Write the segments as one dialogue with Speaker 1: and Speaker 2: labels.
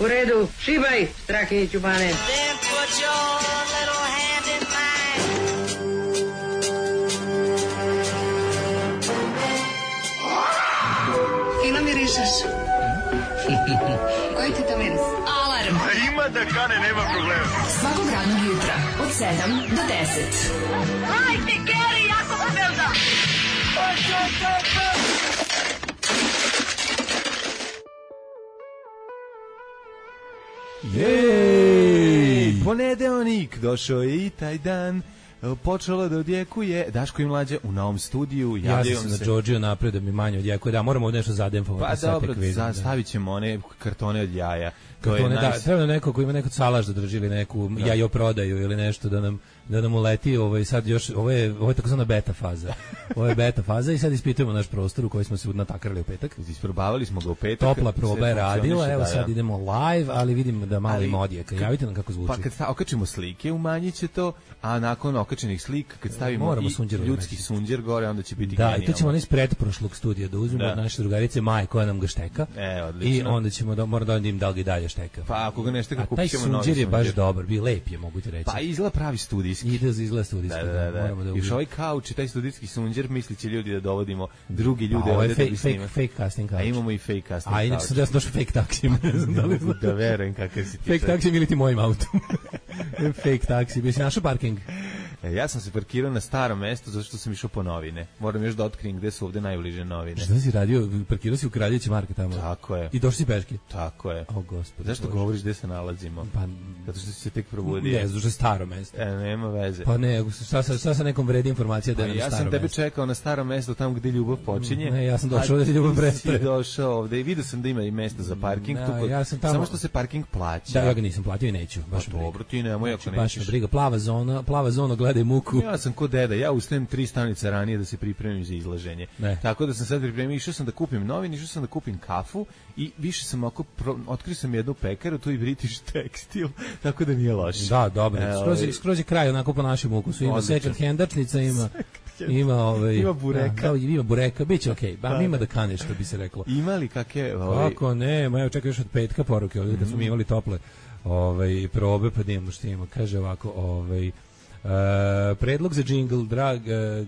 Speaker 1: U redu, šibaj, Strahinji Ćubane.
Speaker 2: Then put your little hand in mine.
Speaker 3: Fino mirišeš. Koji ti to miris? Alarm.
Speaker 4: Ima da kane, nema problema.
Speaker 3: Svakog radnog jutra, od 7 do 10.
Speaker 2: Hajde, Geri, jako se velda.
Speaker 5: Jej! Ponedeljnik, došao je i taj dan. Počelo da odjekuje Daško i Mlađa u novom studiju.
Speaker 6: Ja sam na Džordžiju napred da mi manje odjekuje. Da, moramo nešto zadempovati.
Speaker 5: Pa dobro, stavit ćemo one kartone od jaja.
Speaker 6: Kartone, da, treba nam neko ko ima neku salaš da drži ili neku jajoprodaju ili nešto da nam uleti. Sad još, ovo je takozvana beta faza. Ovo je beta faza i sad ispitujemo naš prostor u koji smo se natakarali u petak.
Speaker 5: Isprobavali smo ga u petak.
Speaker 6: Topla proba je radila, evo sad idemo live, ali vidim da malo ima odjeka. Javite nam kako zvuči.
Speaker 5: Pa kad okačimo slike, umanjit će to, a nakon okačenih slika, kad stavimo i ljudski sunđer gore, onda će biti genijalno.
Speaker 6: Da, i to ćemo ono iz pretprošlog studija da uzmemo od naše drugarice Maje koja nam ga šteka.
Speaker 5: Odlično.
Speaker 6: I onda ćemo moramo da im da li ga dalje šteka.
Speaker 5: Pa ako ga ne šteka, kupit ćemo
Speaker 6: novi sunđer. Taj sunđer je baš dobar, bio lep je, mogu ti reći.
Speaker 5: Pa izgleda pravi studijski.
Speaker 6: Izgleda studijski.
Speaker 5: Da. Još ovaj kauč i taj studijski sunđer misliće ljudi da dovodimo drugi ljude ovdje da bi snimali.
Speaker 6: Fake casting kauč.
Speaker 5: A imamo i fake casting
Speaker 6: kauč. A inače sam da sam došao fake taksijem.
Speaker 5: Da verujem kakav si ti.
Speaker 6: Fake taksijem ili ti mojim autom. Fake taksi. Bi si našao parking?
Speaker 5: Ja sam se parkirao na starom mestu zato što sam išao po novine. Moram još da otkrijem gde su ovde najbliže novine.
Speaker 6: Šta si radio? Parkirao si u Kraljeviću market tamo?
Speaker 5: Tako je.
Speaker 6: I došli si peški?
Speaker 5: Tako je.
Speaker 6: O, gospod.
Speaker 5: Zašto govoriš gde se nalazimo?
Speaker 6: Pa,
Speaker 5: zato što si se tek probudio.
Speaker 6: Ne, zato što je staro mesto.
Speaker 5: Nema veze.
Speaker 6: Pa ne, šta sa nekom vredi informacija da je na staro mesto?
Speaker 5: Ja sam tebe čekao na starom mestu tamo gde ljubav počinje.
Speaker 6: Ne, ja sam došao ovde ljubav prestaje.
Speaker 5: Ti došao ovde i vidio sam da ima i mesta za parking.
Speaker 6: Ja sam tamo...
Speaker 5: Samo što se parking plaća.
Speaker 6: Da, ja ga nisam platio i neću. Baš
Speaker 5: dobro, ti nemoj ako nećeš.
Speaker 6: Baš me briga. Plava zona, gledaj muku.
Speaker 5: Ja sam ko deda, ja ustajem 3 stanice ranije da se pripremim za izlaženje. Tako da sam sad pripremio, išao sam da kupim novine, išao sam da kupim kafu i više sam otkrio sam jednu pekaru, tu i British Textile, tako da nije loše.
Speaker 6: Da, dobro. Skroz je kraj onako po našem ukusu. Ima second handačnica, ima
Speaker 5: bureka.
Speaker 6: Ima bureka, biće okej. Ima da kane, što bi se reklo.
Speaker 5: Ima li kakve...
Speaker 6: Kako ne, evo čekaj još od petka poruke, ovdje kad smo imali tople probe, pa da imamo što imamo. Kaže ovako, predlog za džingl, drag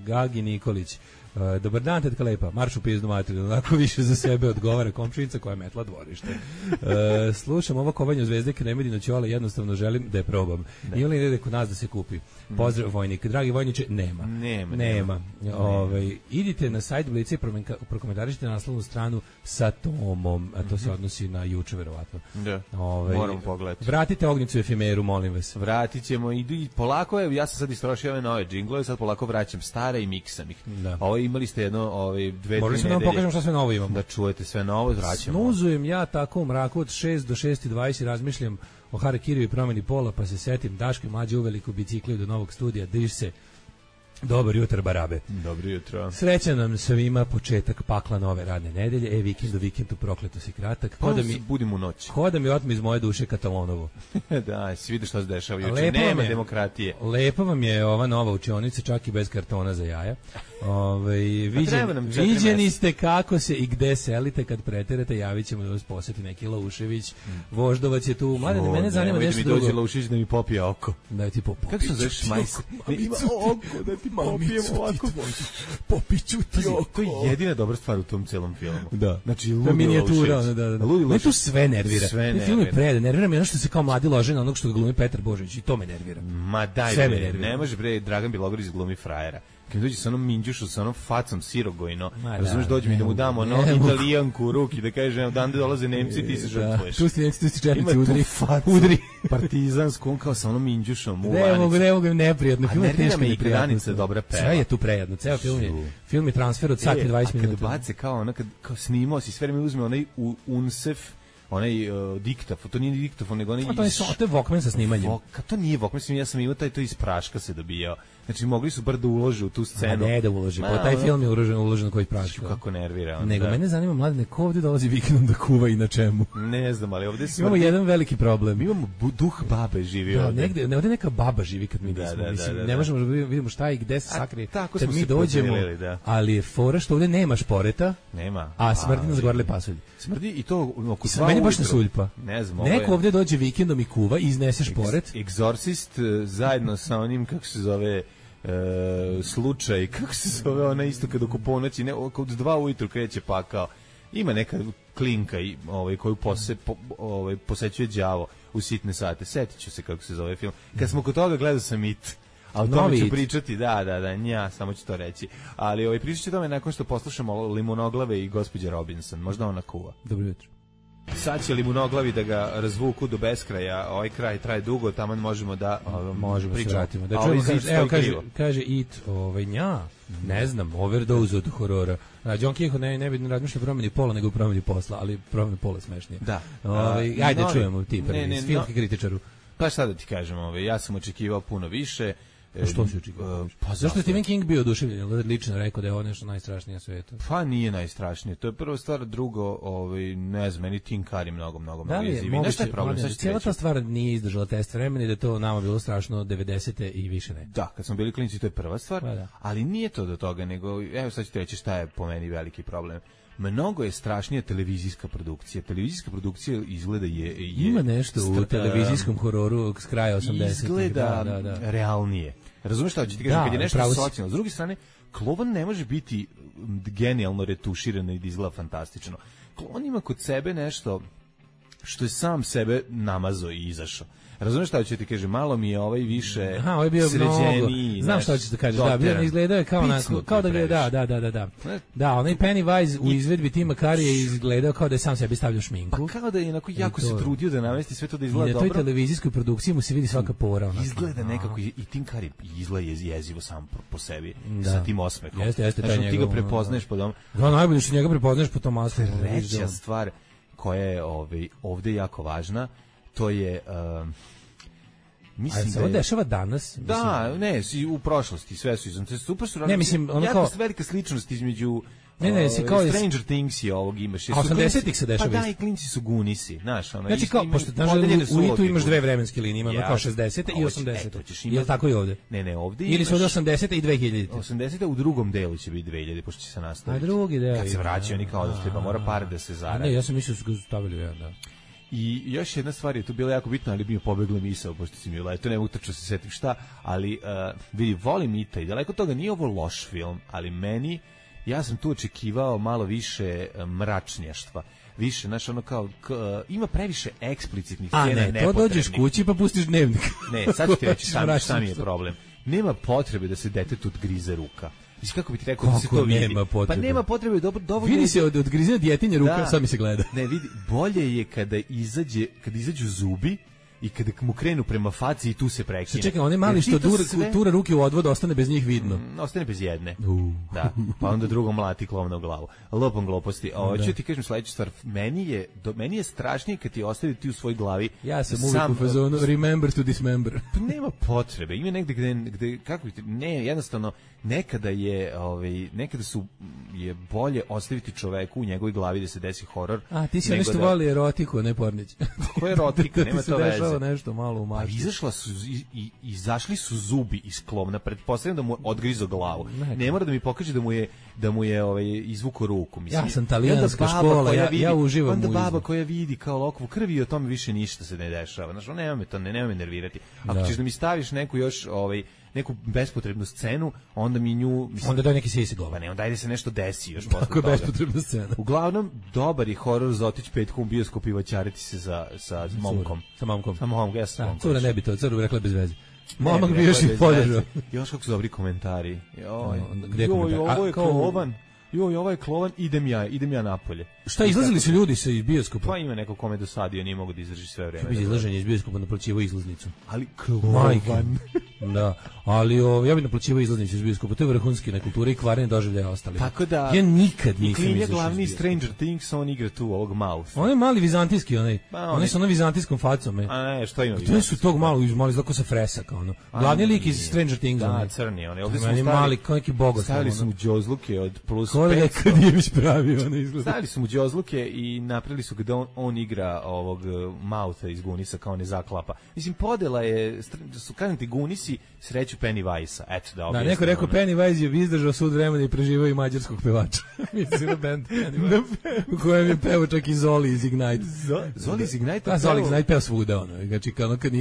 Speaker 6: Gagi Nikolić. Dobar dan, tetka lepa, marš u pizdu materiju, onako više za sebe odgovara komšinica koja je metla dvorište. Slušam ovo kovanje u Zvezde Kremedino Ćole, jednostavno želim da je probam. I oni ide kod nas da se kupi. Pozdrav vojnik. Dragi vojniče, nema. Idite na sajt Blica i prokomentarišite naslovnu stranu sa Tomom, a to se odnosi na juče verovatno.
Speaker 5: Da, moram pogledati.
Speaker 6: Vratite Ognjicu efemeru, molim vas.
Speaker 5: Vratit ćemo i polako, ja sam sad istrošio ove nove džinglove, sad polako vraćam stare i miksam ih. Imali ste jedno 2-3 nedelje.
Speaker 6: Morali smo da vam pokažem šta sve novo imamo.
Speaker 5: Da čujete sve novo, vraćamo.
Speaker 6: Snuzujem ja tako u mraku od 6 do 6:20 i razmišljam o harakiriju i promeni pola, pa se setim Daško i Mlađa uveliko bicikli do novog studija, diš se. Dobar jutro, barabe.
Speaker 5: Dobro jutro.
Speaker 6: Srećan nam svima početak pakla nove radne nedelje. Vikendu prokleto si kratak.
Speaker 5: Budim u noći.
Speaker 6: Ko da mi otme iz moje duše Katalonovo.
Speaker 5: Da, si vidio šta se dešava juče. Nema demokratije.
Speaker 6: Lepa vam je ova nova učionica, čak i bez kartona za jaja. Viđeni ste kako se i gde selite kad preterete, javit ćemo da vas posjeti neki Laušević. Voždovac je tu. Mladene, mene zanima nešto drugo.
Speaker 5: Dođe Laušević da mi popije oko.
Speaker 6: Da ti popije.
Speaker 5: Kako sam zoveš majs?
Speaker 6: Ima oko da ti popijem ovako. Popiću ti oko.
Speaker 5: To je jedina dobra stvar u tom celom filmu.
Speaker 6: Da.
Speaker 5: Znači,
Speaker 6: minijatura. Me tu sve nervira. Film je predan. Nervira me ono što se kao mladi lože na onog što ga glumi Petar Božović. I to me nervira.
Speaker 5: Ma daj, ne može bre, Dragan Bilogorić glumi frajera. Kad dođe sa onom minđušu, sa onom facom sirogojno, razumiješ, dođe mi da mu damo italijanku u ruki, da kaže, odande dolaze Nemci, ti se žrtvuješ.
Speaker 6: Tu si Nemci, tu si četnici, udri.
Speaker 5: Partizansku, on kao sa onom minđušom.
Speaker 6: Ne mogu, neprijatno.
Speaker 5: A nervira me i Granica dobra peva.
Speaker 6: Sve je tu prejedno, ceo film je transfer od sat i 20 minuta.
Speaker 5: A kad bace kao snimao si, sve vreme uzme onaj unsef, onaj diktafon, to nije diktafon, nego onaj...
Speaker 6: To je Walkman sa snimanjem.
Speaker 5: To nije Walkman, ja sam imao to iz praška se dobijao. Znači, mogli su bar da ulože u tu scenu.
Speaker 6: Ne da ulože, pa taj film je uložen koji praška.
Speaker 5: Kako nervira.
Speaker 6: Nego, mene zanima, mladine, ko ovdje dolazi vikendom da kuva i na čemu?
Speaker 5: Ne znam, ali ovdje
Speaker 6: imamo jedan veliki problem.
Speaker 5: Imamo duh babe živi ovdje.
Speaker 6: Ovdje neka baba živi kad mi nismo. Ne možemo da vidimo šta i gde se sakrije kad mi dođemo, ali je fora što ovdje nema šporeta,
Speaker 5: nema,
Speaker 6: a smrdi nas gorele pasulj.
Speaker 5: Smrdi i to oko
Speaker 6: meni baš na suljpa.
Speaker 5: Ne znam,
Speaker 6: neko ovde dođe vikendom i kuva i iznese šporet.
Speaker 5: Exorcist zajedno sa onim, kako se zove, slučaj, kako se zove ona isto kad oko ponoći, ne, od 2 ujutru kreće pakao. Ima neka klinka koju posećuje đavo u sitne sate. Setit ću se kako se zove film. Kad smo kod toga, gledao sam It. A o tome ću pričati, da, samo ću to reći. Ali pričat ću tome nakon što poslušamo Limonoglave i gospođe Robinson. Možda ona kuva.
Speaker 6: Dobro jutro.
Speaker 5: Sad će Limonoglavi da ga razvuku do beskraja, ovaj kraj traje dugo, tamo možemo da
Speaker 6: pričamo. Da čujemo, kaže It, nja, ne znam, overdose od horora. John Kehoe ne bi razmišljao o promeni pola, nego o promeni posla, ali promeni pola smešnije.
Speaker 5: Da.
Speaker 6: Ajde, čujemo ti prvi, s filmski kritičaru.
Speaker 5: Pa šta da ti kažem, ja sam očekivao puno više.
Speaker 6: Što si očekivao? Pa zašto je Stephen King bio oduševljen? Lično rekao da je ovo nešto najstrašnije na svijetu.
Speaker 5: Pa nije najstrašnije. To je prva stvar, drugo, ne znam, meni Tim Curry mnogo jezivi.
Speaker 6: Nešto je problem. Cijela ta stvar nije izdržala test vremena i da je to nama bilo strašno 90-te i više ne.
Speaker 5: Da, kad smo bili klinci, to je prva stvar, ali nije to do toga, nego, evo sad ću ti reći šta je po meni veliki problem. Mnogo je strašnija televizijska produkcija. Televizijska produkcija izgleda
Speaker 6: ima nešto u televizijskom hororu s kraja 80-ih.
Speaker 5: Izgleda realnije. Razumeš šta ću ti kažem? Kad je nešto socijalno. S druge strane, Klovan ne može biti genijalno retuširan i da izgleda fantastično. Klovan ima kod sebe nešto što je sam sebe namazao i izašao. Razumeš šta ću ti kažem, malo mi je više sređeniji.
Speaker 6: Znam šta ćeš da kažeš, bio ne izgledao je kao da je, da. Da, onaj Pennywise u izvedbi Tima Currya je izgledao kao da je sam sebi stavljao šminku.
Speaker 5: Pa kao da je onako jako se trudio da namesti sve to da izgleda dobro.
Speaker 6: I na toj televizijskoj produkciji mu se vidi svaka pora.
Speaker 5: Izgleda nekako, i Tim Curry izgleda jezivo sam po sebi, sa tim osmehom.
Speaker 6: Jeste, taj njegov.
Speaker 5: Ti ga prepoznaješ po tom.
Speaker 6: Da, najbolje što njega prepoznaješ po tom osmehu.
Speaker 5: Treća stvar koja je ovde jako važna, to je
Speaker 6: mislim da se ovo dešava danas.
Speaker 5: Da, ne, u prošlosti sve su izom. Super su.
Speaker 6: Ne, mislim, ono kao
Speaker 5: velika sličnost između
Speaker 6: kao
Speaker 5: Stranger Things i ovog imaš.
Speaker 6: 80-ih se dešava.
Speaker 5: Pa da, i klinci su gunisi, znaš, ono.
Speaker 6: Znači kao pošto u Itu imaš dve vremenske linije, imamo kao 60-te i 80-te. Je tako i ovde?
Speaker 5: Ne, ovde
Speaker 6: ili su ovde 80-te i 2000-te.
Speaker 5: 80-te u drugom delu će biti 2000, pošto će se nastaviti.
Speaker 6: A drugi deo.
Speaker 5: Kad se vraćaju oni kao da mora par da se zaradi.
Speaker 6: Ne, ja sam mislio da su ga stavili da.
Speaker 5: I još jedna stvar je tu bila jako bitna, ali mi je pobegla misao, pošto si mi to ne mogu tačno se setim šta, ali vidi, volim Ita i daleko toga, nije ovo loš film, ali meni, ja sam tu očekivao malo više mračnjaštva, više, znaš, ono kao, ima previše eksplicitnih scena nepotrebnih.
Speaker 6: A ne, to dođeš kući pa pustiš Dnevnik.
Speaker 5: Ne, sad ću ti reći šta mi je problem. Nema potrebe da se detetu odgrize ruka. Mislim, kako bi ti rekao da se to vidi? Pa nema potrebe, dovoljno.
Speaker 6: Vidi se od grizanja djetinja ruka, sad mi se gleda.
Speaker 5: Ne, vidi, bolje je kada izađu zubi i kada mu krenu prema faci i tu se prekine.
Speaker 6: Čekaj, on je mali što tura ruke u odvod, ostane bez njih vidno.
Speaker 5: Ostane bez jedne. Da, pa onda drugom mlati klovna u glavu. Lopom gluposti. Hoću ti kažem sledeću stvar. Meni je strašnije kad ti ostavi ti u svojoj glavi.
Speaker 6: Ja sam uvijek u fazonu remember to dismember.
Speaker 5: Nema potrebe. Ima negde gde kako ne, jednostavno nekada je je bolje ostaviti čoveku u njegovoj glavi da se desi horor.
Speaker 6: A ti si nešto voli erotiku, ne pornić.
Speaker 5: Ko je erotika, nema to veze.
Speaker 6: Nešto malo u mašti.
Speaker 5: Izašli su zubi iz klovna, pretpostavljam da mu odgrizo glavu. Ne mora da mi pokaže da mu je izvuko ruku, mislim.
Speaker 6: Ja sam talijanska škola, ja uživam
Speaker 5: onda baba koja vidi kao lokvu krvi i o tome više ništa se ne dešava. Znači, nema me nervirati. Ako ćeš da mi staviš neku još neku bespotrebnu scenu, onda mi nju...
Speaker 6: Onda daj neki sisi glava.
Speaker 5: Pa ne, onda ajde se nešto desi još posle
Speaker 6: toga.
Speaker 5: Tako
Speaker 6: je bespotrebna scena.
Speaker 5: Uglavnom, dobar je horor za otići petkom u bioskop i vaćariti se sa momkom.
Speaker 6: Sa momkom.
Speaker 5: Sa momkom, ja sam momkom.
Speaker 6: Cura ne bi to, cura bi rekla bez veze. Momak bi još i podržao.
Speaker 5: Još kako su dobri komentari.
Speaker 6: Ovo
Speaker 5: je klovan. Ovo je klovan, idem ja napolje.
Speaker 6: Šta, izlazili su ljudi sa iz bioskopa?
Speaker 5: Pa ima neko kome dosadio, nije mogu da izdrži sve vreme.
Speaker 6: Bi izlaženje iz bioskopa naplaćivao izlaznicu.
Speaker 5: Ali klovan.
Speaker 6: Da, ali ja bih naplaćivao izlaznicu iz bioskopa, to je vrhunski nekultura i kvarne doživljaje ostali.
Speaker 5: Tako da...
Speaker 6: Ja nikad nisam izašao.
Speaker 5: I glavni Stranger Things, on igra tu ovog Mouth.
Speaker 6: On je mali vizantijski, on je sa onom vizantijskom facom.
Speaker 5: A ne, što ima?
Speaker 6: To su tog malo izlako sa fresak, Glavni lik iz Stranger Things.
Speaker 5: Da, crni, ovdje
Speaker 6: smo mali, kao neki bogat.
Speaker 5: Stavili su mu džozluke od plus 5.
Speaker 6: Kolega Kadijević pravi, izgleda.
Speaker 5: Stavili su mu džozluke i napravili su da on igra ovog Moutha iz Gunisa kao ne zaklapa. Mislim, podela je, kažem ti, Gunisi imati sreću Pennywise-a. Eto da objasnim.
Speaker 6: Da, neko rekao Pennywise je izdržao sud vremena i preživao i mađarskog pevača. Mislim na band Pennywise. U kojem je pevao čak i Zoli iz Ignite.
Speaker 5: Zoli iz Ignite?
Speaker 6: Da, Zoli iz Ignite peo svuda, ono. Znači, kad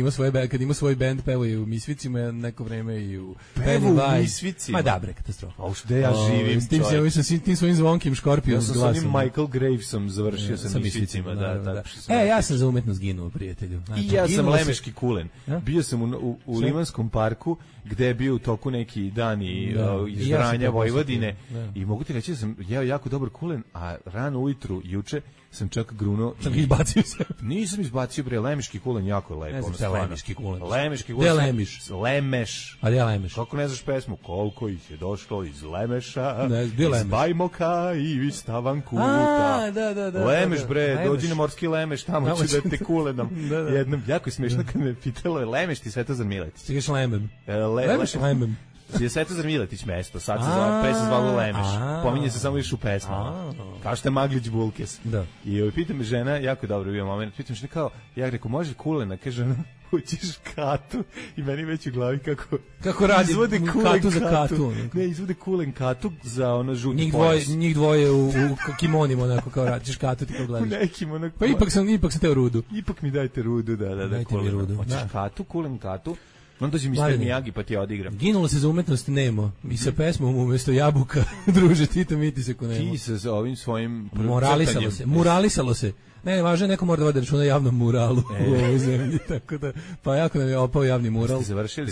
Speaker 6: ima svoj band, pevao je u Misvicima neko vreme i u Pennywise.
Speaker 5: U Misvicima?
Speaker 6: Ma da, bre, katastrofa.
Speaker 5: A gde ja živim,
Speaker 6: čovjek. S tim svojim zvonkim Škorpijom s glasom.
Speaker 5: Ja sam s onim Michael Gravesom završio sa Misvicima. Da.
Speaker 6: Ja sam za umetnost ginuo, prijatelju.
Speaker 5: I ja sam lemeški kulen. Bio sam u Limanskom parku, gde je bio u toku neki dani iz Vranja, Vojvodine, i mogu ti reći da sam jeo jako dobar kulen, a rano ujutru, juče, sam čak grunuo.
Speaker 6: Sam izbacio se.
Speaker 5: Nisam izbacio, bre, lemeški kulen jako je lepo.
Speaker 6: Ne znam šta je lemeški kulen.
Speaker 5: Lemeški kulen.
Speaker 6: Gde je Lemiš?
Speaker 5: Lemeš.
Speaker 6: A gde je Lemeš?
Speaker 5: Kako ne znaš pesmu? Koliko ih je došlo iz Lemeša,
Speaker 6: iz
Speaker 5: Bajmoka i iz Tavankuta.
Speaker 6: Da.
Speaker 5: Lemeš, bre, dođi na morski Lemeš, tamo ću da te kulenom. Jednom, jako je smiješno kad me pitalo je Lemeš ti Svetozar Miletić.
Speaker 6: Ti kažeš Lemem. Lemeš Lemem.
Speaker 5: Je Svetozar Miletić mesto, sad se zove, pre se zvalo Lemeš. Pominje se samo još u pesmama. Kao što je Maglić Bulkes.
Speaker 6: Da.
Speaker 5: I pita me žena, jako dobro bio moment, pitam što kao, ja rekao, može kulena, kaže ona, hoćeš katu, i meni već u glavi kako
Speaker 6: radi
Speaker 5: izvode
Speaker 6: katu za katu.
Speaker 5: Ne, izvode kulen katu za ono žuti pojas.
Speaker 6: Njih dvoje u kimonima, onako, kao radiš katu, ti kao gledaš.
Speaker 5: U nekim, onako.
Speaker 6: Pa ipak sam teo rudu.
Speaker 5: Ipak mi dajte rudu, da.
Speaker 6: Dajte mi rudu.
Speaker 5: Hoćeš katu, kulen katu. On dođe Mr. Miyagi pa ti odigram.
Speaker 6: Ginulo se za umetnost Nemo. I sa pesmom umjesto jabuka, druže, ti se ko Nemo.
Speaker 5: Ti se za ovim svojim
Speaker 6: Muralisalo se. Ne, važno je, neko mora da vodi računa javnom muralu u ovoj zemlji, tako da, pa jako nam je opao javni mural.
Speaker 5: Ste završili?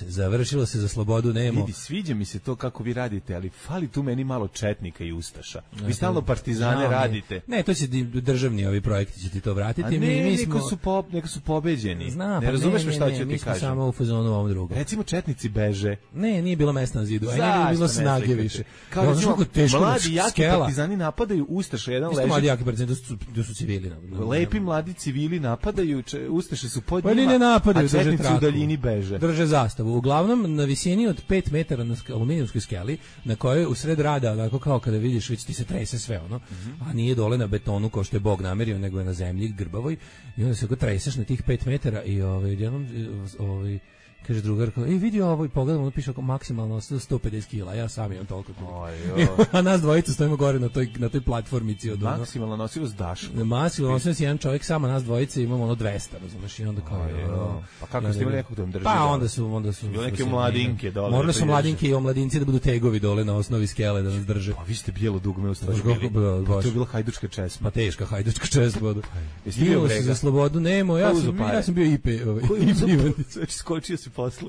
Speaker 6: Završilo se za slobodu Nemo.
Speaker 5: Vidi, sviđa mi se to kako vi radite, ali fali tu meni malo četnika i ustaša. Vi stalno partizane radite.
Speaker 6: Ne, to će državni ovi projekti će ti to vratiti.
Speaker 5: A ne, neko su pobeđeni.
Speaker 6: Znam,
Speaker 5: ne razumeš me šta ću ti kažem.
Speaker 6: Mi smo samo u fazonu ovom drugom.
Speaker 5: Recimo četnici beže.
Speaker 6: Ne, nije bilo mesta na zidu, a nije bilo snage više.
Speaker 5: Kao recimo, mladi jaki partizani napadaju ustaša, jedan leži.
Speaker 6: Mladi jaki partizani, to su civili.
Speaker 5: Lepi mladi civili napadaju, ustaše su pod
Speaker 6: njima,
Speaker 5: ne
Speaker 6: napadaju,
Speaker 5: a četnici u daljini beže.
Speaker 6: Drže zastavu. Uglavnom, na visini od 5 metara na aluminijumskoj skeli, na kojoj u sred rada, onako kao kada vidiš, već ti se trese sve, ono, a nije dole na betonu kao što je Bog namerio, nego je na zemlji, grbavoj, i onda se ako treseš na tih 5 metara i jednom, kaže drugarka, vidi ovo i pogledam, ono piše oko maksimalno 150 kila, ja sam imam toliko. A nas dvojica stojimo gore na toj platformici.
Speaker 5: Maksimalno nosivost Daško.
Speaker 6: Maksimalno nosivost jedan čovjek, samo nas dvojica imamo 200, razumeš, i onda kao...
Speaker 5: Pa kako ste imali nekog da vam drži?
Speaker 6: Pa onda su...
Speaker 5: Bilo neke mladinke dole.
Speaker 6: Morali su mladinke i omladinci da budu tegovi dole na osnovi skele da nas drže.
Speaker 5: Pa vi ste bijelo dugme u stvari bili. To je bila hajdučka česma.
Speaker 6: Pa teška hajdučka česma. Bilo se za slobodu Nemo, ja sam bio IP.
Speaker 5: Skočio si posle.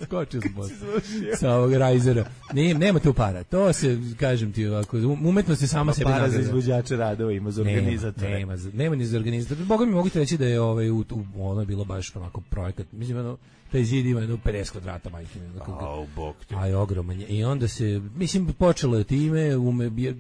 Speaker 6: Sa ovog rajzera. Nema tu para. To se, kažem ti ovako, umetnost je sama sebi nagrada.
Speaker 5: Para za izvođače radova ima za organizatore.
Speaker 6: Nema ni za organizatore. Boga mi mogu ti reći da je ono je bilo baš onako projekat. Mislim, taj zid ima 50 kvadrata, majke.
Speaker 5: Bog te.
Speaker 6: A je ogroman. I onda se, mislim, počelo je time,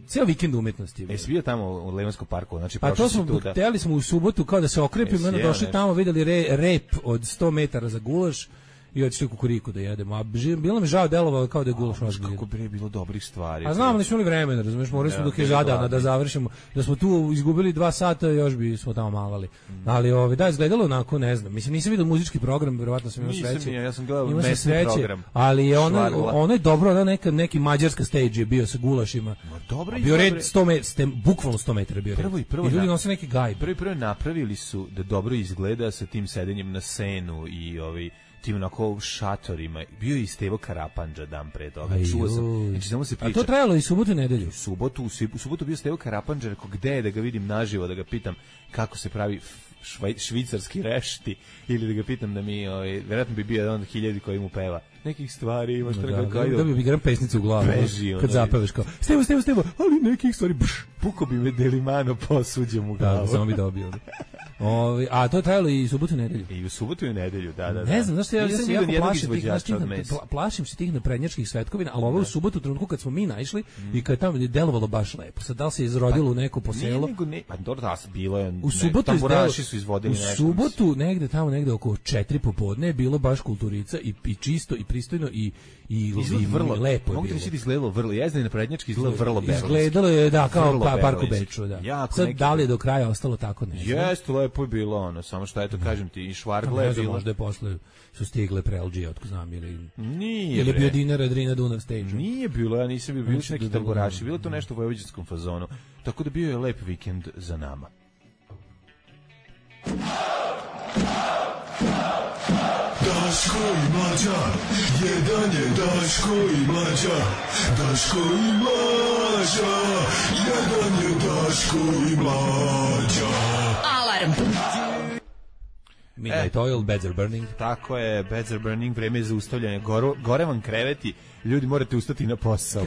Speaker 6: ceo vikend umetnosti.
Speaker 5: Jesi bio tamo u Levanskom parku? Znači,
Speaker 6: pa to smo, htjeli smo u subotu kao da se okrepimo, onda došli tamo, vidjeli rep od 100 metara za gulaš, i otišli kukuriku da jedemo. A bilo mi žao, delovalo kao da je gulaš ozbiljno.
Speaker 5: Kako bre bilo dobrih stvari.
Speaker 6: A znam, nismo imali vremena, razumiješ, morali smo dok je žadana da završimo. Da smo tu izgubili 2 sata, još bi smo tamo malali. Ali da, izgledalo onako, ne znam. Mislim, nisam vidio muzički program, verovatno sam imao sreće.
Speaker 5: Ja sam gledao mesni program.
Speaker 6: Ali je ono je dobro, neki mađarska stage je bio sa gulašima.
Speaker 5: Dobro,
Speaker 6: bio red 100 metara, bukvalno 100 metara bio red. I ljudi nose neki gajb.
Speaker 5: Prvo napravili su da dobro izgleda sa tim sedenjem na senu i tim onako šatorima. Bio je i Stevo Karapandža dan pre toga. Čuo sam. Znači, samo se priča.
Speaker 6: A to trajalo i subotu i nedelju?
Speaker 5: U subotu bio Stevo Karapandža, rekao gde je da ga vidim naživo, da ga pitam kako se pravi švicarski rešti, ili da ga pitam da mi, vjerojatno bi bio jedan od 1000 koji mu peva. Nekih stvari imaš
Speaker 6: da bi gram pesnicu u glavu kad zapeveš kao Stevo, ali nekih stvari
Speaker 5: puko bi me Delimano posuđem u glavu.
Speaker 6: Samo bi dobio. A to je trajalo i subotu i nedelju.
Speaker 5: I u subotu i nedelju, da.
Speaker 6: Ne znam, znaš, ja se jako plašim se tih naprednjačkih svetkovina, ali ovo u subotu, trenutku kad smo mi naišli i kad tamo je delovalo baš lepo. Sad da li se izrodilo u neko poselo?
Speaker 5: Pa dobro, da, bilo je.
Speaker 6: U subotu
Speaker 5: tamburaši su izvodili nešto.
Speaker 6: U subotu negde oko 4 popodne je bilo baš kulturica i čisto i pristojno i
Speaker 5: vrlo
Speaker 6: lepo.
Speaker 5: Mogu ti reći da izgledalo vrlo, jezdanje na prednjački izgledalo vrlo beogradski.
Speaker 6: Izgledalo je, da, kao park u
Speaker 5: beogradski.
Speaker 6: Beču, da.
Speaker 5: Jako
Speaker 6: Sad,
Speaker 5: neki...
Speaker 6: da li je do kraja ostalo tako, ne znam.
Speaker 5: Jeste, lepo je bilo ono, samo što eto, kažem ti, i švargle je bilo.
Speaker 6: Možda je posle su stigle prelđije, otko znam, ili
Speaker 5: nije
Speaker 6: bio Dinara, Drina, Dunav stage.
Speaker 5: Nije bilo, ja nisam bio su neki tamburaši, bilo to nešto u vojvođanskom fazonu. Tako da bio je lep vikend za nama.
Speaker 7: Daško i Mlađa, jedan je Daško i Mlađa, Daško i Mlađa, jedan je Daško i Mlađa.
Speaker 3: Alarm.
Speaker 6: Midnight Oil, Beds Are Burning.
Speaker 5: Tako je, Beds Are Burning, vreme je zaustavljanje. Gore vam kreveti, ljudi morate ustati na posao,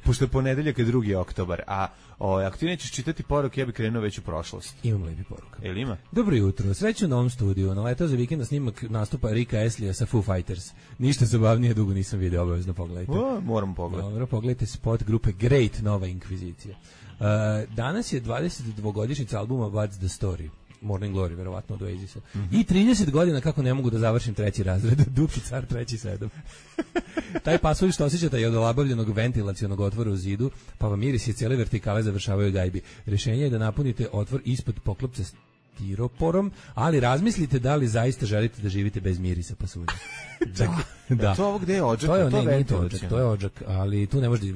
Speaker 5: pošto je ponedeljak je 2. oktobar, a ako ti nećeš čitati poruke, ja bih krenuo već u prošlost.
Speaker 6: Imam lepi poruka.
Speaker 5: Jel ima?
Speaker 6: Dobro jutro, sreću u novom studiju. Naletao za vikend na snimak nastupa Rika Eslija sa Foo Fighters. Ništa zabavnije dugo nisam vidio, obavezno pogledajte.
Speaker 5: Moram pogledati.
Speaker 6: Dobro, pogledajte spot grupe Great, Nova Inkvizicija. Danas je 22-godišnjica albuma What's the Story. Morning Glory, verovatno od Oasisa. I 30 godina kako ne mogu da završim 3. razred. Duki car 3.7. Taj pasulj što osjećate je od olabavljenog ventilacionog otvora u zidu, pa vam miris je cijele vertikale završavaju gajbi. Rješenje je da napunite otvor ispod poklopca stiroporom, ali razmislite da li zaista želite da živite bez mirisa pasulja.
Speaker 5: Da. To ovo gde je odžak?
Speaker 6: To je odžak, ali tu ne možeš da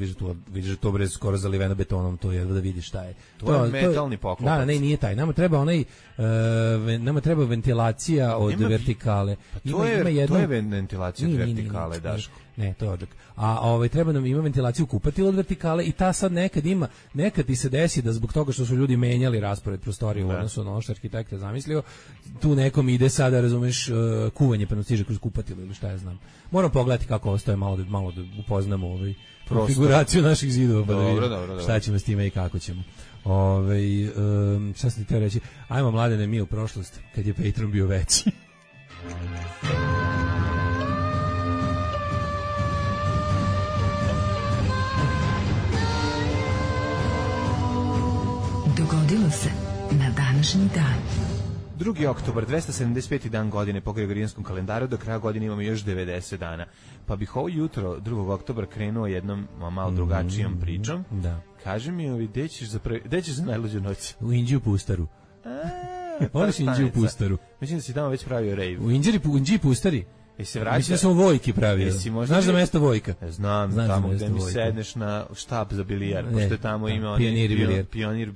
Speaker 6: vidiš to bre skoro zaliveno betonom, to je da vidiš šta je.
Speaker 5: To je metalni poklopac.
Speaker 6: Da, ne, nije taj. Nama treba ventilacija od vertikale.
Speaker 5: To je ventilacija od vertikale, Daško.
Speaker 6: Ne, to je odžak. A treba nam ima ventilaciju kupatila od vertikale i ta sad nekad ti se desi da zbog toga što su ljudi menjali raspored prostorije u odnosu na ono što arhitekta zamislio, tu nekom ide sada, razumeš, kuvanje pa nam stiže kroz kupatilo ili šta ja znam. Moram pogledati kako ostaje, malo da upoznamo konfiguraciju naših zidova, pa da vidimo šta ćemo s time i kako ćemo. Šta sam ti teo reći? Ajmo, Mladene, mi u prošlost, kad je Patreon bio veći.
Speaker 3: Dogodilo se na današnji dan.
Speaker 5: 2. oktobar, 275. dan godine po gregorijanskom kalendaru, do kraja godine imamo još 90 dana. Pa bih ovo jutro, 2. oktobra, krenuo jednom malo drugačijom pričom.
Speaker 6: Da.
Speaker 5: Kaži mi, gde ćeš za najluđu noć?
Speaker 6: U Inđiju Pustaru. Voliš Inđiju Pustaru?
Speaker 5: Mislim da si tamo već pravio rave.
Speaker 6: U Inđiji Pustari? Mislim
Speaker 5: da
Speaker 6: sam u Vojki pravio. Znaš za mesto Vojka?
Speaker 5: Znam tamo gde mi sedneš na štab za bilijar, pošto tamo ima Pionir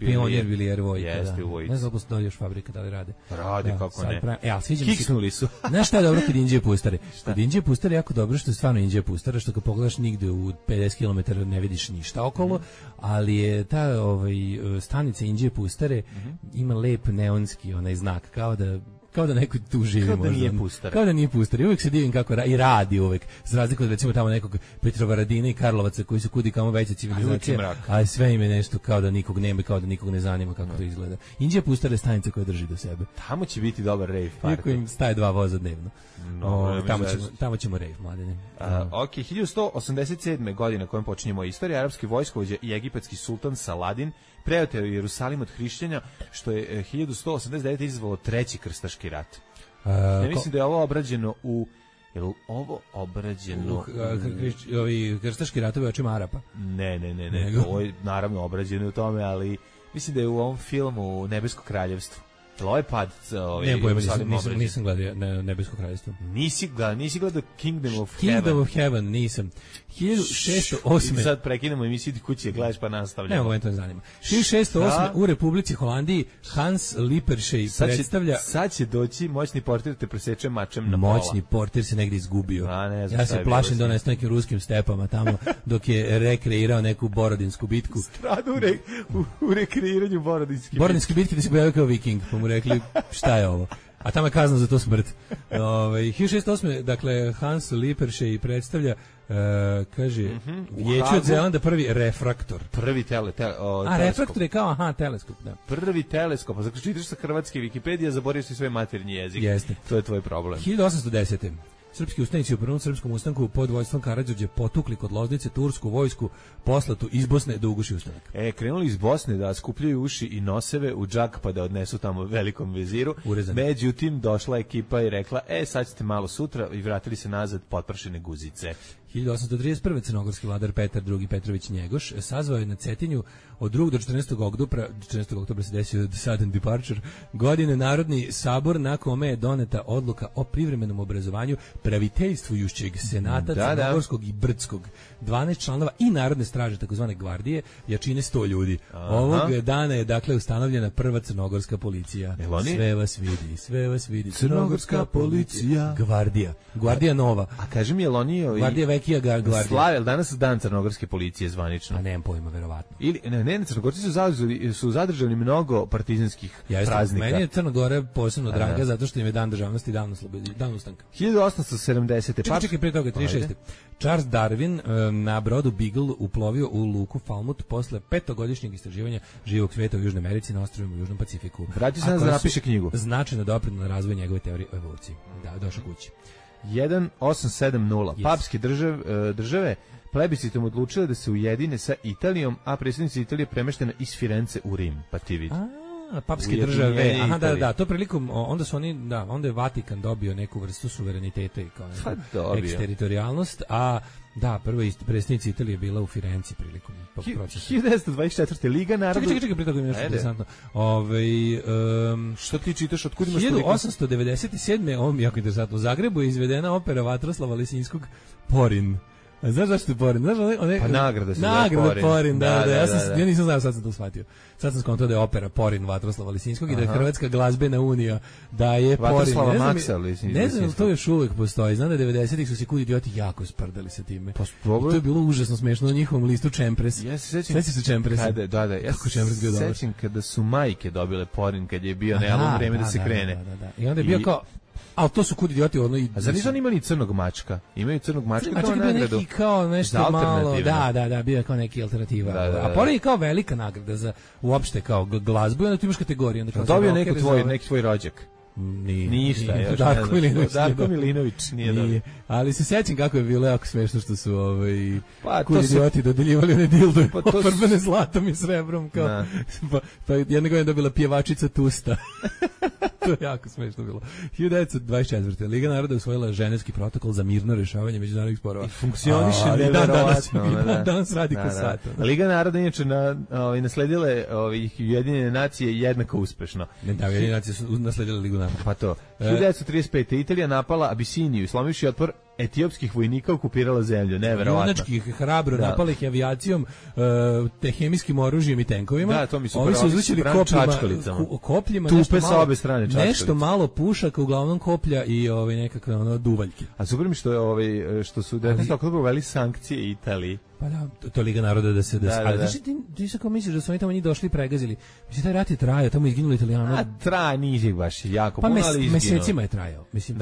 Speaker 6: bilijar Vojka.
Speaker 5: Jeste u Vojci.
Speaker 6: Ne znam da još fabrika da li rade.
Speaker 5: Rade, kako ne.
Speaker 6: Ali sviđa mi se.
Speaker 5: Kiksnuli su.
Speaker 6: Znaš šta je dobro kod Inđije Pustare? Kod Inđije Pustare je jako dobro što je stvarno Inđije Pustara, što kad pogledaš nigde u 50 km ne vidiš ništa okolo, ali je ta stanica Inđije Pustare ima lep neonski onaj znak, kao da neko tu živi. Kao da nije Pustar. I uvijek se divim kako i radi uvijek. Za razliku od recimo tamo nekog Petrovaradina i Karlovaca koji su kudi kamo veća civilizacija. Ali sve im je nešto kao da nikog nema, kao da nikog ne zanima kako to izgleda. Inđija Pustar je stanica koja drži do sebe.
Speaker 5: Tamo će biti dobar rave party.
Speaker 6: Iako im staje 2 voza dnevno. Tamo ćemo rave, Mladene.
Speaker 5: Ok, 1187. godine kojom počinjemo istoriju, arapski vojskovođa i egipatski sultan Saladin preoteo Jerusalim od hrišćenja, što je 1189. izazvalo 3. krstaški rat. Ja mislim da je ovo obrađeno
Speaker 6: ovi krstaški ratovi očima Arapa?
Speaker 5: Ne. Ovo je naravno obrađeno u tome, ali mislim da je u ovom filmu Nebesko kraljevstvo. Ovo je pad.
Speaker 6: Nisam gledao Nebesko kraljevstvo.
Speaker 5: Nisi gledao Kingdom of
Speaker 6: Heaven, nisam. 1608.
Speaker 5: Sad prekinemo emisiju kuće, gledaš pa nastavljamo.
Speaker 6: Evo, to me zanima. 1608. u Republici Holandiji Hans Lippershey predstavlja...
Speaker 5: Sad će doći moćni portir te preseče mačem na pola.
Speaker 6: Moćni portir se negdje izgubio. Ja se plašim da on je s nekim ruskim stepama tamo dok je rekreirao neku borodinsku bitku.
Speaker 5: Stradu u rekreiranju borodinske
Speaker 6: bitke da se pojavio kao viking, pa mu rekli šta je ovo. A tamo je kazna za to smrt. 1608. Dakle, Hans Lippershey predstavlja kaže, Vijeće od Zelanda prvi refraktor.
Speaker 5: Prvi teleskop.
Speaker 6: Refraktor je kao, teleskop, da.
Speaker 5: Prvi teleskop. Znači, čitaš sa hrvatske Wikipedije, zaboravio si svoj maternji jezik.
Speaker 6: Jeste.
Speaker 5: To je tvoj problem.
Speaker 6: 1810. Srpski ustanici u prvom srpskom ustanku pod vojstvom Karađorđa potukli kod Loznice tursku vojsku poslatu iz Bosne da uguši ustanak.
Speaker 5: Krenuli iz Bosne da skupljaju uši i noseve u džak pa da odnesu tamo velikom veziru.
Speaker 6: Urezani.
Speaker 5: Međutim, došla ekipa i rekla, sad ćete malo sutra i vratili se nazad potpršene guzice.
Speaker 6: 1831. crnogorski vladar Petar II. Petrović Njegoš sazvao je na Cetinju od 2. do 14. oktobra se desio sudden departure, godine Narodni sabor na kome je doneta odluka o privremenom obrazovanju praviteljstvujućeg senata crnogorskog i brdskog, 12 članova i narodne straže, takozvane gvardije, jačine 100 ljudi. Ovog dana je dakle ustanovljena prva crnogorska policija. Sve vas vidi.
Speaker 5: Crnogorska policija.
Speaker 6: Gvardija nova.
Speaker 5: A kaži mi, jel oni
Speaker 6: Gvardija vekija gvardija.
Speaker 5: Slave, danas dan crnogorske policije zvanično?
Speaker 6: A nemam pojma, verovatno.
Speaker 5: Ili ne, Crnogorci su zadržali mnogo partizanskih praznika.
Speaker 6: Meni je Crna Gora posebno draga zato što im je dan državnosti, dan ustanka.
Speaker 5: 1870.
Speaker 6: Čekaj, pre toga, 36. Charles Darwin na brodu Beagle uplovio u luku Falmouth posle 5-godišnjeg istraživanja živog sveta u Južnoj Americi na ostrvima u Južnom Pacifiku.
Speaker 5: Vraća se da napiše knjigu.
Speaker 6: Značajno doprinelo na razvoj njegove teorije o evoluciji. Da, došao kući.
Speaker 5: 1870. Papske države plebiscitom odlučile da se ujedine sa Italijom, a predsjednica Italije premeštena iz Firence u Rim, pa ti vidi.
Speaker 6: Papske države, da, to prilikom, onda su oni, onda je Vatikan dobio neku vrstu suvereniteta i kao eksteritorijalnost, a da, prva predsjednica Italije je bila u Firenci prilikom procesa.
Speaker 5: 1924. Liga naroda...
Speaker 6: Čekaj, prije toga mi je nešto interesantno.
Speaker 5: Što ti čitaš, otkud imaš
Speaker 6: 1897. Ovo mi jako interesantno. U Zagrebu je izvedena opera Vatroslava Lisinskog Porin. A znaš zašto je Porin?
Speaker 5: Pa nagrada se
Speaker 6: nagrada Porin, da. Ja nisam znao, sad sam to shvatio. Sad sam skontao da je opera Porin Vatroslava Lisinskog i da je Hrvatska glazbena unija daje Porin.
Speaker 5: Vatroslava Maksa Lisinskog.
Speaker 6: Ne znam, to još uvijek postoji. Znam da 90-ih su se kud idioti jako sprdali sa time. I to je bilo užasno smešno na njihovom listu Čempres.
Speaker 5: Ja se sećam.
Speaker 6: Sveći se Čempresa.
Speaker 5: Da. Ja se sećam kada su majke dobile Porin, kad je bio na vreme da se krene.
Speaker 6: Da. I onda je bio kao... Ali to su kud idioti ono i...
Speaker 5: A zar nisu oni imali Crnog mačka? Imaju Crnog mačka kao nagradu.
Speaker 6: Neki kao nešto malo... Da, bio je kao neki alternativa. A Porin je kao velika nagrada za uopšte kao glazbu i onda tu imaš kategoriju.
Speaker 5: Dobio neki tvoj rođak. Ništa. Darko Milinović nije dobio.
Speaker 6: Ali se sećam kako je bilo jako smešno što su kud idioti dodeljivali one dildo ofarbene zlatom i srebrom. Pa jedna godina dobila pjevačica Tusta. To je jako smešno bilo. 1924. Liga naroda usvojila Ženevski protokol za mirno rešavanje međunarodnih sporova.
Speaker 5: I funkcioniše neverovatno.
Speaker 6: Danas radi ko sat.
Speaker 5: Liga naroda inače nasledile Ujedinjene nacije jednako uspešno.
Speaker 6: Da, Ujedinjene nacije su nasledile Ligu naroda.
Speaker 5: Pa to. 1935. Italija napala Abisiniju i slomivši otpor etiopskih vojnika okupirala zemlju, neverovatno.
Speaker 6: Junački hrabro napali ih avijacijom, te hemijskim oružjem i tenkovima.
Speaker 5: Da, to mi su
Speaker 6: ovi su izlučili kopljima
Speaker 5: tupe sa obe strane čačkalice.
Speaker 6: Nešto malo pušaka, uglavnom koplja i nekakve duvaljke.
Speaker 5: A super mi što su tako uveli sankcije Italiji.
Speaker 6: Pa da, to Liga naroda da se... Ali znači ti se kao misliš da su oni tamo njih došli i pregazili. Mislim, taj rat je trajao, tamo je izginuli Italijana.
Speaker 5: A traja nije baš jako puno, ali izginuo.
Speaker 6: Mesecima je trajao. Mislim,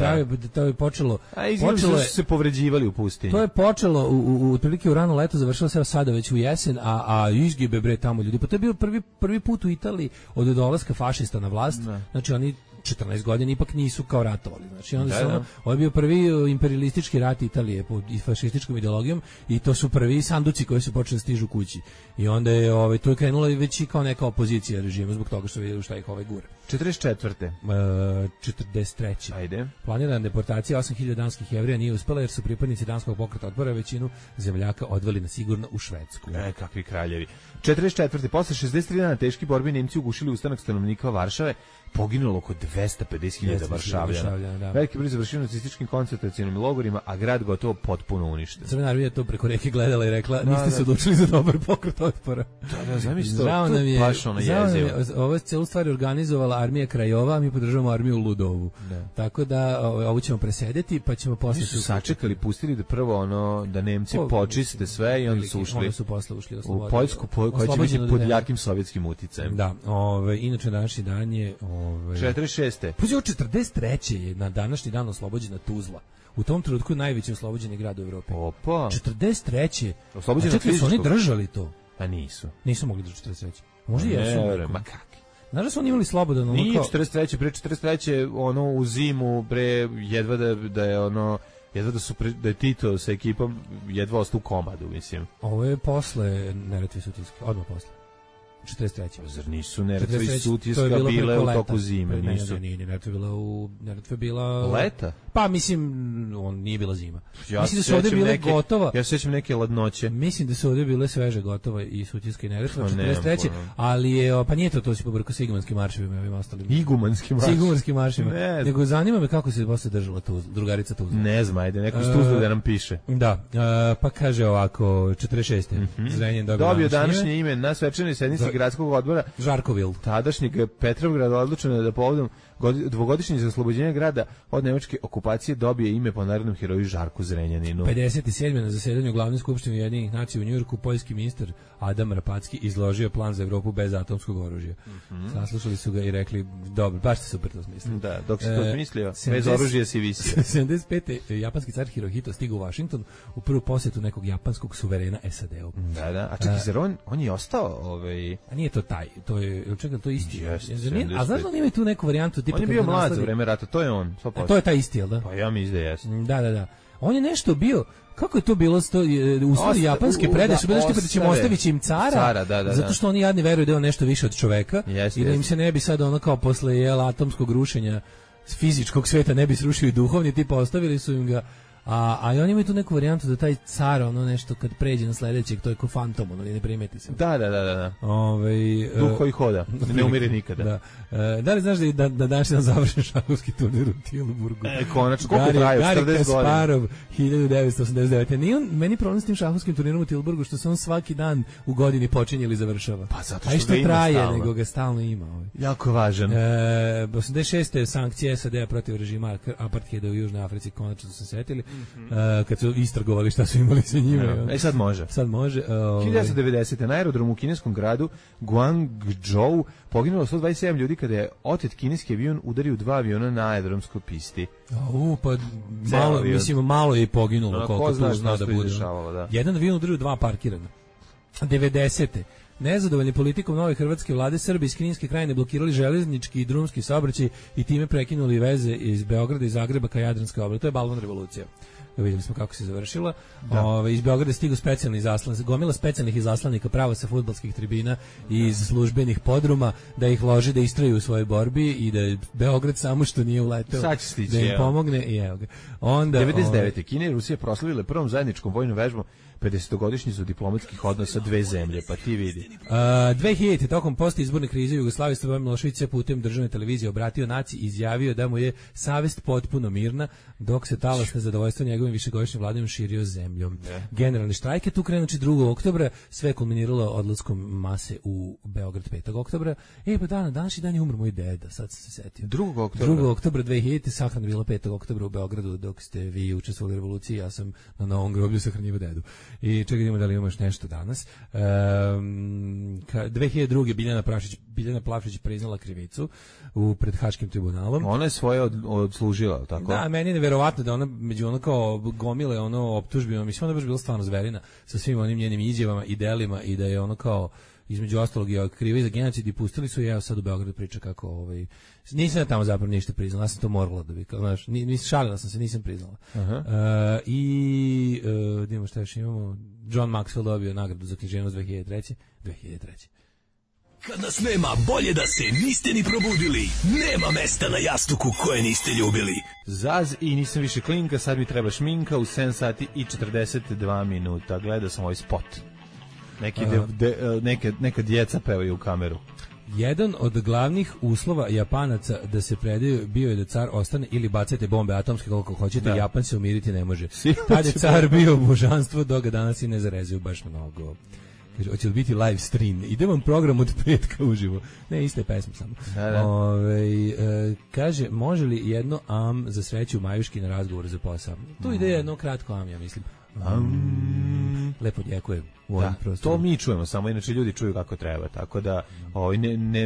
Speaker 6: to je počelo...
Speaker 5: A izginuli su se povređivali u pustinji.
Speaker 6: To je počelo otprilike u rano leto, završilo se sada već u jesen, a izgibe bre tamo ljudi. Pa to je bio prvi put u Italiji od dolaska fašista na vlast. Znači oni 14 godina ipak nisu kao ratovali. Znači onda su ovo je bio prvi imperialistički rat Italije pod fašističkom ideologijom i to su prvi sanduci koji su počeli stižu kući. I onda je to je krenula već i kao neka opozicija režimu zbog toga što vidjeli šta ih gura.
Speaker 5: 44.
Speaker 6: 43.
Speaker 5: Ajde.
Speaker 6: Planirana deportacija 8000 danskih Jevrija nije uspela jer su pripadnici danskog pokreta otpora većinu zemljaka odveli na sigurno u Švedsku.
Speaker 5: Kakvi kraljevi. 44. Posle 63 dana teški borbi Nemci ugušili ustanak stanovnika Varšave, poginulo oko 250.000 Varšavljana. Veliki broj završio u nacističkim koncentracionim logorima, a grad gotovo potpuno uništen.
Speaker 6: Crvena armija to preko reke gledala i rekla, niste se odlučili za dobar pokret otpora.
Speaker 5: Da, zamisli to, baš ono jezivo.
Speaker 6: Ovo celu stvar organizovala armija Krajova, a mi podržavamo armiju Ludovu. Tako da ovo ćemo presedeti, pa ćemo posle...
Speaker 5: Oni su sačekali, pustili da prvo da Nemci počiste sve i onda su ušli u Poljsku, koja će biti pod jakim sovjetskim uticajem.
Speaker 6: Da, inače današnji dan je...
Speaker 5: 46.
Speaker 6: Puzi, 43. je na današnji dan oslobođena Tuzla. U tom trenutku je najveći oslobođeni grad u Evropi.
Speaker 5: Opa.
Speaker 6: 43.
Speaker 5: Oslobođena fizičkog.
Speaker 6: Su oni držali to?
Speaker 5: A nisu.
Speaker 6: Nisu mogli držati 43. Možda jesu.
Speaker 5: Ma kakvi.
Speaker 6: Znaš da su oni imali slobodan?
Speaker 5: Nije 43. Pre 43. U zimu, jedva da je jedva da je Tito sa ekipom jedva ostao u komadu, mislim.
Speaker 6: Ovo je posle Neretve Sutjeske, odmah posle. 43.
Speaker 5: Zar nisu Neretva i Sutjeska bile u toku zime? Nisu.
Speaker 6: Neretva bila...
Speaker 5: Leta?
Speaker 6: Pa mislim, on nije bila zima. Mislim da su ovdje bile gotova.
Speaker 5: Ja se sjećam neke ladnoće.
Speaker 6: Mislim da su ovdje bile sveže gotova i Sutjeska i Neretva 43. Ali je, pa nije to si pobrkao sa igumanskim marševima i ovim ostalim. Igumanskim marševima. Nego zanima me kako se posle držala drugarica Tuzla.
Speaker 5: Ne znam, ajde, neko s Tuzla da nam piše.
Speaker 6: Da, pa kaže ovako, 46. Zrenjanin dobio
Speaker 5: današnje ime na svečanoj sednici gradskog odbora
Speaker 6: Žarkovil.
Speaker 5: Tadašnjeg Petrovgrada odlučeno da povodom dvogodišnjeg oslobođenja grada od nemačke okupacije dobije ime po narodnom heroju Žarku Zrenjaninu.
Speaker 6: 57. na zasedanju glavne skupštine Ujedinjenih nacija u Njujorku poljski ministar Adam Rapacki izložio plan za Evropu bez atomskog oružja. Saslušali su ga i rekli, dobro, baš ste super to smislili.
Speaker 5: Da, dok se to smislio, bez oružja si visio.
Speaker 6: 75. japanski car Hirohito stigao u Washington u prvu posjetu nekog japanskog suverena SAD-u.
Speaker 5: Da, a čekaj, zar on je ostao?
Speaker 6: A nije to taj, to je, čekaj, to je isti. A znaš da on ima tu neku varijantu?
Speaker 5: On je bio mlad za vreme rata, to je on.
Speaker 6: To je taj isti, jel da?
Speaker 5: Pa ja mislim da jeste.
Speaker 6: Da. On je nešto bio, kako je to bilo, uslovi japanske predaje su bilo nešto kada ćemo ostaviti im cara, zato što oni jadni veruju da je on nešto više od čoveka i da im se ne bi sad ono kao posle atomskog rušenja fizičkog sveta ne bi srušio i duhovni, tipa ostavili su im ga. A oni imaju tu neku varijantu da taj car ono nešto kad pređe na sledećeg, to je ko fantom, ono ne primeti se.
Speaker 5: Da. Duh koji hoda, ne umire nikada.
Speaker 6: Da li znaš da danas je završen šahovski turnir u Tilburgu?
Speaker 5: Konačno, koliko traju? 40 godina.
Speaker 6: Gari Kasparov, 1989. Nije on, meni problem s tim šahovskim turnirom u Tilburgu, što se on svaki dan u godini počinje ili završava.
Speaker 5: Pa zato što
Speaker 6: ga ima traje, stalno. Nego ga stalno ima.
Speaker 5: Jako važan.
Speaker 6: 86. sankcije SAD-a protiv režima apartheida u Južnoj Africi, konačno su se setili. Kad su istragovali šta su imali sa njima.
Speaker 5: Sad može. 1990. na aerodromu u kineskom gradu Guangzhou poginulo 127 ljudi kada je otet kineski avion udario 2 aviona na aerodromskoj pisti.
Speaker 6: Pa malo je poginulo.
Speaker 5: Ko zna šta da bude.
Speaker 6: Jedan avion udario 2 parkirana. 90. Nezadovoljni politikom nove hrvatske vlade, Srbi iz Kninske krajine blokirali železnički i drumski saobraćaj i time prekinuli veze iz Beograda i Zagreba ka Jadranskoj obali. To je balvan revolucija. Vidjeli smo kako se završila. Iz Beograda stigu specijalni izaslanci, gomila specijalnih izaslanika pravo sa fudbalskih tribina i iz službenih podruma da ih lože da istraju u svojoj borbi i da je Beograd samo što nije uleteo da im pomogne. I evo ga. Onda
Speaker 5: 99. Kina i Rusija proslavile prvom zajedničkom vojnom vežbom 50-godišnjicu diplomatskih odnosa dve zemlje, pa ti vidi.
Speaker 6: 2000. tokom postizborne krize Jugoslavije Slobodan Milošević se putem državne televizije obratio naciji i izjavio da mu je savest potpuno mirna, dok se talas nezadovoljstva njegovim višegodišnjim vladom širio zemljom. Generalni štrajk je tu krenući 2. oktobra, sve kulminiralo odlaskom mase u Beograd 5. oktobra. Pa današnji dan je umro moj deda, sad sam se setio. 2. oktobra 2000. sahrana bila 5. oktobra u Beogradu, dok ste vi učestvovali u revoluciji, ja sam na novom groblju sahranjivo dedu. I čekaj da li imamo još nešto danas. 2002. Biljana Plavšić priznala krivicu pred Haškim tribunalom.
Speaker 5: Ona je svoje odslužila, tako?
Speaker 6: Da, meni je neverovatno da ona među ono kao gomile optužbima, mislim ona je baš bila stvarno zverina sa svim onim njenim izjavama i delima i da je ono kao između ostalog je kriva i za genocid i pustili su je, sad u Beogradu priča kako nisam ja tamo zapravo ništa priznala, ja sam to morala da bi, znaš, šalila sam se, nisam priznala. Idemo šta još imamo, John Maxwell dobio nagradu za književnost 2003.
Speaker 7: Kad nas nema, bolje da se niste ni probudili. Nema mesta na jastuku koje niste ljubili.
Speaker 5: Zaz i nisam više klinka, sad mi treba šminka u 7 sati i 42 minuta. Gledao sam ovaj spot. Neka djeca pevaju u kameru.
Speaker 6: Jedan od glavnih uslova Japanaca da se predaju bio je da car ostane ili bacate bombe atomske koliko hoćete, Japan se umiriti ne može. Tad je car bio božanstvo, dok ga danas i ne zarezuju baš mnogo. Kaže, hoće li biti live stream? Ide vam program od petka uživo. Ne, iste pesme samo. Kaže, može li jedno am za sreću Majuški na razgovor za posao? Tu ide jedno kratko am, ja mislim. Lepo djekujem u ovom prostoru.
Speaker 5: To mi čujemo, samo inače ljudi čuju kako treba, tako da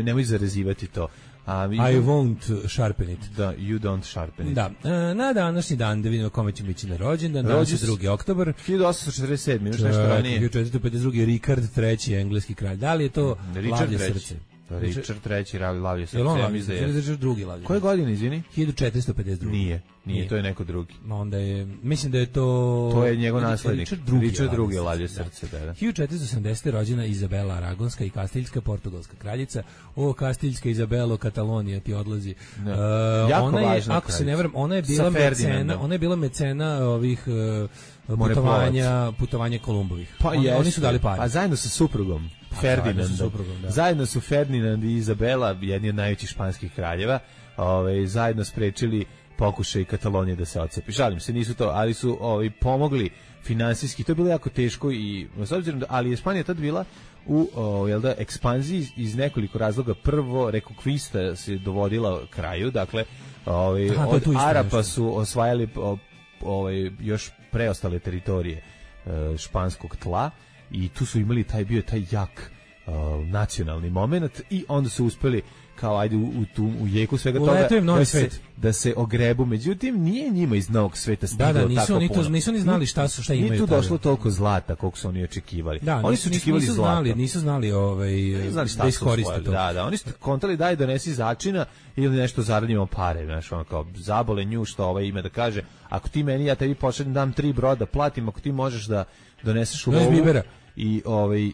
Speaker 5: nemoj zarezivati to.
Speaker 6: I won't sharpen it.
Speaker 5: Da, you don't sharpen it.
Speaker 6: Da, na današnji dan da vidimo kome će biti na rođendan, danas je 2. oktobar.
Speaker 5: 1847, još nešto ranije.
Speaker 6: 1452. Richard III, engleski kralj. Da li je to Lavlje srce?
Speaker 5: Richard III lavlje srce,
Speaker 6: ja
Speaker 5: mislim
Speaker 6: mislim
Speaker 5: da je.
Speaker 6: Richard drugi lavlje.
Speaker 5: Koje godine, izvini?
Speaker 6: 1452.
Speaker 5: Nije, to je neko drugi.
Speaker 6: Onda je, mislim da je to...
Speaker 5: To je njegov naslednik. Richard II lavlje
Speaker 6: srce.
Speaker 5: srce, da.
Speaker 6: 1470. rođena Izabela Aragonska i Kastiljska portugalska kraljica. O, Kastiljska Izabelo, Katalonija ti odlazi.
Speaker 5: Jako
Speaker 6: ona je,
Speaker 5: važna
Speaker 6: ako se ne varam, ona je bila mecena ovih putovanja Kolumbovih.
Speaker 5: Pa
Speaker 6: oni su dali pare.
Speaker 5: A zajedno sa suprugom. Ferdinandom. Zajedno su Ferdinand i Izabela, jedni od najvećih španskih kraljeva, zajedno sprečili pokušaj Katalonije da se odcepi. Šalim se, nisu to, ali su pomogli finansijski. To je bilo jako teško i s obzirom da, ali je Španija tad bila u ekspanziji iz nekoliko razloga. Prvo, Reconquista se dovodila kraju, dakle od Arapa su osvajali još preostale teritorije španskog tla i tu su imali bio taj jak nacionalni moment i onda su uspeli kao ajde u jeku svega toga da se ogrebu. Međutim, nije njima iz novog sveta stiglo tako puno.
Speaker 6: Nisu ni znali šta imaju.
Speaker 5: Nije tu došlo toliko zlata koliko su oni očekivali.
Speaker 6: Da,
Speaker 5: oni su očekivali zlato.
Speaker 6: Nisu znali da iskoriste to.
Speaker 5: Da, oni su kontali daj donesi začina ili nešto zaradimo pare, znaš, ono kao zabole nju što ime da kaže, ako ti meni, ja tebi pošaljem, dam 3 broda, platim, ako ti možeš da doneseš u lovu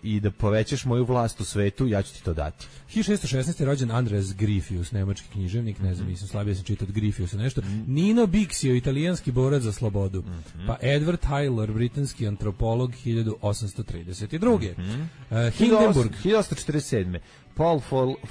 Speaker 5: i da povećaš moju vlast u svetu, ja ću ti to dati.
Speaker 6: 1616. rođen Andreas Gryphius, nemački književnik, ne znam, nisam slabije sam čitao od Gryphiusa nešto. Nino Bixio, italijanski borac za slobodu. Pa Edward Tyler, britanski antropolog, 1832. Hindenburg.
Speaker 5: 1847. Paul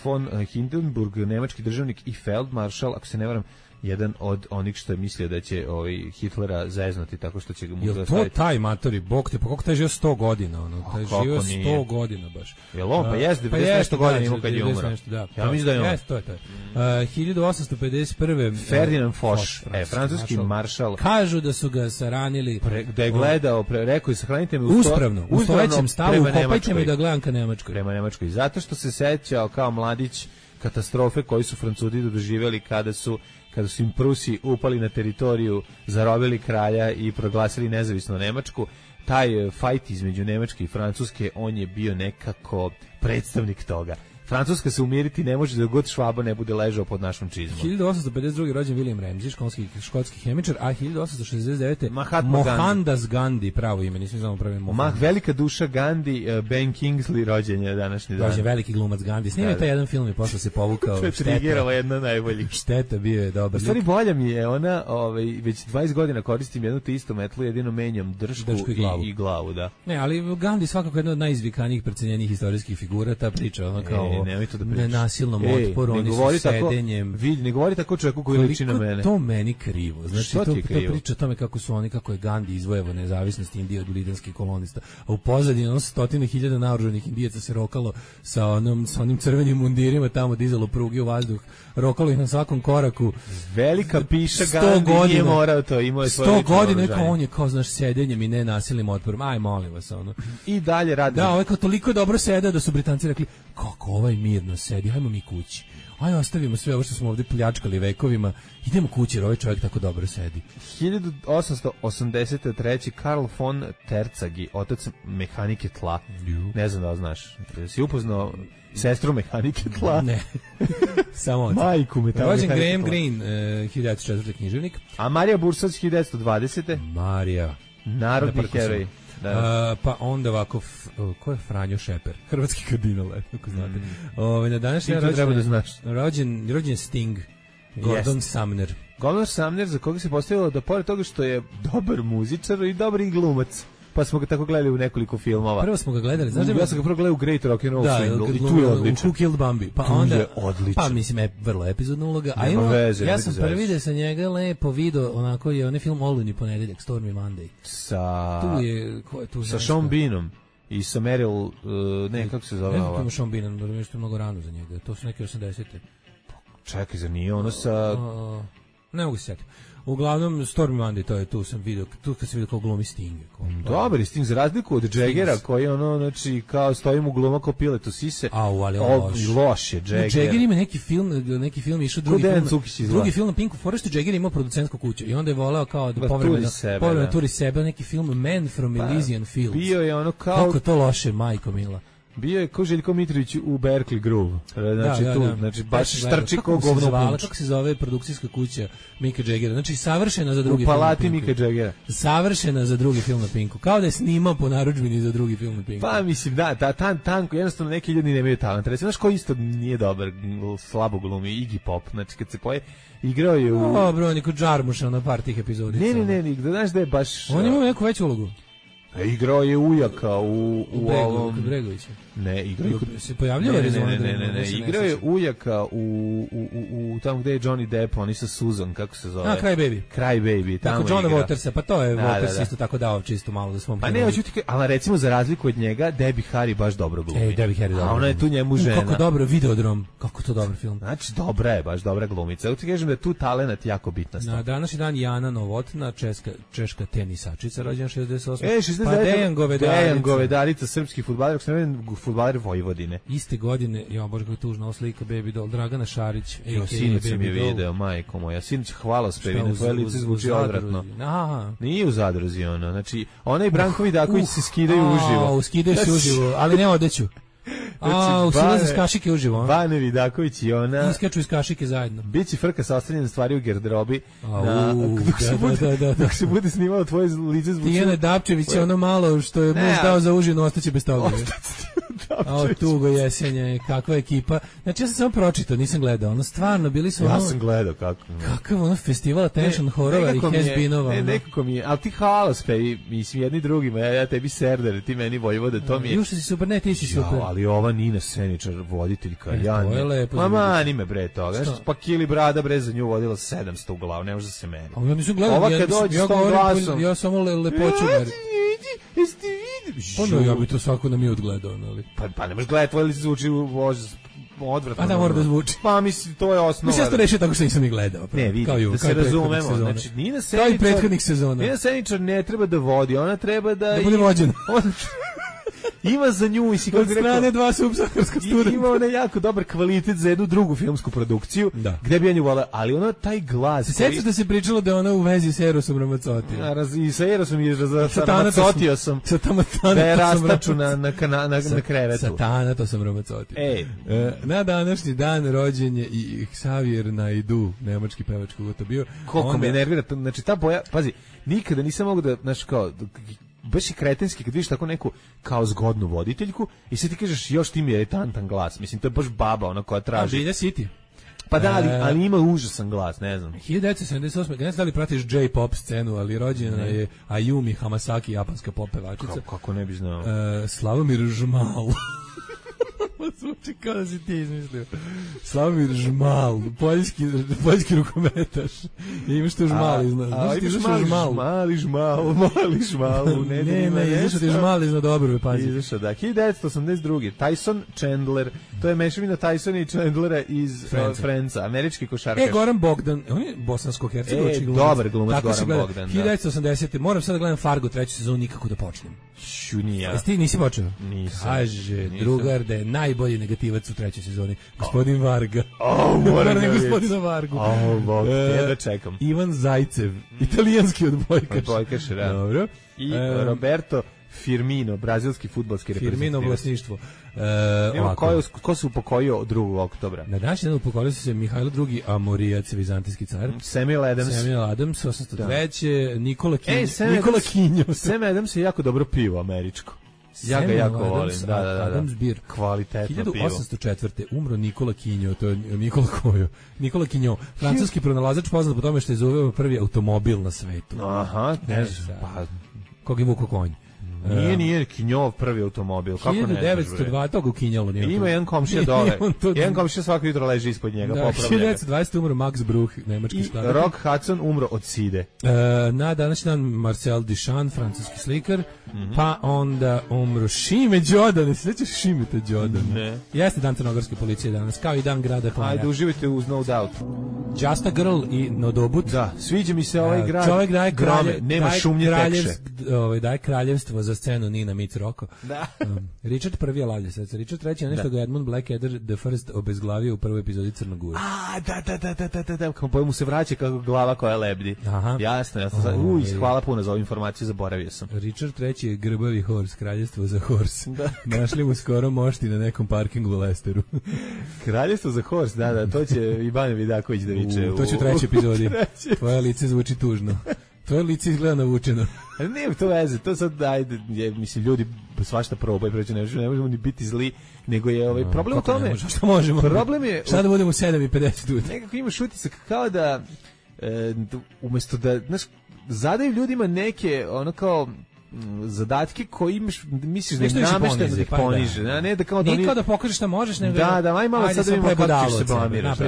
Speaker 5: von Hindenburg, nemački državnik i feldmaršal, ako se ne varam, jedan od onih što je mislio da će Hitlera zeznuti tako što će ga mu
Speaker 6: zastaviti. Jel to taj matori, bog te, pa kako taj živio 100 godina? Taj živio 100 godina baš.
Speaker 5: Jel on, pa jeste, 90 nešto godina imao kad je umro. Ja mislim da je on.
Speaker 6: Jeste, to je to. 1851.
Speaker 5: Ferdinand Foch, francuski maršal.
Speaker 6: Kažu da su ga saranili.
Speaker 5: Da je gledao, rekao je sahranite me
Speaker 6: u stojećem stavu, kopajte me da gledam ka Nemačkoj.
Speaker 5: Prema Nemačkoj. Zato što se sećao kao mladić katastrofe koju su Francuzi doživjeli kada su im Prusi upali na teritoriju, zarobili kralja i proglasili nezavisnu Nemačku. Taj fajt između Nemačke i Francuske, on je bio nekako predstavnik toga. Francuska se umiriti ne može da god Švaba ne bude ležao pod našom čizmom.
Speaker 6: 1852. rođen William Ramsay, škotski hemičar, a 1869. Mohandas Gandhi, pravo ime, nisam znamo pravo ime.
Speaker 5: Velika duša Gandhi, Ben Kingsley rođen je današnji dan.
Speaker 6: Rođen veliki glumac Gandhi. Snimio taj jedan film i posle se povukao.
Speaker 5: To je trigiralo jedna najboljih.
Speaker 6: Šteta, bio je dobar.
Speaker 5: U stvari bolja mi je ona, već 20 godina koristim jednu te istu metlu, jedino menjam držku i glavu, da.
Speaker 6: Ne, ali Gandhi svakako jedna od najizvikanijih, precenjenih istorijskih figura, ta priča, ona kao nenasilnom otporu, oni su sedenjem.
Speaker 5: Ne govori tako čovjeku koji liči na mene.
Speaker 6: To meni krivo. Znači, to priča o tome kako je Gandhi izvojevao nezavisnost Indije od britanskih kolonista. A u pozadini 100.000 naoružanih Indijaca se rokalo sa onim crvenim mundirima, tamo dizalo pruge u vazduh, rokalo ih na svakom koraku.
Speaker 5: Velika piša Gandhi nije morao to, imao je svoje
Speaker 6: 100 godina, kao on je kao, znaš, sedenjem i nenasilnim otporom. Aj, molim vas, ono.
Speaker 5: I dalje radi.
Speaker 6: Da, ovo kao toliko dobro sedao da su Britanci rekli, kako ovaj mirno sedi, hajmo mi kući. Aj, ostavimo sve ovo što smo ovdje pljačkali vekovima, idemo kući jer ovaj čovjek tako dobro sedi.
Speaker 5: 1883. Karl von Terzagi, otac mehanike tla. Ne znam da li znaš. Si upoznao sestru mehanike tla?
Speaker 6: Ne. Samo otac.
Speaker 5: Majku mehanike tla.
Speaker 6: Graham Greene, 1904. književnik.
Speaker 5: A Marija Bursac, 1920.
Speaker 6: Marija.
Speaker 5: Narodni heroj.
Speaker 6: Pa onda ovako, ko je Franjo Šeper? Hrvatski kardinal, ako znate. Na današnji rođen Sting, Gordon Sumner.
Speaker 5: Gordon Sumner, za koga se postavilo da pored toga što je dobar muzičar i dobar i glumac, pa smo ga tako gledali u nekoliko filmova.
Speaker 6: Prvo smo ga gledali, znaš
Speaker 5: ja sam ga prvo gledao u Great Rock and Roll Swindle i tu je odličan.
Speaker 6: U Who Killed Bambi. Pa onda, pa mislim, vrlo epizodna uloga. A ja sam prvi da sa njega lepo video, onako je onaj film Olujni ponedeljak, Stormy Monday.
Speaker 5: Sa Sean Beanom i sa Meryl, kako se zove ova?
Speaker 6: Ne znam Sean Beanom, da je mnogo rano za njega, to su neke 80-te.
Speaker 5: Čekaj, za nije ono sa...
Speaker 6: Ne mogu se sjetiti. Uglavnom, Stormy Monday, to je tu sam vidio, tu kad sam vidio kao glumi Sting.
Speaker 5: Dobar Sting, za razliku od Jaggera, koji znači, kao stojim u gluma kao pilet u sise.
Speaker 6: Ali
Speaker 5: loš je Jagger.
Speaker 6: Jagger ima neki film išao drugi film na Pinku Forestu, Jagger ima producentsku kuću i onda je voleo kao da povremeno turi sebe, neki film Man from Elysian Fields.
Speaker 5: Bio je ono kao...
Speaker 6: Kako to loše, majko mila.
Speaker 5: Bio je ko Željko Mitrović u Berkeley Groove. Znači, znači baš štrči ko govno punč.
Speaker 6: Kako se zove produkcijska kuća Mika Jaggera? Znači, savršena za drugi film.
Speaker 5: U palati Mika Jaggera.
Speaker 6: Savršena za drugi film na Pinku. Kao da je snimao po narudžbini za drugi film na Pinku.
Speaker 5: Pa, mislim, da, tanko, jednostavno neki ljudi nemaju talent. Recimo, znaš ko isto nije dobar, slabo glumi, Iggy Pop. Znači, kad se poje, igrao je u...
Speaker 6: Bro, niko Džarmuša na par tih epizodica.
Speaker 5: Ne, znaš da je baš...
Speaker 6: On ima neku veću ulogu.
Speaker 5: Igrao je ujaka u ovom...
Speaker 6: Kod Bregovića.
Speaker 5: Ne, igrao je...
Speaker 6: Se pojavljava Arizona?
Speaker 5: Ne, igrao je ujaka u tamo gde je Johnny Depp, oni sa Susan, kako se zove?
Speaker 6: Cry Baby.
Speaker 5: Cry Baby, tamo
Speaker 6: igra. Tako Johna Watersa, pa to je
Speaker 5: Waters
Speaker 6: isto tako dao čisto malo za svom
Speaker 5: Pa ne, hoću ti ali recimo za razliku od njega, Debbie Harry baš dobro glumi.
Speaker 6: Debbie Harry dobro.
Speaker 5: A ona je tu njemu žena.
Speaker 6: Kako dobro, Videodrom, kako to dobar film.
Speaker 5: Znači, dobra je, baš dobra glumica. Ja ti kažem da je tu talenat jako bitna stvar.
Speaker 6: Na današnji dan Jana Novotna, češka tenisačica, rođena 68.
Speaker 5: 69.
Speaker 6: Pa
Speaker 5: Dejan Govedarica, srpski fudbaler, fudbaler Vojvodine.
Speaker 6: Iste godine, ja bože kako tužna ova slika Baby Doll, Dragana Šarić,
Speaker 5: sinoć sam je video, majko moja. Sinoć hvalospeve, na tvoje lice zvuči odvratno. Nije u zadruzi ona. Znači, ona i Branko Vidaković se skidaju uživo.
Speaker 6: Skidaju se uživo, ali ne odeću. Usilaze iz kašike uživo.
Speaker 5: Bane Vidaković i ona.
Speaker 6: Iskaču iz kašike zajedno.
Speaker 5: Biće frka sa ostavljenim stvari u garderobi. Dok se bude snimalo tvoje lice zvuči.
Speaker 6: Tijana Dapčević je ono malo što je muž dao za užinu, ostaće bez toga. Tugo jesenje, kakva ekipa. Znači ja sam samo pročitao, nisam gledao. Ono stvarno bili su ono...
Speaker 5: Ja sam gledao kako.
Speaker 6: Kakav ono festival attention horora i has-beenova.
Speaker 5: Nekako mi je, ali ti halospej, mislim jedni drugima, ja tebi Serder, ti meni Vojvode, to mi je...
Speaker 6: Juša si super, ne ti si super.
Speaker 5: Ali ova Nina Seničar, voditeljka, ja
Speaker 6: ne.
Speaker 5: Mama, ni me bre toga. Pa Kili Brada bre za nju vodila 700 u glavu, ne može da se meni.
Speaker 6: Ja nisam gledao,
Speaker 5: ova kad dođe s tom glasom...
Speaker 6: Ja samo lepoću ja bi to svako na mi odgledao, ali...
Speaker 5: Pa ne možeš gledati, tvoje lice zvuči odvratno.
Speaker 6: A da mora da zvuči.
Speaker 5: Pa mislim, to je osnova.
Speaker 6: Mislim, ja to rešio tako što nisam ih gledao.
Speaker 5: Ne, vidi, da se razumemo. Znači, Nina Seničar...
Speaker 6: Kao i prethodnih sezona.
Speaker 5: Nina Seničar ne treba da vodi, ona treba da
Speaker 6: bude vođena.
Speaker 5: Ima za nju i si kako
Speaker 6: strane dva subsaharska studenta.
Speaker 5: Ima ona jako dobar kvalitet za jednu drugu filmsku produkciju, gde bi ja nju volao, ali ona taj glas...
Speaker 6: Se sjećaš da se pričalo da je ona u vezi s Erosom Ramazzotti?
Speaker 5: I sa Erosom i Ramazzotio sam.
Speaker 6: Sa
Speaker 5: da je rastaču na krevetu.
Speaker 6: Sa Tanato sam Ramazzotti. Na današnji dan rođen je i Xavier Naidoo, nemački pevač koga to bio.
Speaker 5: Koliko me nervira, znači ta boja, pazi, nikada nisam mogu da, znaš kao... baš i kretenski kad vidiš tako neku kao zgodnu voditeljku i sad ti kažeš još ti mi je tantan glas. Mislim, to je baš baba ona koja traži.
Speaker 6: Bilja City.
Speaker 5: Pa da, ali ima užasan glas, ne znam.
Speaker 6: 1978. Ne znam da li pratiš J-pop scenu, ali rođena je Ayumi Hamasaki, japanska pop pevačica.
Speaker 5: Kako ne bi znao.
Speaker 6: Slavomir Žmal. Zvuči kao da si ti izmislio. Slavomir Žmal, poljski rukometaš. Imaš tu žmal iznad.
Speaker 5: Mali žmal.
Speaker 6: Ne, izašao ti žmal iznad obrve, pazi.
Speaker 5: Izašao, da. 1982. Tyson Chandler, to je mešavina Tysona i Chandlera iz Friendsa, američki košarkaš.
Speaker 6: Goran Bogdan, on je bosansko-hercegovački glumac.
Speaker 5: Dobar glumac Goran Bogdan.
Speaker 6: 1980. Moram sad da gledam Fargo treću sezonu, nikako da počnem.
Speaker 5: Šunija.
Speaker 6: Ti nisi počeo?
Speaker 5: Nisam.
Speaker 6: Kaže drugar da je najbolji negativac u trećoj sezoni. Gospodin Varga.
Speaker 5: Moram
Speaker 6: da gospodina Vargu.
Speaker 5: Da čekam.
Speaker 6: Ivan Zajcev, italijanski odbojkaš.
Speaker 5: Odbojkaš, da.
Speaker 6: Dobro.
Speaker 5: I Roberto Firmino, brazilski fudbalski reprezentativac.
Speaker 6: Firmino vlasništvo.
Speaker 5: Ko se upokojio 2. oktobra?
Speaker 6: Na današnji dan upokojio se Mihajlo II. Amorijac, vizantijski car.
Speaker 5: Samuel
Speaker 6: Adams, 803. Nikola Kinjo.
Speaker 5: Samuel Adams je jako dobro pivo američko. Ja ga jako volim. Da.
Speaker 6: Adams Beer.
Speaker 5: Kvalitetno pivo.
Speaker 6: 1804. umro Nikola Kinjo, to je Nikola Kinjo, francuski pronalazač poznat po tome što je izuveo prvi automobil na svetu.
Speaker 5: Aha, ne znam.
Speaker 6: Kog je vuko konj.
Speaker 5: Nije Kinjov prvi automobil. Kako ne?
Speaker 6: 1902 toga u Kinjalo.
Speaker 5: Ima jedan komšija dole. Jedan komšija svako jutro leži ispod njega.
Speaker 6: 1920 umro Max Bruch, nemački štager.
Speaker 5: I Rock Hudson umro od side.
Speaker 6: Na današnji dan Marcel Duchamp, francuski slikar. Pa onda umro Šime Đodan. Ne se sjećaš Šimeta Đodan?
Speaker 5: Ne.
Speaker 6: Jeste dan crnogorske policije danas, kao i dan grada Klaja.
Speaker 5: Ajde, uživajte uz No Doubt.
Speaker 6: Just a Girl i Nodobut.
Speaker 5: Da, sviđa mi se ovaj grad.
Speaker 6: Čovjek daje
Speaker 5: nema šumnje tekše.
Speaker 6: Daje kraljevstvo za za scenu Nina Mitz Rocco.
Speaker 5: Da.
Speaker 6: Richard prvi je lavlje srce. Richard treći je nešto ga Edmund Blackadder the First obezglavio u prvoj epizodi Crnogore.
Speaker 5: Da. Kako mu se vraća kako glava koja lebdi.
Speaker 6: Aha.
Speaker 5: Jasno. Hvala puno za ovu informaciju, zaboravio sam.
Speaker 6: Richard treći je grbavi horse, kraljevstvo za horse. Našli mu skoro mošti na nekom parkingu u Lesteru.
Speaker 5: Kraljevstvo za horse, da, to će i Bane Vidaković da viče.
Speaker 6: To će u trećoj epizodi. Tvoje lice zvuči tužno. Tvoje lice izgleda navučeno.
Speaker 5: Ne, to veze, to sad, ajde, mislim, ljudi svašta probaju, preći, ne možemo ni biti zli, nego je problem u tome.
Speaker 6: Što možemo?
Speaker 5: Problem je...
Speaker 6: Šta da budemo u 7:50 ujutro?
Speaker 5: Nekako imaš utisak kao da, umjesto da, znaš, zadaju ljudima neke, ono kao, zadatke koji imaš, misliš da je namešteno da ih poniže, ne da kao da
Speaker 6: oni... Nije kao da pokažeš šta možeš, nego...
Speaker 5: Da, aj malo sad da vidimo kako ćeš se blamiraš.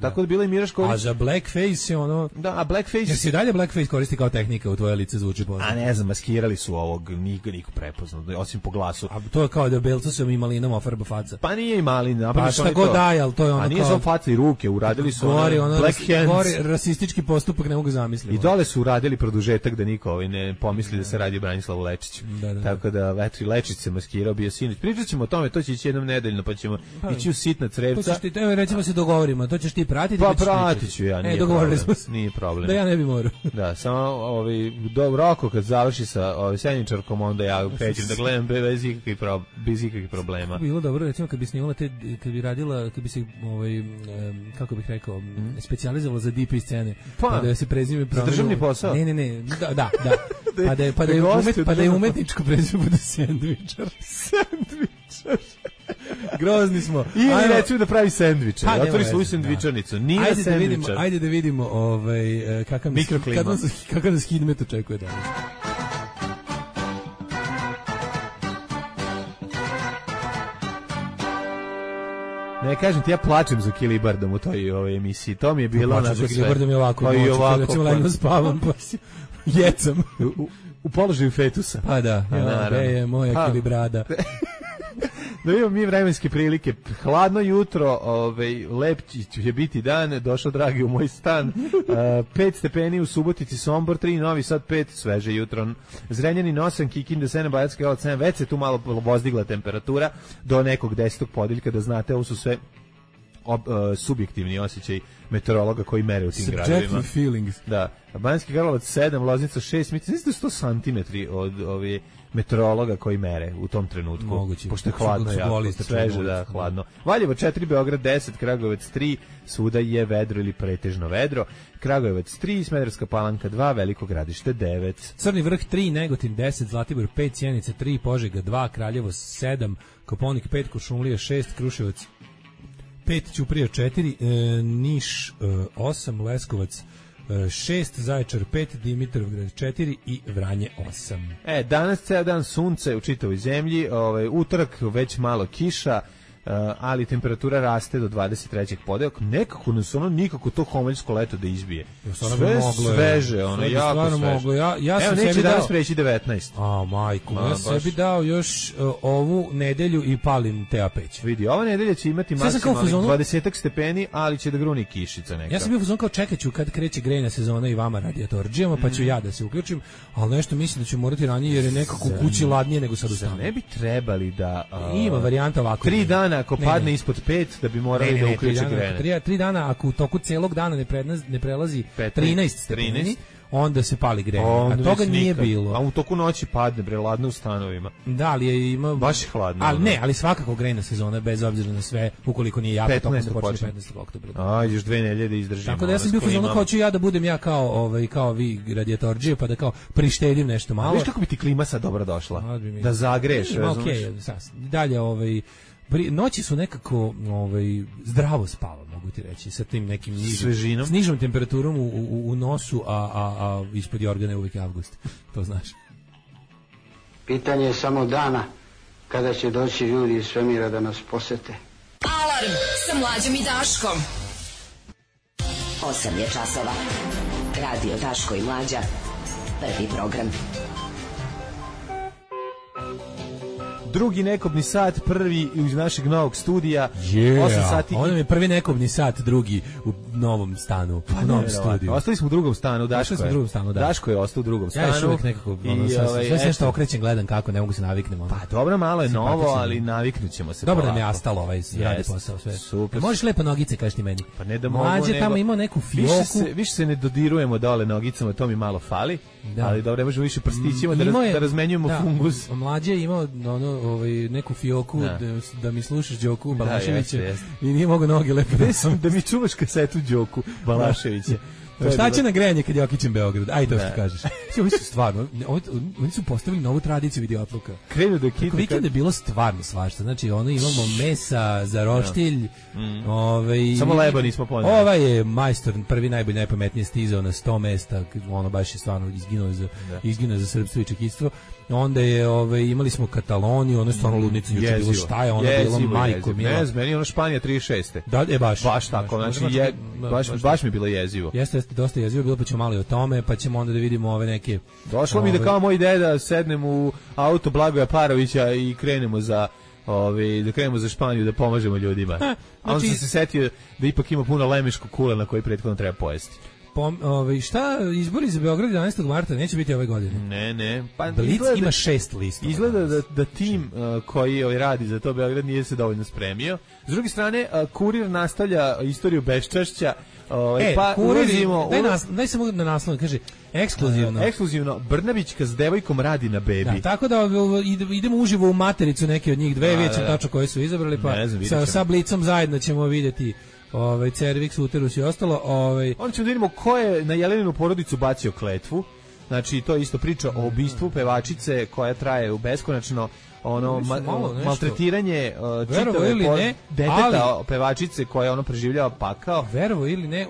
Speaker 5: Tako da bila i Miraš Ković...
Speaker 6: A za blackface je ono...
Speaker 5: Da, a blackface...
Speaker 6: Jer se dalje blackface koristi kao tehnika, u tvoje lice zvuči poznat.
Speaker 5: A ne znam, maskirali su ovog, niko prepoznao, osim po glasu.
Speaker 6: A to je kao da Belcosom i Malinom ofarba faca.
Speaker 5: Pa nije i Malin,
Speaker 6: pa šta god daje, ali to je ono kao...
Speaker 5: A nije samo faca i ruke, uradili su black hands.
Speaker 6: Gori rasistički postupak, ne mogu zamisliti.
Speaker 5: I dole su uradili produžetak da niko ne pomisli da se radi o Branislavu Lečiću. Tako da Vetri Lečić se maskirao, bio sinoć. Pričat ćemo o tome, to će ići jednom nedeljno, pa ćemo ići u sitna crevca.
Speaker 6: Recimo se dogovorimo, to ćeš ti pratiti.
Speaker 5: Pa pratit ću ja, nije problem. Nije problem.
Speaker 6: Da ja ne bi morao.
Speaker 5: Da, samo Roko kad završi sa Senjičarkom, onda ja krećem da gledam bez ikakvih problema.
Speaker 6: Bilo dobro, recimo kad bi snimala kad bi radila, kad bi se kako bih rekao, specijalizovala za DP scene, pa da se prezime
Speaker 5: za državni posao.
Speaker 6: Ne, da. Pa da je umetničko prezime bude sendvičar. Grozni smo.
Speaker 5: Ili recimo da pravi sendviče. Otvori svoju sendvičarnicu. Nije sendvičar.
Speaker 6: Ajde da vidimo kakav nas Hidmet očekuje danas.
Speaker 5: Ne, kažem ti, ja plačem za Kilibardom u toj emisiji. To mi je bilo onako sve.
Speaker 6: Kilibardom je ovako. Recimo legno spavam, pa jecam.
Speaker 5: U položaju fetusa.
Speaker 6: Pa da, je moja Kilibrada.
Speaker 5: Da imamo mi vremenske prilike. Hladno jutro, lep će biti dan, došao dragi u moj stan. 5 stepeni u Subotici, Sombor 3, Novi Sad 5, sveže jutro. Zrenjanin 8, Kikinda 7, Bajatska Jelac 7, već se tu malo vozdigla temperatura do nekog 10. podeljka, da znate, ovo su sve subjektivni osjećaj meteorologa koji mere u tim gradovima.
Speaker 6: Subjective feelings.
Speaker 5: Da. Banjski Karlovac 7, Loznica 6, mislim da su 100 cm od ove meteorologa koji mere u tom trenutku.
Speaker 6: Moguće.
Speaker 5: Pošto je hladno, jako sveže, da, hladno. Valjevo 4, Beograd 10, Kragujevac 3, svuda je vedro ili pretežno vedro. Kragujevac 3, Smederevska Palanka 2, Veliko Gradište 9.
Speaker 6: Crni Vrh 3, Negotin 10, Zlatibor 5, Sjenica 3, Požega 2, Kraljevo 7, Koponik 5, Kuršumlija 6, Kruševac 5, Ćuprija 4, Niš 8, Leskovac 6, Zaječar 5, Dimitrovgrad 4 i Vranje 8.
Speaker 5: Danas ceo dan sunce u čitavoj zemlji, utorak već malo kiša, ali temperatura raste do 23. podeljak. Nekako nas nikako to homoljsko leto da izbije. Sve sveže, jako sveže. Evo, neće danas preći 19.
Speaker 6: Majku, ja sebi dao još ovu nedelju i palim te apeć.
Speaker 5: Vidi, ova nedelja će imati maksimalnih 20 stepeni, ali će da gruni kišica neka.
Speaker 6: Ja sam bio fuzon kao čekaću kad kreće grejna sezona i vama radijatorđijama, pa ću ja da se uključim, ali nešto mislim da ću morati ranije jer je nekako u kući ladnije nego sad u stanu.
Speaker 5: Ne bi trebali da...
Speaker 6: Ima varijanta ovako.
Speaker 5: 3 dana ako padne ispod 5 da bi morali da uključe grejanje.
Speaker 6: 3 dana ako u toku celog dana ne prelazi 13 stepeni, onda se pali grejanje. A toga nije bilo.
Speaker 5: A u toku noći padne, ladno u stanovima.
Speaker 6: Da, ali ima
Speaker 5: baš hladno.
Speaker 6: Ali svakako grejna sezona bez obzira na sve, ukoliko nije jako tokom da počne 15. oktobra.
Speaker 5: Još 2 nedelje da izdržimo.
Speaker 6: Tako da ja sam bio fazonu kao ću ja da budem ja kao vi radijatorđije, pa da kao prištedim nešto malo.
Speaker 5: Viš kako bi ti klima sad dobro došla? Da zagreješ,
Speaker 6: razumiješ? Dalje, noći su nekako zdravo spava, mogu ti reći, sa tim nekim
Speaker 5: svežinom,
Speaker 6: s nižom temperaturom u nosu, a ispod jorgana je uvijek avgust, to znaš.
Speaker 8: Pitanje je samo dana kada će doći ljudi iz svemira da nas posete.
Speaker 3: Alarm sa Mlađom i Daškom.
Speaker 9: 8 je časova. Radio Daško i Mlađa. Prvi program.
Speaker 5: drugi nekobni sat, prvi iz našeg novog studija. 8 sati.
Speaker 6: Ovo je prvi nekobni sat, drugi u novom stanu, u novom studiju.
Speaker 5: Ostali smo u drugom stanu, Daško je ostao u drugom stanu.
Speaker 6: Ja još uvijek nekako, sve što okrećem gledam kako, ne mogu se naviknem.
Speaker 5: Pa dobro, malo je novo, ali naviknut ćemo se.
Speaker 6: Dobro da mi je ostalo radi posao sve.
Speaker 5: Super.
Speaker 6: Možeš lepo nogice, kažeš ti meni.
Speaker 5: Pa ne da mogu,
Speaker 6: Mlađe tamo imao neku fioku.
Speaker 5: Više se ne dodirujemo dole nogicama, to mi malo fali. Da. Ali dobro, ne možemo više prstićima da razmenjujemo fungus.
Speaker 6: Mlađe je imao neku fioku da mi slušaš Đoku Balaševića i nije mogo noge lepo
Speaker 5: da mi čuvaš kasetu Đoku Balaševića.
Speaker 6: Šta će na grejanje kad je okićem Beograd? Aj to što kažeš. Ovi su stvarno, oni su postavili novu tradiciju videoatluka.
Speaker 5: Krenu da kitu.
Speaker 6: Vikend je bilo stvarno svašta. Znači, imamo mesa za roštilj.
Speaker 5: Samo leba nismo poneli.
Speaker 6: Ovaj je majstor, prvi najbolji, najpametnije stizao na 100 mesta. Ono baš je stvarno izginuo za srpstvo i čekitstvo. Onda je, baš smo Kataloniju, ono je stvarno ludnica, juče bilo šta je, ono bilo majko mila.
Speaker 5: Ne znam, meni je ono Španija 36.
Speaker 6: Da, baš.
Speaker 5: Baš tako, znači, baš mi je bilo jezivo.
Speaker 6: Jeste, dosta jezivo bilo, pa ćemo malo i o tome, pa ćemo onda da vidimo ove neke...
Speaker 5: Došlo mi da kao moj deda sednem u auto Blagoja Parovića i krenemo za Španiju da pomažemo ljudima. A onda sam se setio da ipak ima puno lemeškog kula na koji prethodno treba pojesti.
Speaker 6: Šta izbori za Beograd 11. marta neće biti ove godine?
Speaker 5: Ne. Pa
Speaker 6: Blic ima 6 lista.
Speaker 5: Izgleda da tim koji radi za to Beograd nije se dovoljno spremio. S druge strane, Kurir nastavlja istoriju beščašća. Pa ulazimo...
Speaker 6: Daj se mogu na naslovu, kaže,
Speaker 5: ekskluzivno, Brnabićka s devojkom radi na bebi.
Speaker 6: Da, tako da idemo uživo u matericu neke od njih dve, vidjet ćemo tačno koje su izabrali, pa sa Blicom zajedno ćemo vidjeti Cervix, Uterus i ostalo.
Speaker 5: Onda ćemo da vidimo ko je na Jeleninu porodicu bacio kletvu. Znači, to je isto priča o ubistvu pevačice koja traje u beskonačno maltretiranje deteta pevačice koja preživljava pakao.
Speaker 6: Verovo ili ne,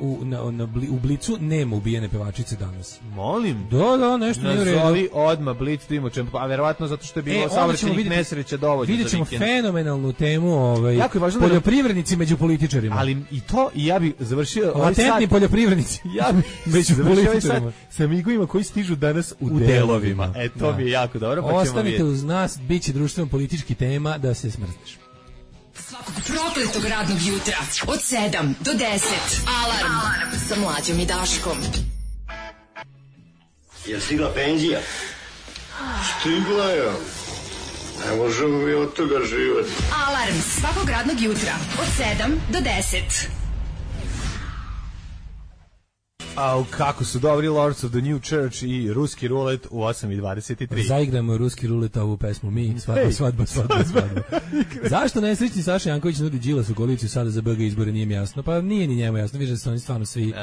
Speaker 6: u Blicu nema ubijene pevačice danas.
Speaker 5: Molim?
Speaker 6: Da, nešto nije u redu.
Speaker 5: Nazovi odmah Blic, da imamo čemu, a verovatno zato što je bilo saobraćajnih nesreća dovoljno.
Speaker 6: Vidjet ćemo fenomenalnu temu poljoprivrednici među političarima.
Speaker 5: Ali i to, i ja bih završio
Speaker 6: latentni poljoprivrednici.
Speaker 5: Ja bih
Speaker 6: među političarima.
Speaker 5: Sa migovima koji stižu danas u delovima. To mi je jako dobro, pa ćemo vidjeti.
Speaker 6: Ostanite uz nas, bit će društveno-politički tema da se smrzneš.
Speaker 3: Svakog prokletog radnog jutra od 7 do 10. Alarm sa Mlađom i Daškom.
Speaker 4: Je stigla penzija? Stigla je. Ne možemo mi od toga živati.
Speaker 3: Alarm svakog radnog jutra od 7 do 10.
Speaker 5: Au, kako su dobri Lords of the New Church i Ruski rulet u 8:23.
Speaker 6: Zaigramo Ruski rulet ovu pesmu mi, svadba. Zašto nesrećni Saša Janković nudi Đilasu koaliciju sada za BG izbore, nije mi jasno. Pa nije ni njemu jasno, vidiš da su oni stvarno svi...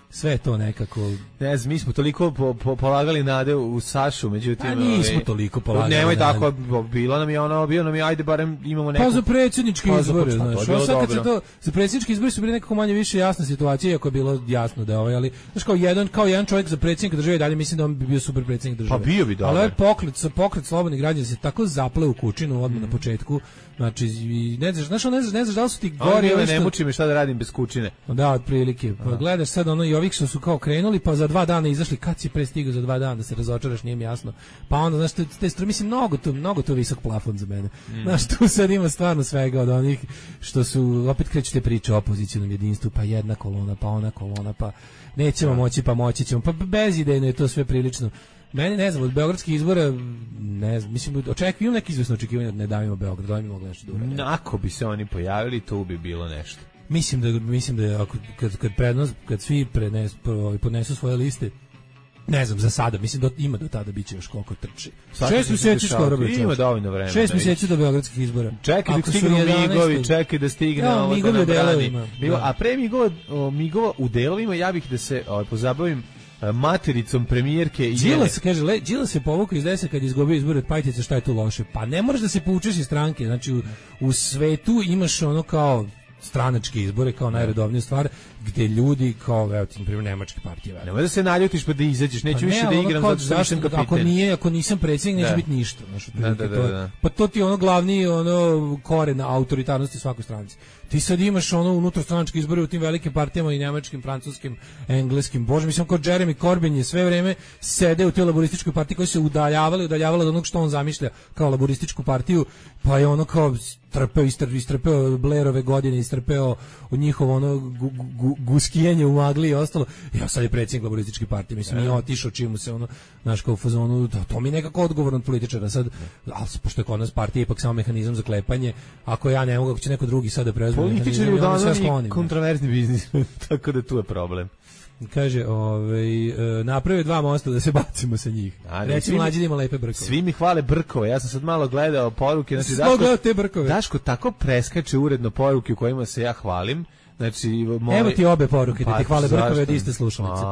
Speaker 6: Sve to nekako...
Speaker 5: Ne znam, mi smo toliko polagali nade u Sašu, međutim...
Speaker 6: A nismo toliko polagali
Speaker 5: nade. Nemoj tako, bio nam je, ajde, barem imamo neko...
Speaker 6: Pa za predsjednički izbore, znaš. Za predsjednički izbore su bili nekako manje više jasna situacija, iako je bilo jasno da je ali, znaš, kao jedan čovjek za predsjednika države, dalje mislim da on bi bio super predsjednik države.
Speaker 5: Pa bio bi dobro.
Speaker 6: Ali ovaj pokret slobodnih građana se tako zapleo u kućinu odmah na početku. Znači, ne znaš da li su ti gori...
Speaker 5: Ne muči me šta da radim bez kućine.
Speaker 6: Da, otprilike. Pa gledaš sad i ovih što su kao krenuli, pa za 2 dana izašli, kad si prestigao za 2 dana da se razočaraš, nije mi jasno. Pa onda, znaš, mislim, mnogo to visok plafon za mene. Znaš, tu sad ima stvarno svega od onih što su, opet krećete priče o opozicionom jedinstvu, pa jedna kolona, pa ona kolona, pa nećemo moći, pa moći ćemo, pa bezidejno je to sve prilično. Meni, ne znam, od beogradskih izbora, ne znam, mislim, imam neki izvesno očekivanje da ne davimo Beograd, da mi mogli nešto dobro.
Speaker 5: Ako bi se oni pojavili, to bi bilo nešto.
Speaker 6: Mislim da kad svi podnesu svoje liste, ne znam, za sada, mislim da ima do tada biće još koliko trči. 6 mjeseci skoro bi.
Speaker 5: Ima dovoljno vremena.
Speaker 6: 6 mjeseci do beogradskih izbora.
Speaker 5: Čekaj da stignu migovi, čekaj da stigne ovo
Speaker 6: migovi u delovima.
Speaker 5: A pre migova u delovima, ja bih da se pozabavim matericom premijerke.
Speaker 6: Đilas se povukao iz desa kad je izgubio izbore od Pajtice, šta je tu loše? Pa ne moraš da se povučeš iz stranke, znači u svetu imaš ono kao stranačke izbore kao najredovniju stvar, gde ljudi kao, evo ti, na primjer, nemačke partije.
Speaker 5: Nemoj da se naljutiš pa da izađeš, neću više da igram zato što nisam kapitan.
Speaker 6: Ako nisam predsjednik, neće biti ništa. Pa to ti je ono glavni koren autoritarnosti svakoj stranci. Ti sad imaš unutarstranačke izbore u tim velikim partijama i njemačkim, francuskim, engleskim. Bože, mislim kao Jeremy Corbyn je sve vreme sede u toj laborističkoj partiji koji se udaljavala od onog što on zamišlja kao laborističku partiju, pa je ono kao istrpeo Blairove godine, istrpeo od njihovo guskijenje u magli i ostalo. Ja sad je predsjednik laborističke partije, mislim, nije otišao čim se znaš, kao u fazonu, to mi je nekako odgovoran od političara sad, ali pošto je kod nas partija ipak samo mehanizam za klepanje, ako ja ne mogu, ako će neko drugi sad da preuzme
Speaker 5: političari uglavnom kontroverzni biznis, tako da tu je problem.
Speaker 6: Kaže, naprave 2 mosta da se bacimo sa njih. Recimo, mlađi ima lepe brkove.
Speaker 5: Svi mi hvale brkove. Ja sam sad malo gledao poruke.
Speaker 6: Znači, gledao te brkove.
Speaker 5: Daško tako preskače uredno poruke u kojima se ja hvalim. Znači,
Speaker 6: evo ti obe poruke da ti hvale brkove od iste slušalice.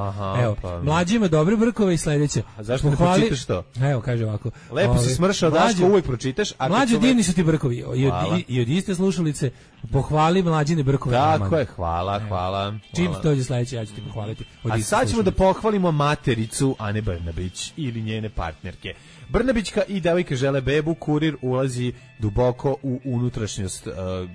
Speaker 6: Evo, mlađi ima dobre brkove i sledeće.
Speaker 5: A zašto ne pročitaš to?
Speaker 6: Evo, kaže ovako.
Speaker 5: Lepo si smršao, Daško, uvijek pročitaš.
Speaker 6: Mlađi divni su ti brkovi. I od iste slušalice pohvali mlađine brkove.
Speaker 5: Tako je, hvala.
Speaker 6: Čim dođe sledeće, ja ću ti pohvaliti.
Speaker 5: A sad ćemo da pohvalimo matericu Ane Brnabić ili njene partnerke. Brnabićka i devojka žele bebu, Kurir ulazi duboko u unutrašnjost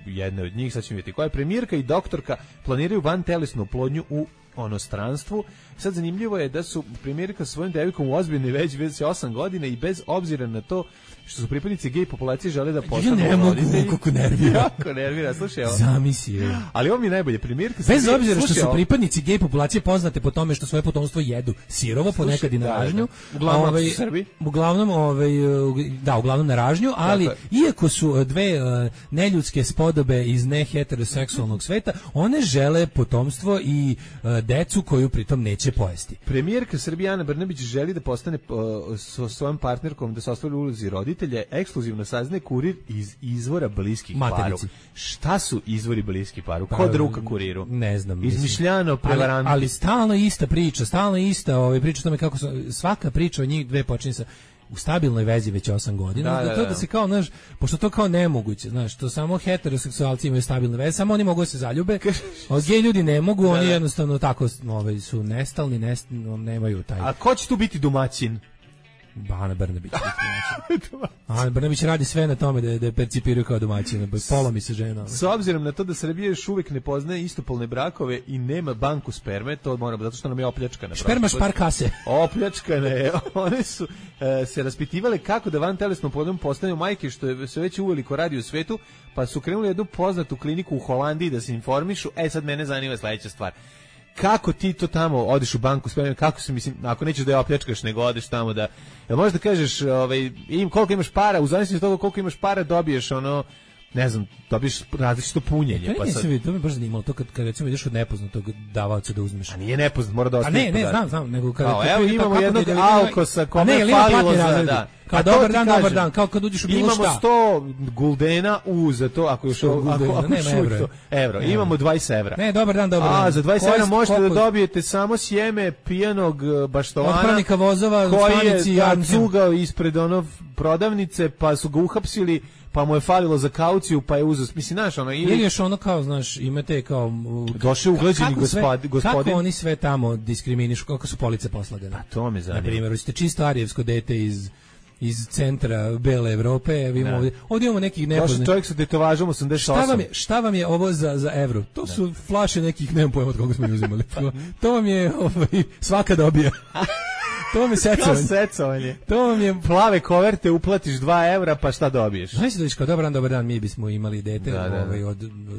Speaker 5: jedne od njih, sad ćemo vidjeti koja je. Premijerka i doktorka planiraju vantelesnu oplodnju u onostranstvu. Sad zanimljivo je da su premijerka sa svojim devojkom u ozbiljnoj već 8 godina i bez obzira na to što su pripadnici gej populacije žele da postanu roditelji.
Speaker 6: Ja ne mogu, kako nervira.
Speaker 5: Jako nervira, slušaj ovo.
Speaker 6: Zamisli.
Speaker 5: Ali ovo mi je najbolje, premijerka...
Speaker 6: Bez obzira što su pripadnici gej populacije poznate po tome što svoje potomstvo jedu sirovo, ponekad i na ražnju.
Speaker 5: Uglavnom su Srbi.
Speaker 6: Uglavnom na ražnju, ali iako su dve neljudske spodobe iz neheteroseksualnog sveta, one žele potomstvo i decu koju pritom neće pojesti.
Speaker 5: Premijerka Srbije Ana Brnabić želi da postane sa svojom partnerkom, da se ostvari u ulozi roditelja, ekskluzivno saznaje Kurir iz izvora bliskih paru. Šta su izvori bliskih paru? Kod ruka Kuriru?
Speaker 6: Ne znam.
Speaker 5: Izmišljano, prevaranti.
Speaker 6: Ali stalno ista priča, priča o tome kako svaka priča o njih dve počinje sa u stabilnoj vezi već 8 godina. Da se kao, znaš, pošto to kao nemoguće, znaš, to samo heteroseksualci imaju stabilne veze, samo oni mogu da se zaljube, a gej ljudi ne mogu, oni jednostavno tako su nestalni, nemaju taj...
Speaker 5: A ko će tu biti domaćin?
Speaker 6: Ana Brnabić. Ana Brnabić radi sve na tome da je percipiraju kao domaćina. Polomi se žena.
Speaker 5: S obzirom na to da Srbija još uvijek ne poznaje istopolne brakove i nema banku sperme, to moramo, zato što nam je opljačkana.
Speaker 6: Sperma špar kase.
Speaker 5: Opljačkana je. One su se raspitivale kako da vantelesnom plodom postanu majke, što je se već uveliko radi u svetu, pa su krenuli jednu poznatu kliniku u Holandiji da se informišu. Sad mene zanima sljedeća stvar. Kako ti to tamo odeš u banku sperme, kako se, mislim, ako nećeš da je opljačkaš, nego odeš tamo da, jel možeš da kažeš, koliko imaš para, u zavisnosti od toga koliko imaš para dobiješ ne znam, dobiješ različito punjenje.
Speaker 6: To me baš zanimalo, to kad recimo ideš od nepoznatog davaoca da uzmeš.
Speaker 5: A nije nepoznat, mora da ostane.
Speaker 6: Ne, znam, nego
Speaker 5: evo imamo jednog alkosa kome je falilo za,
Speaker 6: kao dobar dan, kao kad uđeš u bilo šta.
Speaker 5: Imamo 100 guldena za to, ako još evro. Imamo 20 evra.
Speaker 6: Ne, dobar dan.
Speaker 5: A, za 20 evra možete da dobijete samo sjeme pijanog baštovana.
Speaker 6: Otpravnika vozova u stanici.
Speaker 5: Koji je cugao ispred prodavnice, pa su ga uhapsili, pa mu je falilo za kauciju, pa je uzeo, mislim, znaš,
Speaker 6: ili još kao, znaš, imate kao...
Speaker 5: Došao ugleđeni gospodin.
Speaker 6: Kako oni sve tamo diskriminišu, kako su police poslagane?
Speaker 5: Pa to me zanima.
Speaker 6: Na primjer, hoćete čisto arijevsko dete iz centra Bele Evrope, ovdje imamo nekih nepoznanih.
Speaker 5: Čovjek sa tetovažom 88.
Speaker 6: Šta vam je ovo za evro? To su flaše nekih, nemam pojma od koga smo uzimali. To vam je svaka dobija. To vam je
Speaker 5: secovanje.
Speaker 6: To vam je
Speaker 5: plave koverte, uplatiš 2 evra, pa šta dobiješ?
Speaker 6: Znaš da viš kao dobar dan, mi bismo imali dete,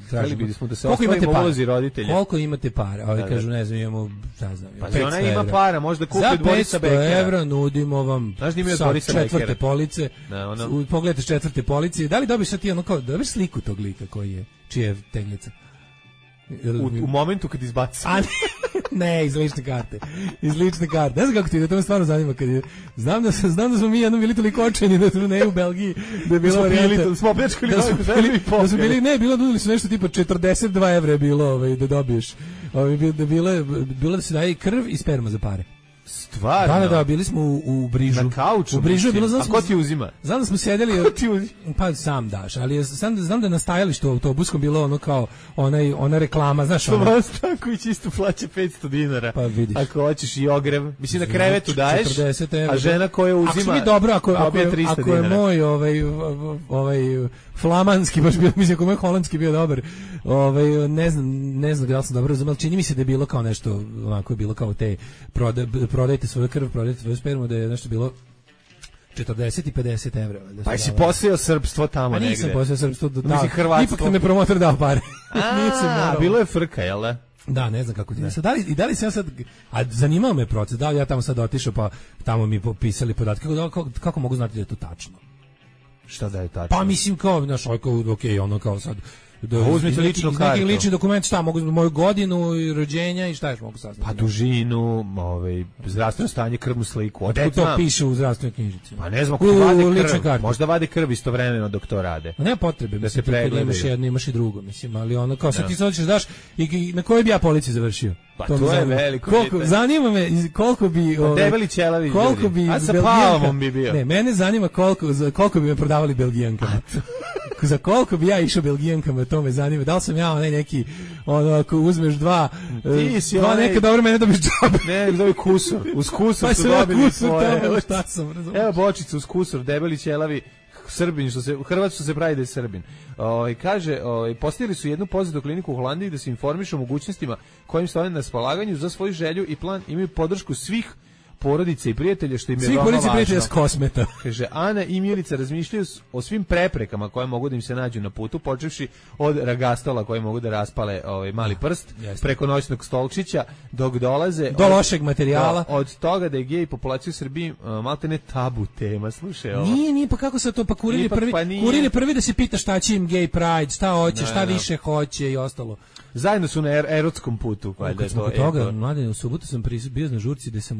Speaker 5: tražimo bismo da se ostvarimo ulozi roditelja.
Speaker 6: Koliko imate para? Kažu, ne znam, imamo, šta znam, 500
Speaker 5: evra. Ona ima para, možda kupi Borisa Bekera.
Speaker 6: Za 500 evra nudimo vam sa četvrte police. Pogledajte četvrte police. Da li dobiš sad ti dobiš sliku tog lika koji je, čija je teglica?
Speaker 5: U momentu kad izbaci.
Speaker 6: Ne, iz lične karte. Ne znam kako ti, da to me stvarno zanima. Znam da smo mi jednom bili toliko očajni da smo u Belgiji, da je bilo varijanta.
Speaker 5: Smo opljačkali
Speaker 6: da su bili, nudili su nešto tipa 42 evra je bilo da dobiješ. Bilo da se daje krv i sperma za pare.
Speaker 5: Stvarno?
Speaker 6: Da, bili smo u Brižu.
Speaker 5: Na kauču?
Speaker 6: U Brižu je bilo,
Speaker 5: a ko ti uzima?
Speaker 6: Znam da smo sedeli, pa sam daš, ali znam da na stajalištu u autobuskom bilo ono kao ona reklama, znaš ono.
Speaker 5: Tomas Stanković isto plaća 500 dinara.
Speaker 6: Pa vidiš.
Speaker 5: Ako hoćeš i ogrev, mislim na krevetu daješ,
Speaker 6: 40 evra.
Speaker 5: A žena koja uzima,
Speaker 6: ako mi dobro, ako je moj ovaj flamanski baš bio, mislim ako moj holandski bio dobar, ne znam da li sam dobro razumel, čini mi se da je bilo kao nešto, onako je bilo kao te prodajte svoju krv, prodajte svoju spermu, da je nešto bilo 40 i 50 evra.
Speaker 5: Pa si posejao srpstvo tamo negde?
Speaker 6: Nisam posejao srpstvo,
Speaker 5: Hrvatstvo.
Speaker 6: Ipak me promotor dao pare.
Speaker 5: Bilo je frka, jel da?
Speaker 6: Da, ne znam kako ti. Da li se ja sad, a zanimao me proces, da li ja tamo sad otišao pa tamo mi popisali podatke, kako mogu znati da je to tačno?
Speaker 5: Šta da je tačno?
Speaker 6: Pa mislim kao, znaš, ono kao sad,
Speaker 5: uzmite ličnu kartu.
Speaker 6: Neki lični dokument, šta mogu, moju godinu i rođenja i šta još mogu saznati?
Speaker 5: Pa dužinu, zdravstveno stanje, krvnu sliku.
Speaker 6: Gde to piše u zdravstvenoj knjižici?
Speaker 5: Pa ne znam, ako vade krv, možda vade krv istovremeno dok to rade.
Speaker 6: Ne potrebe, da se pregledaju. Imaš jedno, imaš i drugo, mislim, ali ono kao sad ti se hoćeš daš i na kojoj bi ja policiji završio?
Speaker 5: Pa to je veliko pitanje.
Speaker 6: Zanima me koliko bi...
Speaker 5: Debeli ćelavi ljudi.
Speaker 6: A
Speaker 5: sa Palomom bi bio.
Speaker 6: Ne, mene zanima koliko bi me prodavali Belgijankama. Za koliko bi ja išao Belgijankama, to me zanima. Da li sam ja onaj neki, ako uzmeš dva neka dobro, mene dobiš džabe.
Speaker 5: Ne, dobi kusur. Uz kusur
Speaker 6: pa
Speaker 5: su dobili svoje.
Speaker 6: Šta sam, razumiješ?
Speaker 5: Evo bočicu uz kusur, debeli ćelavi, Srbin, u Hrvatsku se pravi da je Srbin. Kaže, postavili su jednu pozitivnu kliniku u Holandiji da se informišu o mogućnostima kojim stoje na raspolaganju za svoju želju i plan, imaju podršku svih porodice i prijatelja, što im je veoma važno.
Speaker 6: Svih porodice i prijatelja s Kosmeta.
Speaker 5: Kaže, Ana i Milica razmišljaju o svim preprekama koje mogu da im se nađu na putu, počevši od ragastola koje mogu da raspale mali prst, preko noćnog stolčića, dok dolaze...
Speaker 6: Do lošeg materijala.
Speaker 5: Od toga da je gej populacija u Srbiji maltene tabu tema, slušaj ovo.
Speaker 6: Nije, pa kako se to, pa kurir je prvi da se pita šta će im gay pride, šta hoće, šta više hoće i ostalo.
Speaker 5: Zajedno su na erotskom putu.
Speaker 6: Kad smo kod toga, mladine, u subotu sam bio na žurci gde sam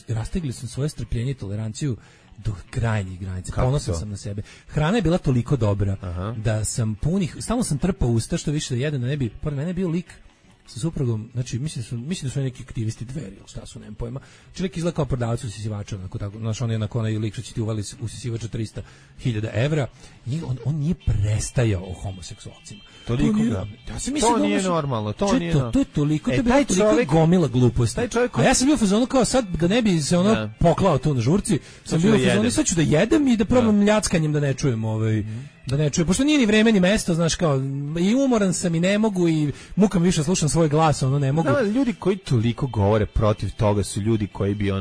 Speaker 6: rastegli sam svoje strpljenje i toleranciju do krajnjih granica. Ponosan sam na sebe. Hrana je bila toliko dobra da sam stalno sam trpao usta što više da jedem, da ne bi, pored mene je bio lik sa suprugom, znači mislim da su neki aktivisti Dveri, ili šta su, nemam pojma. Čovjek izgleda kao prodavac usisivača, znaš, on je onaj lik što će ti uvali usisivača 300.000 evra i on nije prestajao o homoseksualcima.
Speaker 5: Toliko ga. To nije normalno, to nije normalno.
Speaker 6: To je toliko, to je bila toliko gomila gluposti. A ja sam bio u fazonu kao sad da ne bi se poklao tu na žurci, sam bio u fazonu sad ću da jedem i da probam ljackanjem da ne čujem da ne čujem, pošto nije ni vreme ni mesto, znaš, kao i umoran sam i ne mogu i mukam više slušam svoj glas, ne mogu.
Speaker 5: Da, ljudi koji toliko govore protiv toga su ljudi koji bi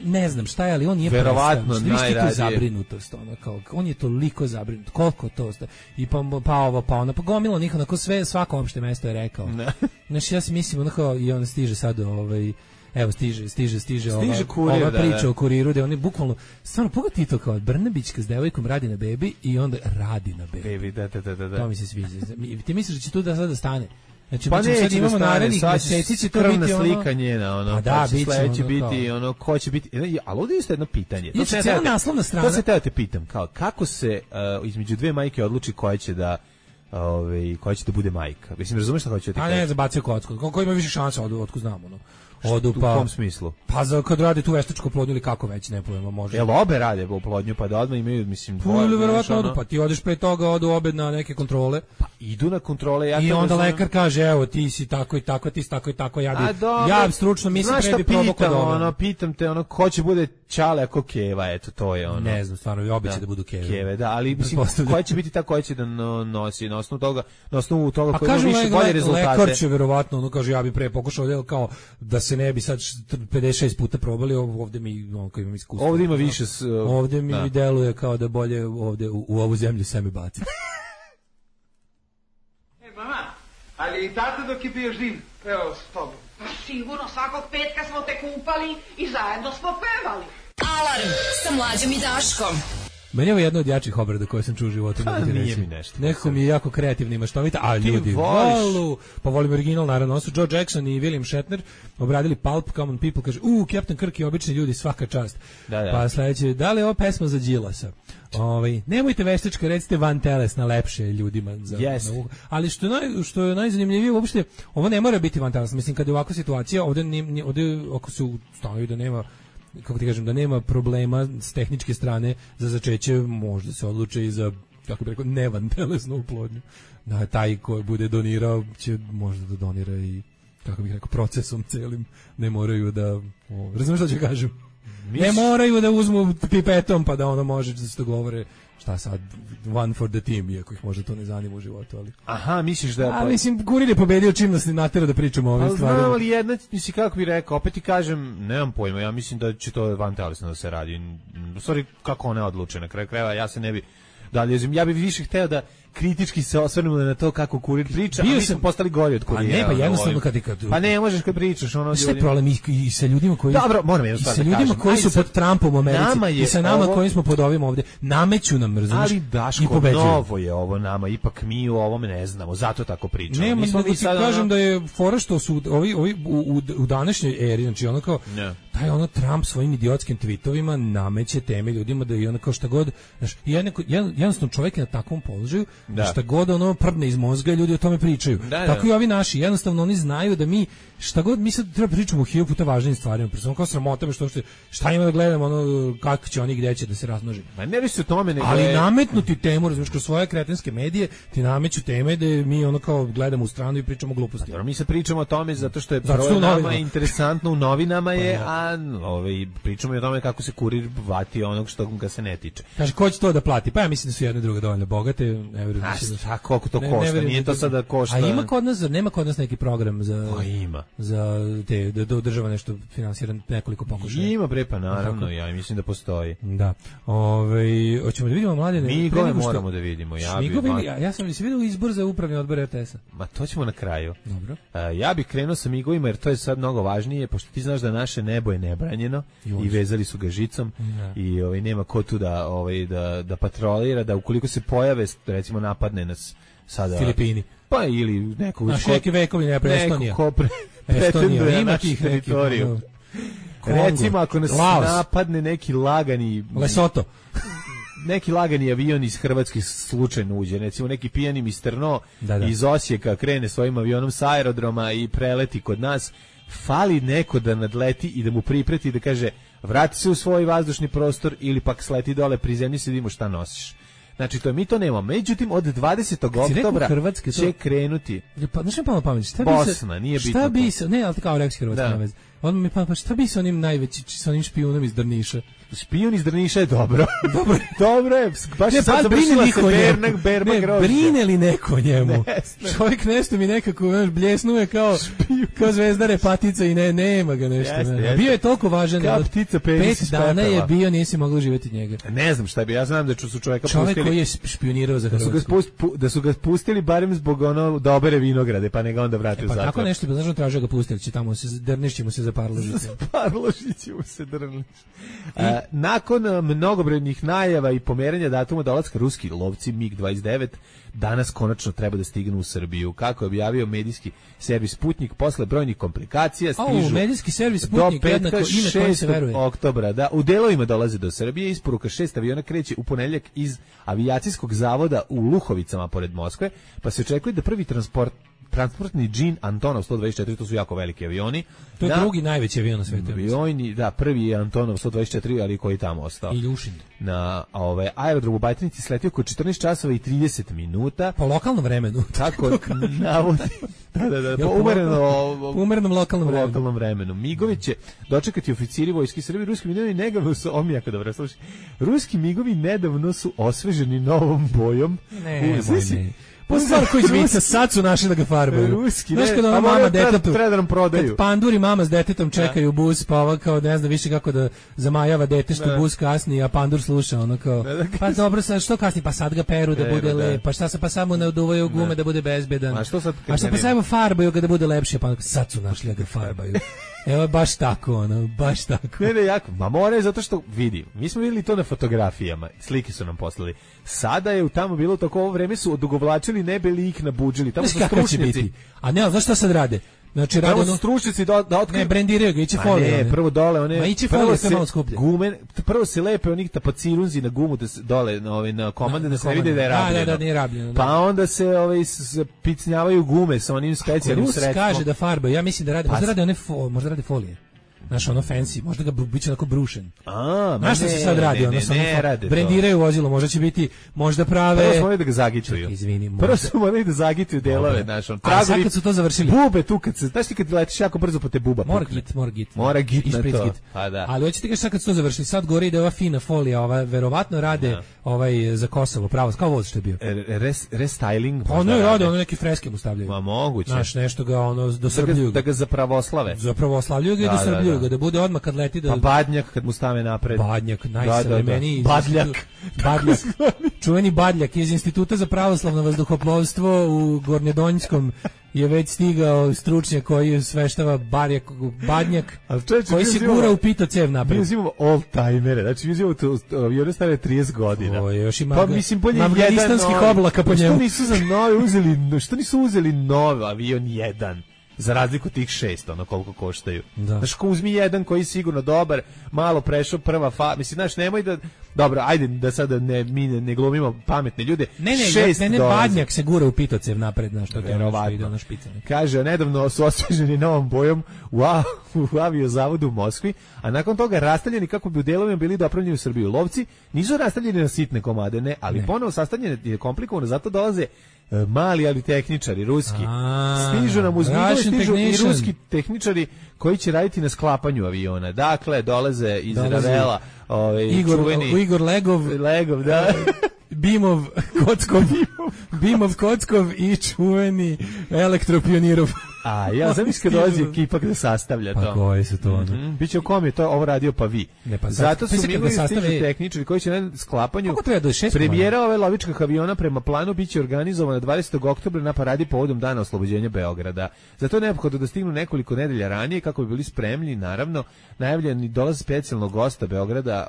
Speaker 6: ne znam šta je, ali on nije
Speaker 5: verovatno najradije
Speaker 6: zabrinutost, kao on je toliko zabrinut, koliko to i pa gomila njih, onako sve, svako opšte mesto je rekao. Znači ja si mislim, i on stiže sad evo stiže ova priča o kuriru, da oni bukvalno, stvarno, pogledaj to kao Brnabićka s devojkom radi na bebi i onda radi na bebi.
Speaker 5: Da.
Speaker 6: To mi se sviđa. Ti misliš da će tu da sada stane? Znači,
Speaker 5: pa
Speaker 6: sad imamo narednih meseci će to biti
Speaker 5: slika njena,
Speaker 6: pa će
Speaker 5: sledeće biti ko će biti, ali ovdje je isto jedno pitanje.
Speaker 6: To se cijela naslovna strana.
Speaker 5: To se te pitam, kako se između dve majke odluči koja će da bude majka. Mislim, razumeš šta hoće ti kažeš?
Speaker 6: A ne, zabacio kocku. Ko ima više šanse, otko znamo,
Speaker 5: U kom smislu?
Speaker 6: Pa kad radi tu veštačku oplodnju ili kako već, ne pojma, može.
Speaker 5: Jel obe rade oplodnju, pa da odmah imaju, mislim, dvoje?
Speaker 6: Ili verovatno odu, pa ti odeš pre toga, odu obe na neke kontrole.
Speaker 5: Pa idu na kontrole,
Speaker 6: i onda lekar kaže, evo, ti si tako i tako, ti si tako i tako, ja stručno mislim pre bi probao kod obe.
Speaker 5: Pitam te, ko će bude Čale ako Keva, eto, to je ono.
Speaker 6: Ne znam, stvarno, i obe će da budu Keve.
Speaker 5: Da, ali mislim, koja će biti ta koja će da nosi, na osnovu toga koji ima više bolje rezultate.
Speaker 6: Lekar će verovatno, kaže, ja bi pre pokušao, kao da se ne bi sad 56 puta probali, ovdje mi koji imam iskustvo.
Speaker 5: Ovdje ima više
Speaker 6: ovdje mi deluje kao da bolje ovdje u ovu zemlju seme baci.
Speaker 10: Mama, ali i tata dok je bio živ, pevao s tobom.
Speaker 2: Sigurno, svakog petka smo te kupali i zajedno smo pevali.
Speaker 3: Alarm sa Mlađom i Daškom.
Speaker 6: Meni je ovo jedna od jačih obrada koje sam čuo u životu.
Speaker 5: Nije mi nešto.
Speaker 6: Neko mi je jako kreativni i maštovita, a ljudi volu. Pa volim original, naravno. Ovo su Joe Jackson i William Shatner obradili Pulp, Common People, kaže, Captain Kirk i obični ljudi, svaka čast.
Speaker 5: Da.
Speaker 6: Pa sledeće, da li je ovo pesma za Đilasa? Nemojte veštačka, recite van telesna, lepše ljudima za
Speaker 5: yes.
Speaker 6: Ali što je najzanimljivije, uopšte ovo ne mora biti van telesna. Mislim, kad je ovakva situacija, ovde ako se ustanovi da nema, kako ti kažem, da nema problema s tehničke strane za začeće, možda se odluče i za, kako bih rekao, nevantelesnu oplodnju. Da, taj ko bude donirao će možda da donira i, kako bih rekao, procesom celim. Ne moraju da, razumiješ što ću kažem? Ne moraju da uzmu pipetom pa da ono može da se dogovore šta sad, one for the team, iako ih možda to ne zanima u životu, ali...
Speaker 5: Aha, misliš da...
Speaker 6: A mislim, Kurir je pobedio čim nas ne natera da pričamo o ovim stvarima.
Speaker 5: Znam, ali jedna, mislim, kako bih rekao, opet ti kažem, nemam pojma, ja mislim da će to van telesno da se radi. U stvari, kako ona odluče na kraju krajeva, ja se ne bi... ja bih više hteo da kritički se osvrnemo na to kako Kurir priča, a mi smo postali gori od Kurira.
Speaker 6: Pa ne, pa jednostavno kad...
Speaker 5: Pa ne možeš kad pričaš ono...
Speaker 6: Šta je problem i sa ljudima koji...
Speaker 5: Dobro, moram jednu stvar da kažem.
Speaker 6: I sa ljudima koji su pod Trumpom u Americi i sa nama koji smo pod ovim ovde. Nameću nam, razumiješ?
Speaker 5: Ali Daško, novo je ovo nama, ipak mi u ovome ne znamo, zato tako pričamo.
Speaker 6: Ne, mogu ti kažem da je fora što su ovi u današnjoj eri, znači ono kao... Taj ono Trump svojim idiotskim tweetovima nameće teme ljudima da i ono kao šta god, znaš, jednostavno čovjek je na takvom položaju, šta god ono prdne iz mozga, ljudi o tome pričaju. Tako i ovi naši, jednostavno oni znaju da mi šta god mi sad treba pričamo o 1000 puta važnijim stvarima, pre kao sramota me šta ima da gledamo, ono kako će oni gdje će da se razmnoži.
Speaker 5: Ma ne radi se o tome, nego
Speaker 6: ali nametnuti temu, razumiješ, kroz svoje kretenske medije ti nameću teme da mi ono kao gledamo u stranu i pričamo gluposti.
Speaker 5: Mi se pričamo o tome zato što je prvo nama interesantno, u novinama je, a pričamo i o tome kako se Kurir vati onog što ga se ne tiče.
Speaker 6: Kaže, ko će to da plati? Pa ja mislim da su jedne druge dovoljno bogate, ne verujem
Speaker 5: da koliko to košta, nije to sada košta.
Speaker 6: A ima kod nas, nema kod nas neki program
Speaker 5: ima.
Speaker 6: Za te, da održava nešto finansiran nekoliko pokušaja.
Speaker 5: Ima bre, pa naravno, ja mislim da postoji.
Speaker 6: Da. Hoćemo da vidimo mladene.
Speaker 5: Migove moramo da vidimo.
Speaker 6: Ja sam se vidio izbor za upravni odbor RTS-a.
Speaker 5: Ma to ćemo na kraju.
Speaker 6: Dobro.
Speaker 5: Ja bih krenuo sa migovima jer to je sad mnogo važnije, pošto ti znaš da naše nebo je nebranjeno i vezali su ga žicom i nema ko tu da patrolira, da ukoliko se pojave, recimo napadne nas sada
Speaker 6: Filipini.
Speaker 5: Pa ili neko
Speaker 6: neki vekovi ne pre Estonija.
Speaker 5: Estonija ima tih teritoriju. Recimo ako nas napadne neki lagani
Speaker 6: Lesoto.
Speaker 5: Neki lagani avion iz Hrvatske slučajno uđe, recimo neki pijani misterno iz Osijeka krene svojim avionom sa aerodroma i preleti kod nas, fali neko da nadleti i da mu pripreti da kaže vrati se u svoj vazdušni prostor ili pak sleti dole, prizemlji se, vidimo šta nosiš. Znači, mi to nemamo. Međutim, od 20. oktobra će krenuti.
Speaker 6: Pa, znaš mi palo pamet,
Speaker 5: Bosna, nije bitno.
Speaker 6: Šta bi se, ne, ali kao rekao Hrvatska na vezi. On mi pa šta bi se onim najveći, sa onim špijunom iz Drniša?
Speaker 5: Špijun iz Drniša je dobro. Dobro je. Baš ne, sad završila se Bermak grožđe.
Speaker 6: Brine li neko njemu? Čovjek nešto mi nekako bljesnuje kao Zvezdare patica i nema ga nešto. Bio je toliko važan.
Speaker 5: Kao ptica penis
Speaker 6: 5 dana je bio, nisi mogao živjeti njega.
Speaker 5: Ne znam šta bi, ja znam da su čovjeka
Speaker 6: pustili. Čovjek koji je špijunirao za Hrvatsku.
Speaker 5: Da su ga pustili barem zbog ono da obere vinograde, pa ne ga onda vrati u zatvor.
Speaker 6: Pa kako nešto bi znaš tražio ga pustili, će tamo se Drnišćemo se za Parložice.
Speaker 5: Parložićemo se Drniš. Nakon mnogobrojnih najava i pomeranja datuma dolaska ruski lovci MiG-29 danas konačno treba da stignu u Srbiju. Kako je objavio medijski servis Sputnik, posle brojnih komplikacija stižu
Speaker 6: medijski servis Sputnik,
Speaker 5: do petka 6. oktobra. Da, u delovima dolaze do Srbije. Isporuka 6 aviona kreće u ponedeljak iz avijacijskog zavoda u Luhovicama pored Moskve, pa se očekuje da prvi transportni džin Antonov 124, to su jako veliki avioni.
Speaker 6: To je drugi najveći avion na svijetu.
Speaker 5: Prvi je Antonov 124, ali koji je tamo ostao.
Speaker 6: Iljušin.
Speaker 5: Na aerodrom u Bajtinici sletio oko 14 časova i 30 minuta.
Speaker 6: Po lokalnom vremenu.
Speaker 5: Tako navodi. Da. Po
Speaker 6: umerenom lokalnom
Speaker 5: vremenu. Migovi će dočekati oficiri vojske Srbije. Ruski migovi nedavno su, ruski migovi nedavno su osveženi novom bojom.
Speaker 6: Ne. Stvar koji zvica, sad su našli da ga farbaju. Znaš kada ona mama detetu, kad pandur i mama s detetom čekaju bus, pa ova kao ne zna više kako da zamajava dete što bus kasni, a pandur sluša, ono kao, pa dobro, sad što kasni, pa sad ga peru da bude lep, pa šta se, pa samo ne oduvaju gume da bude bezbedan, a što pa samo farbaju ga da bude lepše, pa sad su našli da ga farbaju. Evo baš tako, ono, baš tako.
Speaker 5: Ne, jako. Ma more zato što vidi. Mi smo videli to na fotografijama. Slike su nam poslali. Sada je tamo bilo tako ovo vreme su odugovlačili nebe lik nabuđili. Tamo su stručnjaci.
Speaker 6: A ne, znaš šta sad rade? Znači
Speaker 5: rade ono stručnjaci da otkriju.
Speaker 6: Ne, brendiraju ga, iće folije.
Speaker 5: Ne, prvo dole one.
Speaker 6: Ma iće folije sve malo skuplje.
Speaker 5: Gume, prvo se lepe onih tapacirunzi na gumu da se dole na komande da se ne vide da je rabljeno.
Speaker 6: Da, nije rabljeno.
Speaker 5: Pa onda se picnjavaju gume sa onim specijalnim sredstvom.
Speaker 6: Kaže da farba, ja mislim da rade, možda rade folije. Znaš, ono fancy, možda ga biće onako brušen. Znaš što se sad radi? Brendiraju vozilo, možda će biti, možda prave...
Speaker 5: Prvo smo morali da ga zagituju. Prvo smo morali da zagituju delove, znaš.
Speaker 6: Ali sad kad su to završili...
Speaker 5: Bube tu, znaš ti kad letiš jako brzo po te buba. Mora git na to.
Speaker 6: Ali hoćete kažeš sad kad su to završili, sad gore ide ova fina folija, ova verovatno rade za Kosovo, pravo, kao voz što je bio.
Speaker 5: Restyling.
Speaker 6: Ono je rade, ono neki freske mu stavljaju.
Speaker 5: Ma moguće.
Speaker 6: Znaš, nešto ga ono dosrbljuju.
Speaker 5: Da ga zapravoslavlju.
Speaker 6: Zapravoslavljuju ga i dosrbljuju ga, da bude odmah kad leti da...
Speaker 5: Pa Badnjak kad mu stave napred.
Speaker 6: Badnjak, najsavremeniji.
Speaker 5: Badljak.
Speaker 6: Čuveni Badljak iz Instituta za pravoslavno vazduhoplovstvo u Gornjedonjskom je već stigao stručnjak koji sveštava Badnjak, koji se gura u pito cev napred.
Speaker 5: Mi uzimamo old-timere, znači mi uzimamo avione stare 30 godina.
Speaker 6: O, još ima
Speaker 5: pa mislim bolje
Speaker 6: afganistanskih oblaka po njemu.
Speaker 5: Što nisu uzeli novi avion jedan? Za razliku tih 6, ono koliko koštaju. Znaš, ko uzmi jedan koji je sigurno dobar, malo prešao prva mislim, znaš, nemoj da... Dobro, ajde da sada mi ne glumimo pametne ljude.
Speaker 6: Ne, Badnjak se gura u pitocev napred, znaš, to ide ono špicanje.
Speaker 5: Kaže, nedavno su osveženi novom bojom u aviozavodu u Moskvi, a nakon toga rastavljeni kako bi u delovima bili dopravljeni u Srbiju. Lovci nisu rastavljeni na sitne komade, ne, ali ponovo sastavljene je komplikovano, zato dolaze mali, ali tehničari, ruski. Stižu nam uz stižu i ruski tehničari koji će raditi na sklapanju aviona. Dakle, dolaze iz Ravela,
Speaker 6: Igor
Speaker 5: Legov, da.
Speaker 6: Bimov Kockov i čuveni Elektropionirov.
Speaker 5: A ja znam kad dolazi ekipa da sastavlja to.
Speaker 6: Pa koji su to?
Speaker 5: Biće u kom je to ovo radio pa vi. Zato su mi stižu tehničari koji će na sklapanju premijera ove lovičkih aviona prema planu biće organizovana 20. oktobra na paradi povodom dana oslobođenja Beograda. Zato je neophodno da stignu nekoliko nedelja ranije kako bi bili spremni, naravno, najavljeni dolaz specijalnog gosta Beograda,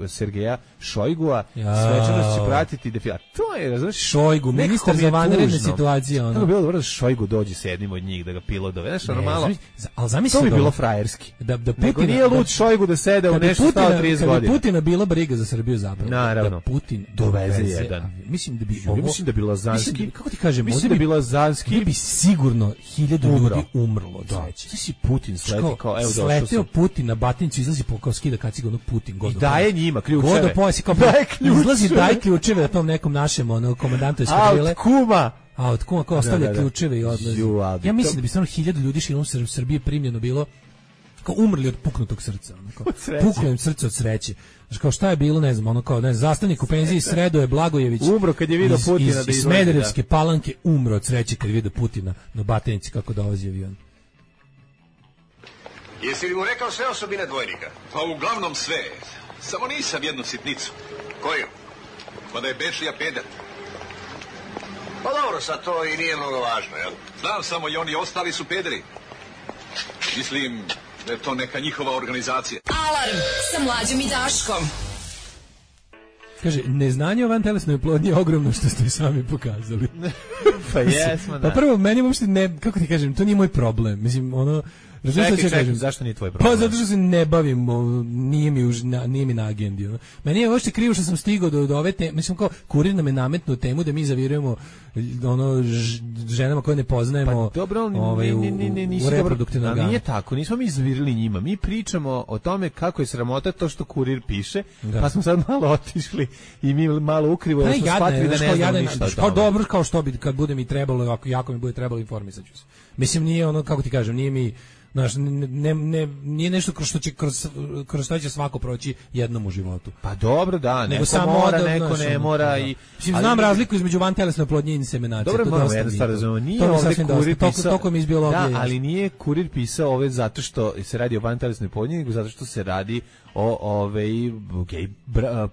Speaker 5: Sergeja Šojgua, svečanost će pratiti defila. To je, razumiješ,
Speaker 6: Šojgu, ministar za vanredne situacije.
Speaker 5: Tako bi bilo dobro da Šojgu dođe s jednim od njih da ga pilotove. Znaš, ono malo,
Speaker 6: ali zamisli
Speaker 5: to bi bilo frajerski.
Speaker 6: Da
Speaker 5: Nego nije lud Šojgu da sede u nešto stao 30 godina.
Speaker 6: Kada bi Putina bila briga za Srbiju zapravo.
Speaker 5: Naravno.
Speaker 6: Da Putin
Speaker 5: doveze jedan.
Speaker 6: Mislim da bi
Speaker 5: mislim da bi Lazanski.
Speaker 6: Kako ti kažem,
Speaker 5: mislim da bi Lazanski
Speaker 6: bi sigurno 1000 ljudi umrlo od sreće.
Speaker 5: Sve si Putin sleti kao evo došao.
Speaker 6: Sleteo Putin na Batincu, izlazi kao skida kaciga ono Putin god.
Speaker 5: I daje njima ključeve.
Speaker 6: God pojasi kao izlazi daj ključeve da tom nekom našem komandantu eskadrile. A od kuma ko ostavlja ključeve i odlazi. Ja mislim da bi stvarno 1000 ljudi širom Srbije primljeno bilo kao umrli od puknutog srca, puklo im srce od sreće. Znači kao šta je bilo, ne znam, ono kao zastavnik u penziji Sredoje Blagojević
Speaker 5: umro kad je video Putina
Speaker 6: iz Smederevske Palanke umro od sreće kad je video Putina na Batenici kako dolazi avion.
Speaker 11: Jesi li mu rekao sve osobine dvojnika?
Speaker 12: Pa uglavnom sve. Samo nisam jednu sitnicu.
Speaker 11: Koju?
Speaker 12: Pa da je Bečija peder.
Speaker 11: Pa dobro, sad to i nije mnogo važno, jel?
Speaker 12: Znam samo i oni ostali su pederi. Mislim da je to neka njihova organizacija.
Speaker 3: Alarm sa Mlađom i Daškom.
Speaker 6: Kaže, neznanje o vantelesnoj oplodnji je ogromno što ste sami pokazali.
Speaker 5: Pa jesmo, da.
Speaker 6: Pa prvo, meni uopšte ne, kako ti kažem, to nije moj problem. Mislim, ono...
Speaker 5: Čekaj, zašto nije tvoj problem?
Speaker 6: Pa zato što se ne bavim, nije mi na agendi. Meni je uopšte krivo što sam stigao do ove teme, mislim kao kurir nam je nametnuo temu da mi zavirujemo ženama koje ne poznajemo.
Speaker 5: Pa dobro,
Speaker 6: u reproduktivnom organu.
Speaker 5: Nije tako, nismo mi zavirili njima. Mi pričamo o tome kako je sramota to što kurir piše, pa smo sad malo otišli i mi malo ukrivo smo shvatili da ne znamo ništa o tome.
Speaker 6: Kao dobro, kao što bi, kad bude mi trebalo, jako mi bude trebalo, informisat ću se. Mislim, nije ono, kako ti kažem, nije mi... Znaš, nije nešto kroz što će svako proći jednom u životu.
Speaker 5: Pa dobro, da, neko
Speaker 6: samo
Speaker 5: mora, neko ne mora.
Speaker 6: Znam razliku između vantelesne oplodnje i inseminacije.
Speaker 5: Dobro, moramo jednu stvar razumemo. Nije ovdje kurir pisao, da, ali nije kurir pisao ove zato što se radi o vantelesnoj oplodnji, nego zato što se radi o gej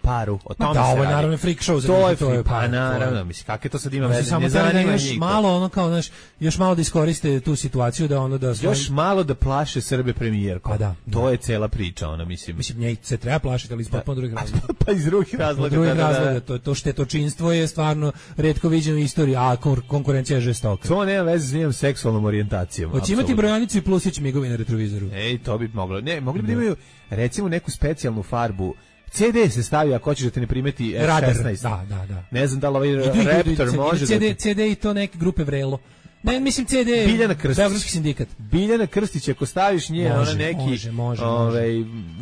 Speaker 5: paru. O tome
Speaker 6: da,
Speaker 5: se
Speaker 6: ovo
Speaker 5: radi.
Speaker 6: je naravno freak show.
Speaker 5: To je pa naravno, mislim, kakve to sad ima veze?
Speaker 6: Samo da još malo, ono kao, znaš, još malo da iskoriste tu situaciju da ono da...
Speaker 5: Još malo da plaše Srbe premijerkom.
Speaker 6: Pa da.
Speaker 5: To je cela priča, ona, mislim.
Speaker 6: Mislim, nje se treba plašiti, ali iz potpuno drugih razloga.
Speaker 5: Pa iz drugih razloga.
Speaker 6: To štetočinstvo je stvarno retko viđeno u istoriji, a konkurencija je žestoka.
Speaker 5: To nema veze s njenom seksualnom orijentacijom.
Speaker 6: Hoće imati brojanicu i plusić migovi na retrovizoru.
Speaker 5: Ej, to bi moglo. Ne, mogli bi da imaju, recimo, neku specijalnu farbu. CD se stavi ako hoćeš da te ne primeti F16.
Speaker 6: Da.
Speaker 5: Ne znam da li ovaj Raptor može
Speaker 6: CD i to neke grupe Vrelo. Ne, mislim CD
Speaker 5: Biljana Krstić.
Speaker 6: Beogradski sindikat.
Speaker 5: Biljana Krstić, ako staviš nje, ona neki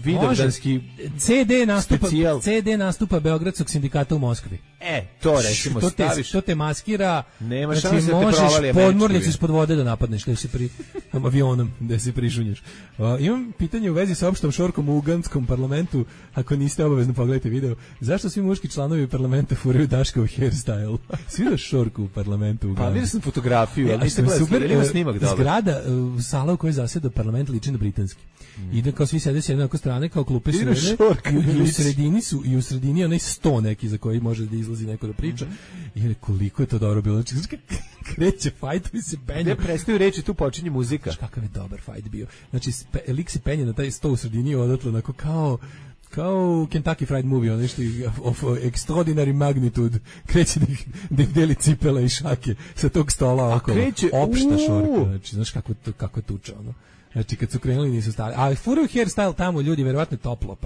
Speaker 5: vidovdanski
Speaker 6: CD nastupa Beogradskog sindikata u Moskvi.
Speaker 5: To recimo staviš.
Speaker 6: To te maskira.
Speaker 5: Nema
Speaker 6: znači,
Speaker 5: šanse da te provali
Speaker 6: podmornicu ispod vode da napadneš, da si avionom, da se prišunješ. Imam pitanje u vezi sa opštom šorkom u uganskom parlamentu, ako niste obavezno pogledajte video. Zašto svi muški članovi parlamenta furaju Daškov hairstyle? Svi da šorku u parlamentu u Ugandi.
Speaker 5: Vidio sam fotografiju, ali niste
Speaker 6: super,
Speaker 5: ima snimak dobro.
Speaker 6: Zgrada, sala u kojoj zaseda parlament liči na britanski. Ide kao svi sede s jedne strane, kao klupe su i u sredini onaj sto neki za koji može da izlazi neko da priča. I koliko je to dobro bilo. Znači, kreće fajt, mi se penje.
Speaker 5: Gde prestaju reči, tu počinje muzika.
Speaker 6: Kakav je dobar fajt bio. Znači, lik se penje na taj sto u sredini i odatle onako kao Kentucky Fried Movie, ono što of extraordinary magnitude, kreće da ih deli cipela i šake sa tog stola okolo. Opšta šorka, znači, znaš kako tuča, ono. Znači, kad su krenuli nisu stali. Ali furaju hairstyle tamo, ljudi, verovatno je toplo,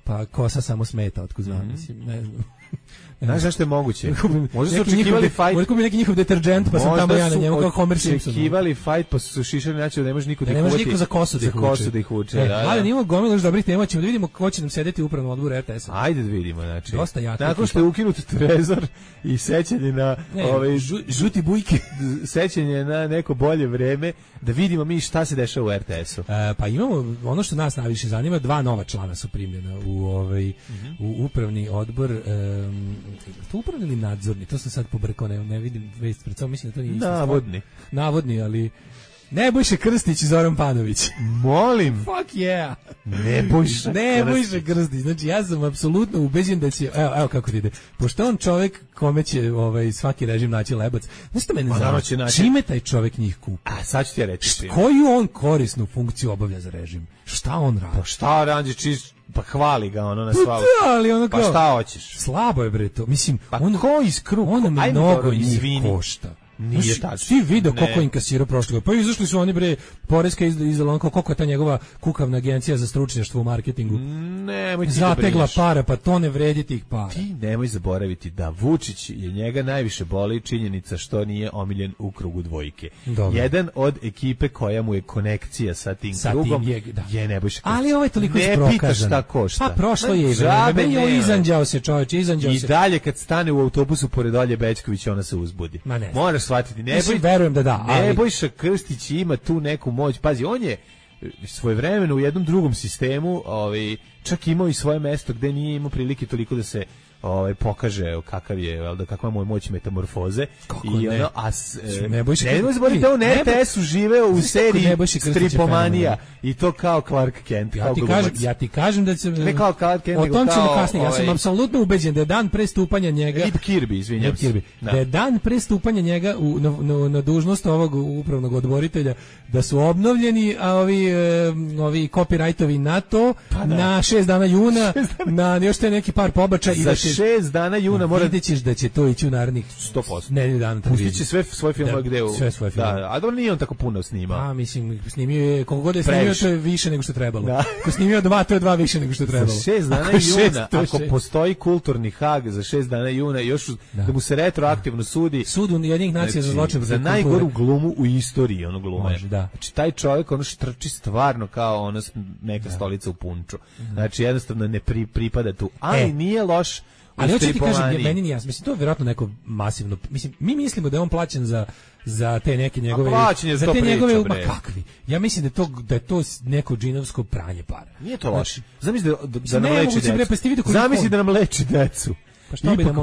Speaker 6: pa kosa samo smeta, otkud znam, mislim, ne znam.
Speaker 5: Znaš zašto je moguće? Možda su očekivali fight.
Speaker 6: Možda kupi neki njihov deterđent, pa sam tamo ja na njemu kao Homer Simpson.
Speaker 5: Možda su očekivali fight, pa su šišali način da ne može niko da ih
Speaker 6: uvuče. Ne može niko za kosu
Speaker 5: da ih uče.
Speaker 6: Ali nimamo gomilu dobrih tema, ćemo da vidimo ko će nam sedeti u upravnom odboru RTS-a.
Speaker 5: Ajde da vidimo, znači.
Speaker 6: Dosta jako.
Speaker 5: Nakon što je ukinut trezor i sećanje na
Speaker 6: žuti bujke,
Speaker 5: sećanje na neko bolje vreme, da vidimo mi šta se dešava u RTS-u.
Speaker 6: Pa imamo, ono što nas najviše zanima, 2 nova člana su primljena u upravni odbor. To upravni ili nadzorni, to sam sad pobrkao, ne vidim vest pred sobom, mislim da to nije isto. Navodni, ali Nebojša Krstić i Zoran Panović.
Speaker 5: Molim.
Speaker 6: Fuck yeah.
Speaker 5: Nebojša
Speaker 6: Krstić. Znači, ja sam apsolutno ubeđen da će, evo kako ti ide, pošto on čovjek kome će svaki režim naći lebac, znaš što mene zanima, čime taj čovjek njih kupi?
Speaker 5: A sad ću ti reći.
Speaker 6: Koju on korisnu funkciju obavlja za režim? Šta on radi?
Speaker 5: Pa šta radi, pa hvali ga ono na svalu. Pa šta hoćeš?
Speaker 6: Slabo je bre to. Mislim,
Speaker 5: pa ko iz kruga?
Speaker 6: On mnogo njih košta.
Speaker 5: Nije tačno.
Speaker 6: Svi video koliko inkasirao prošle godine. Pa izašli su oni bre, poreska izdala onako koliko je ta njegova kukavna agencija za stručnjaštvo u marketingu.
Speaker 5: Nemoj ti
Speaker 6: zategla para, pa to ne vredi tih para.
Speaker 5: Ti nemoj zaboraviti da Vučić je njega najviše boli činjenica što nije omiljen u krugu dvojke.
Speaker 6: Dobro.
Speaker 5: Jedan od ekipe koja mu je konekcija sa tim krugom je Nebojša Krstić.
Speaker 6: Ali ovo je toliko isprokazano.
Speaker 5: Ne pitaš šta košta.
Speaker 6: Pa prošlo je i vreme. Izanđao se čovječ,
Speaker 5: I dalje kad stane u autobusu pored Olje Bećković, ona se uzbudi. Moraš shvatiti,
Speaker 6: verujem da, ali
Speaker 5: Nebojša Krstić ima tu neku moć. Pazi, on je svojevremeno u jednom drugom sistemu, čak imao i svoje mesto gde nije imao prilike toliko da se pokaže kakva mu je moć metamorfoze.
Speaker 6: Kako i
Speaker 5: ne?
Speaker 6: Nebojša
Speaker 5: Krstić da on RTS-u živeo u seriji Stripomanija i to kao Clark Kent.
Speaker 6: Ja ti kažem da će
Speaker 5: ne kao Clark Kent,
Speaker 6: o tom ćemo kasnije. Ja sam apsolutno ubeđen da je dan pre stupanja njega
Speaker 5: Rip Kirby, izvinjam se.
Speaker 6: Da je dan pre stupanja njega na dužnost ovog upravnog odboritelja da su obnovljeni ovi copyrightovi na to na 6 dana juna, na još te neki par pobačaja i da
Speaker 5: 6 dana juna mora
Speaker 6: vidjet ćeš da će to ići u narednih
Speaker 5: 100%.
Speaker 6: Nedelju dana.
Speaker 5: Pustit će sve svoje filmove gde u...
Speaker 6: Sve svoje filmove.
Speaker 5: Da, a dobro nije on tako puno snimao.
Speaker 6: A, mislim, snimio je, koliko god je snimio, to je više nego što je trebalo. Ako snimio 2, to je 2 više nego što je trebalo.
Speaker 5: Za 6 dana juna, ako postoji kulturni hag za 6 dana juna, još da mu se retroaktivno sudi...
Speaker 6: Sud jednih nacija za zločin.
Speaker 5: Za najgoru glumu u istoriji, ono glume.
Speaker 6: Može, da.
Speaker 5: Znači, taj čovjek, ono štrči stvarno kao ono neka stolica u punču. Znači, jednostavno ne pripada tu. Ali nije loš.
Speaker 6: Ali hoće ti kažem, meni nije jasno. Mislim, to je vjerojatno neko masivno... Mislim, mi mislimo da je on plaćen za te neke njegove...
Speaker 5: za te njegove...
Speaker 6: Ma kakvi? Ja mislim da je to neko džinovsko pranje para.
Speaker 5: Nije to loše. Zamisli da nam leči decu. Zamisli da nam leči decu.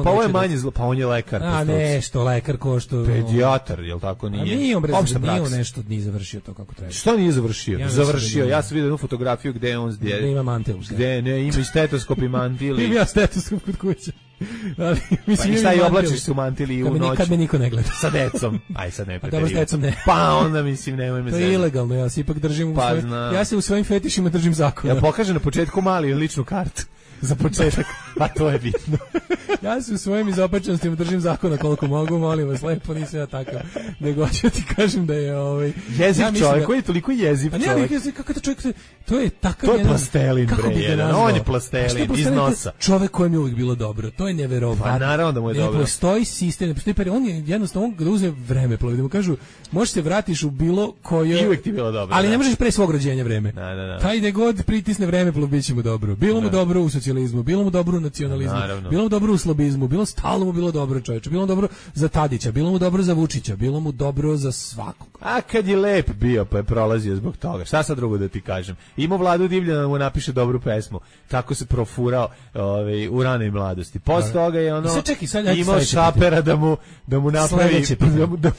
Speaker 5: Pa ovo je manje zlo, pa on je lekar.
Speaker 6: A nešto, lekar ko što...
Speaker 5: Pedijatar, jel tako nije?
Speaker 6: A nije on nešto nije završio to kako treba.
Speaker 5: Što nije završio? Završio. Ja sam vidio jednu fotografiju gde on
Speaker 6: ima mantil.
Speaker 5: Gde ne, ima i stetoskop i mantil.
Speaker 6: Ima stetoskop kod kuće. Ali, mislim,
Speaker 5: pa i šta i oblačiš se u mantili u noć?
Speaker 6: Kad me niko ne gleda.
Speaker 5: Sa decom. Aj sad ne
Speaker 6: preterivamo. Dobro, s decom ne.
Speaker 5: Pa onda mislim, nemoj me
Speaker 6: zezati. To je ilegalno, ja se ipak držim ja se u svojim fetišima držim zakona.
Speaker 5: Ja pokažem na početku mali ličnu kartu. Za početak, pa to je bitno.
Speaker 6: Ja se u svojim izopačenostima držim zakona koliko mogu, molim vas, lepo nisam ja takav. Nego ću ti kažem da je
Speaker 5: jeziv čovjek, koji je toliko jeziv čovjek.
Speaker 6: Kako to čovjek, to je takav
Speaker 5: jedan... To je plastelin, bre, on je plastelin, iz nosa.
Speaker 6: Čovjek kojem je uvijek bilo dobro, to je neverovatno.
Speaker 5: Pa naravno da mu je dobro.
Speaker 6: Ne postoji sistem, ne postoji on je jednostavno, on kada uze vremeplov, da mu kažu, možeš se vratiš u bilo koje...
Speaker 5: I uvijek ti bilo dobro.
Speaker 6: Ali ne možeš pre svog rođenja vreme. Taj gde god pritisne vremeplov, bit će mu dobro. Bilo mu dobro u socijalizmu, bilo mu dobro u nacionalizmu, bilo mu dobro u slobizmu, stalno mu bilo dobro, čoveče, bilo mu dobro za Tadića, bilo mu dobro za Vučića, bilo mu dobro za svakog.
Speaker 5: A kad je lep bio, pa je prolazio zbog toga. Šta sad drugo da ti kažem? Imao Vladu Divljana da mu napiše dobru pesmu. Tako se profurao u ranoj mladosti. Posle toga je imao Šapera da mu napravi,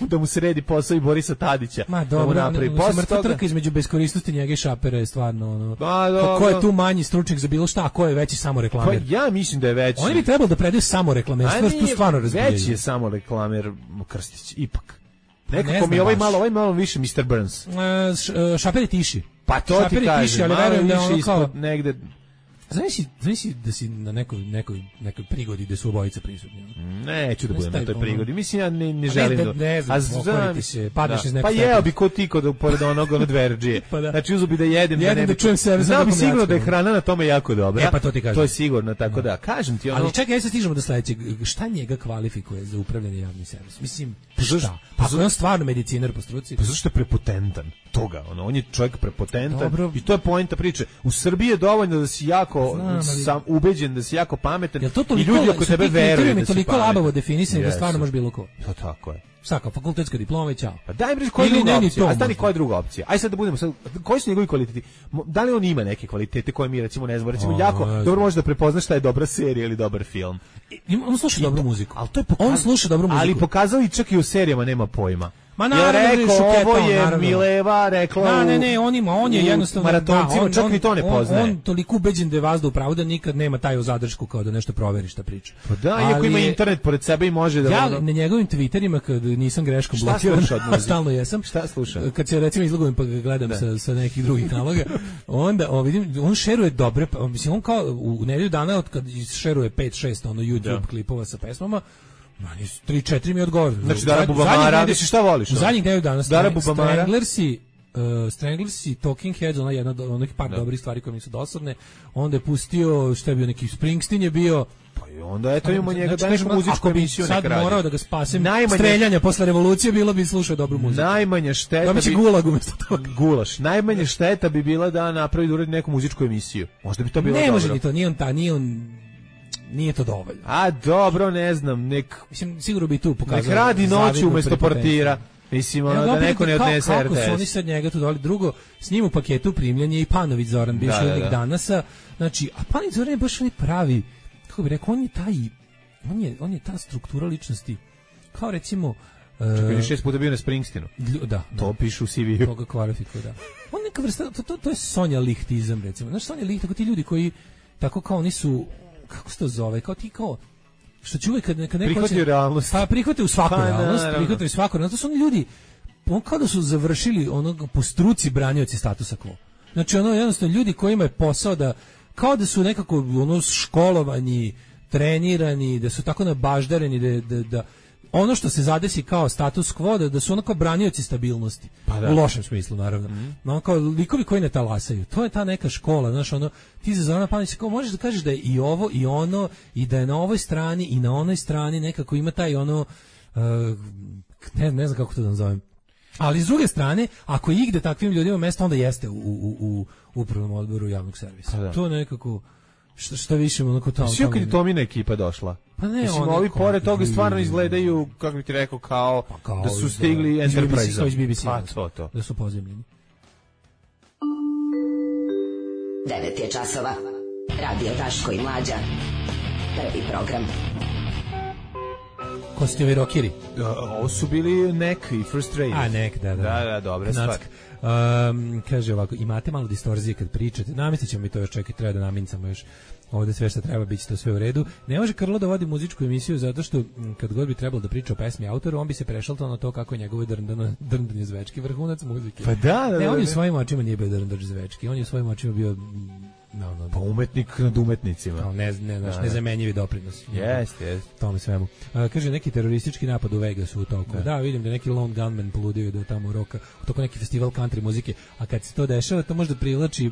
Speaker 5: da mu sredi posao i Borisa Tadića.
Speaker 6: Ma dobro, mrtva trka između beskorisnosti njega i Šapera je stvarno ko je tu manji stručnjak za bilo šta, a ko je veći samo reklamer?
Speaker 5: Ja mislim da je veći.
Speaker 6: Oni bi trebalo da predaju samo reklamerstvo, tu stvarno razbijaju.
Speaker 5: Veći je samo reklamer Krstić, ipak. Nekako mi ovaj malo više Mr. Burns.
Speaker 6: Šaper je tiši.
Speaker 5: Pa to ti kažem, malo više ispod negde...
Speaker 6: Znaš da si na nekoj prigodi gde su obojica prisutni?
Speaker 5: Neću da budem na toj prigodi. Mislim, ja ne želim da...
Speaker 6: Ne znam, okvariti se, padneš iz nekog...
Speaker 5: Pa jeo bi ko ti pored onog dverđije. Znači, uzu bi da jedem
Speaker 6: da čujem sebe.
Speaker 5: Znam bi sigurno da je hrana na tome jako dobra.
Speaker 6: Pa to ti kažem.
Speaker 5: To je sigurno, tako da. Kažem ti ono...
Speaker 6: Ali čekaj, se stižemo do sledećeg. Šta njega kvalifikuje za upravljanje javnim servisom? Mislim, šta? Pa ako je on stvarno medicinar po struci?
Speaker 5: Pa zašto je prepotentan? Toga, on je čovjek prepotentan i to je poenta priče. U Srbiji je dovoljno da si jako ubeđen, da si jako pametan i ljudi oko tebe veruju da si
Speaker 6: toliko labavo definisani da stvarno može bilo ko.
Speaker 5: To tako je.
Speaker 6: Svaka fakultetska diploma i ćao.
Speaker 5: Pa daj mi reći koja je druga opcija. A stani koja je druga opcija. Aj sad da budemo koji su njegovi kvaliteti? Da li on ima neke kvalitete koje mi recimo ne znamo? Recimo jako dobro može da prepozna šta je dobra serija ili dobar film.
Speaker 6: On sluša dobru muziku. On sluša dobru muziku.
Speaker 5: Ali pokazali čak i u serijama nema pojma.
Speaker 6: Ma naravno,
Speaker 5: ovo je Mileva rekla.
Speaker 6: Ne, on je jednostavno
Speaker 5: maratoncima, čak ni to ne poznaje.
Speaker 6: On toliko ubeđen da je vazda u pravu da nikad nema taj u zadršku kao da nešto proveri šta priča.
Speaker 5: Pa da, iako ima internet pored sebe i može da...
Speaker 6: Ja na njegovim Twitterima kad nisam greškom blokiran, stalno jesam.
Speaker 5: Šta sluša?
Speaker 6: Kad se recimo izlogujem pa ga gledam sa nekih drugih naloga, onda vidim, on šeruje dobre, mislim on kao u nedelju dana od kad šeruje 5-6 YouTube klipova sa pesmama. Mani 3-4 mi odgovor.
Speaker 5: Znači Dara Bubamara, misliš šta voliš?
Speaker 6: U zadnjih nedelju dana
Speaker 5: Dara Bubamara,
Speaker 6: Stranglersi, Talking Heads, jedna od onih par dobrih stvari koje mi su dosadne. Onda je pustio, šta je bio, neki Springsteen je bio.
Speaker 5: Pa i onda eto imamo njega da neku muzičku emisiju
Speaker 6: sad morao da ga spasem streljanja posle revolucije, bilo bi slušao dobru muziku.
Speaker 5: Najmanja šteta
Speaker 6: bi gulag umjesto toga.
Speaker 5: Gulaš. Najmanja šteta bi bila da napravi da uradi neku muzičku emisiju. Možda bi to bilo dobro.
Speaker 6: Ne može ni to, nije to dovoljno.
Speaker 5: A dobro, ne znam,
Speaker 6: mislim, sigurno bi tu pokazao.
Speaker 5: Nek radi noću umjesto portira. Mislim, da neko ne odnese RTS.
Speaker 6: Kako su oni sad njega tu dali? Drugo, s njim u paketu primljen je i Panović Zoran, bivši urednik Danasa. Znači, a Panović Zoran je baš oni pravi, kako bi rekao, on je ta struktura ličnosti. Kao recimo...
Speaker 5: Čekaj, je 6 puta bio na Springsteenu.
Speaker 6: Da.
Speaker 5: To piše u CV-u.
Speaker 6: To ga kvalifikuje, da. On neka vrsta, to je Sonja Lihtizam, recimo. Znaš, Sonja Liht, tako ti ljudi koji, tako kao oni su, kako se to zove, kao ti kao, što će uvijek kad neko
Speaker 5: prihvatio realnost.
Speaker 6: Pa prihvatio svaku realnost, prihvatio svaku realnost. To su oni ljudi, kao da su završili onog po struci branioci statusa quo. Znači, jednostavno ljudi kojima je posao da, kao da su nekako školovani, trenirani, da su tako nabaždareni, da ono što se zadesi kao status quo, da su ono kao branioci stabilnosti. U lošem smislu, naravno. No, kao likovi koji ne talasaju. To je ta neka škola, znaš, ti za Zorana Panovića kao možeš da kažeš da je i ovo i ono i da je na ovoj strani i na onoj strani nekako ima taj ne znam kako to da nazovem. Ali s druge strane, ako igde takvim ljudima mjesto, onda jeste u upravnom odboru javnog servisa. To nekako šta više onako tamo.
Speaker 5: Svi kad je Tomina ekipa došla.
Speaker 6: Pa ne,
Speaker 5: mislim, ovi pored toga stvarno izgledaju, kako bi ti rekao, kao da su stigli Enterprise.
Speaker 6: To. Da su pozemljeni.
Speaker 9: 9 je časova. Radio Daško i Mlađa. Prvi program.
Speaker 6: Ko su ti ovi rockeri?
Speaker 5: Ovo su bili Neck i First Rave.
Speaker 6: A, Neck, da.
Speaker 5: Da, dobra stvar.
Speaker 6: Kaže ovako, imate malo distorzije kad pričate, namestit ćemo mi to još, čekaj, treba da namincamo još ovde sve što treba, bit će to sve u redu. Ne može Krlo da vodi muzičku emisiju zato što kad god bi trebalo da priča o pesmi autoru, on bi se prešaltao na to kako je njegovo drndanje zvečki vrhunac muzike.
Speaker 5: Pa da.
Speaker 6: Ne, on je u svojim očima nije bio drndač zvečki, on je u svojim očima bio
Speaker 5: pa umetnik nad umetnicima.
Speaker 6: Nezamenjivi doprinos.
Speaker 5: Jeste.
Speaker 6: Tome svemu. Kaže, neki teroristički napad u Vegasu u toku. Da, vidim da neki lone gunman poludio da tamo roka, u toku neki festival country muzike, a kad se to dešava, to možda privlači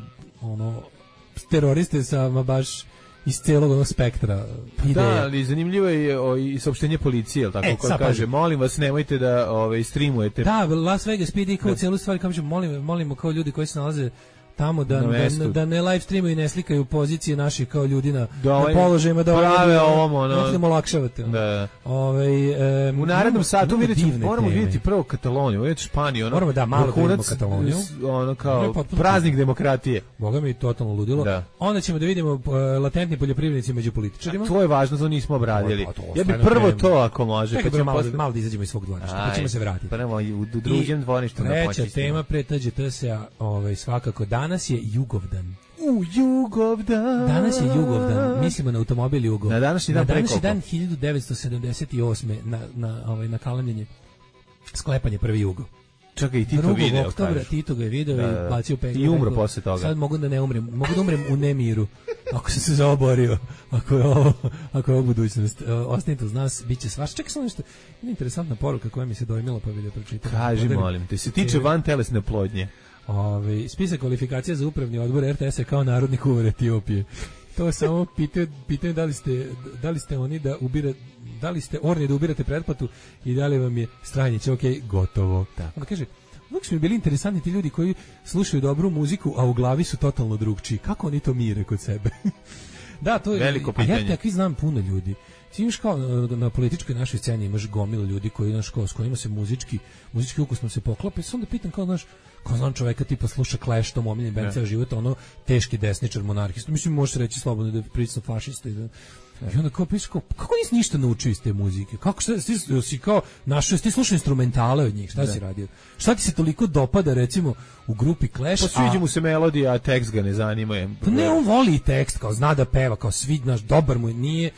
Speaker 6: teroriste sa baš iz celog spektra ideja.
Speaker 5: Da, ali zanimljivo je i saopštenje policije, al tako kako kaže, molim vas nemojte da streamujete.
Speaker 6: Da, Las Vegas PD kao celu stvar, kaže molimo kao ljudi koji se nalaze tamo da ne live streamuju i ne slikaju pozicije naših kao ljudi na položajima da
Speaker 5: prave ovom
Speaker 6: da olakšavate.
Speaker 5: Da. U narednom satu moramo vidjeti prvo Kataloniju, vidjeti Španiju,
Speaker 6: moramo da malo vidimo Kataloniju,
Speaker 5: ono kao praznik demokratije.
Speaker 6: Boga mi totalno ludilo. Da. Onda ćemo da vidimo latentni poljoprivrednici među političarima.
Speaker 5: To je važno, to nismo obradili. Ja bih prvo to ako može,
Speaker 6: pa ćemo malo da izađemo iz svog dvorišta, pa ćemo se vratiti.
Speaker 5: Pa nemo u drugom dvorištu na
Speaker 6: treća tema pretađe se svakako danas je Jugovdan.
Speaker 5: Jugovdan.
Speaker 6: Danas je Jugovdan. Mislimo na automobil Jugo.
Speaker 5: Na današnji dan
Speaker 6: preko. Na današnji dan 1978. na kalendarje sklepanje prvi Jugo.
Speaker 5: Čekaj, i Tito video.
Speaker 6: Oktobra Tito ga je video i placio peglu.
Speaker 5: I umro posle toga.
Speaker 6: Sad mogu da ne umrem. Mogu da umrem u nemiru. Ako sam se zaoborio. Ako je ovo budućnost. Ostanite uz nas, bit će svašta. Čekaj samo nešto. Interesantna poruka koja mi se dojmila, pa bih da pročitam.
Speaker 5: Kaži, molim te. Se tiče vantelesne oplodnje.
Speaker 6: Spisak kvalifikacija za upravni odbor RTS-a kao narodni kuvar Etiopije. To samo pitaju da li ste oni da li ste orni da ubirate pretplatu i da li vam je Stranjić gotovo. Onda kaže, uvijek su mi bili interesantni ti ljudi koji slušaju dobru muziku, a u glavi su totalno drugčiji. Kako oni to mire kod sebe? Da, to je
Speaker 5: veliko pitanje.
Speaker 6: A ja takvi znam puno ljudi. Ti imaš kao na političkoj našoj sceni imaš gomilu ljudi koji s kojima se muzički ukus smo se poklapa. Onda pitam kao znam čoveka tipa sluša Clash, to omiljen band ceo život, teški desničar monarhista. Mislim, možeš reći slobodno da je prilično fašista i onda kao piše kako nisi ništa naučio iz te muzike? Kako si kao našao, ti slušao instrumentale od njih, šta si radio? Šta ti se toliko dopada recimo u grupi Clash?
Speaker 5: Pa sviđa mu se melodija, a tekst ga ne zanima.
Speaker 6: Pa ne, on voli tekst, kao zna da peva, kao dobar mu je,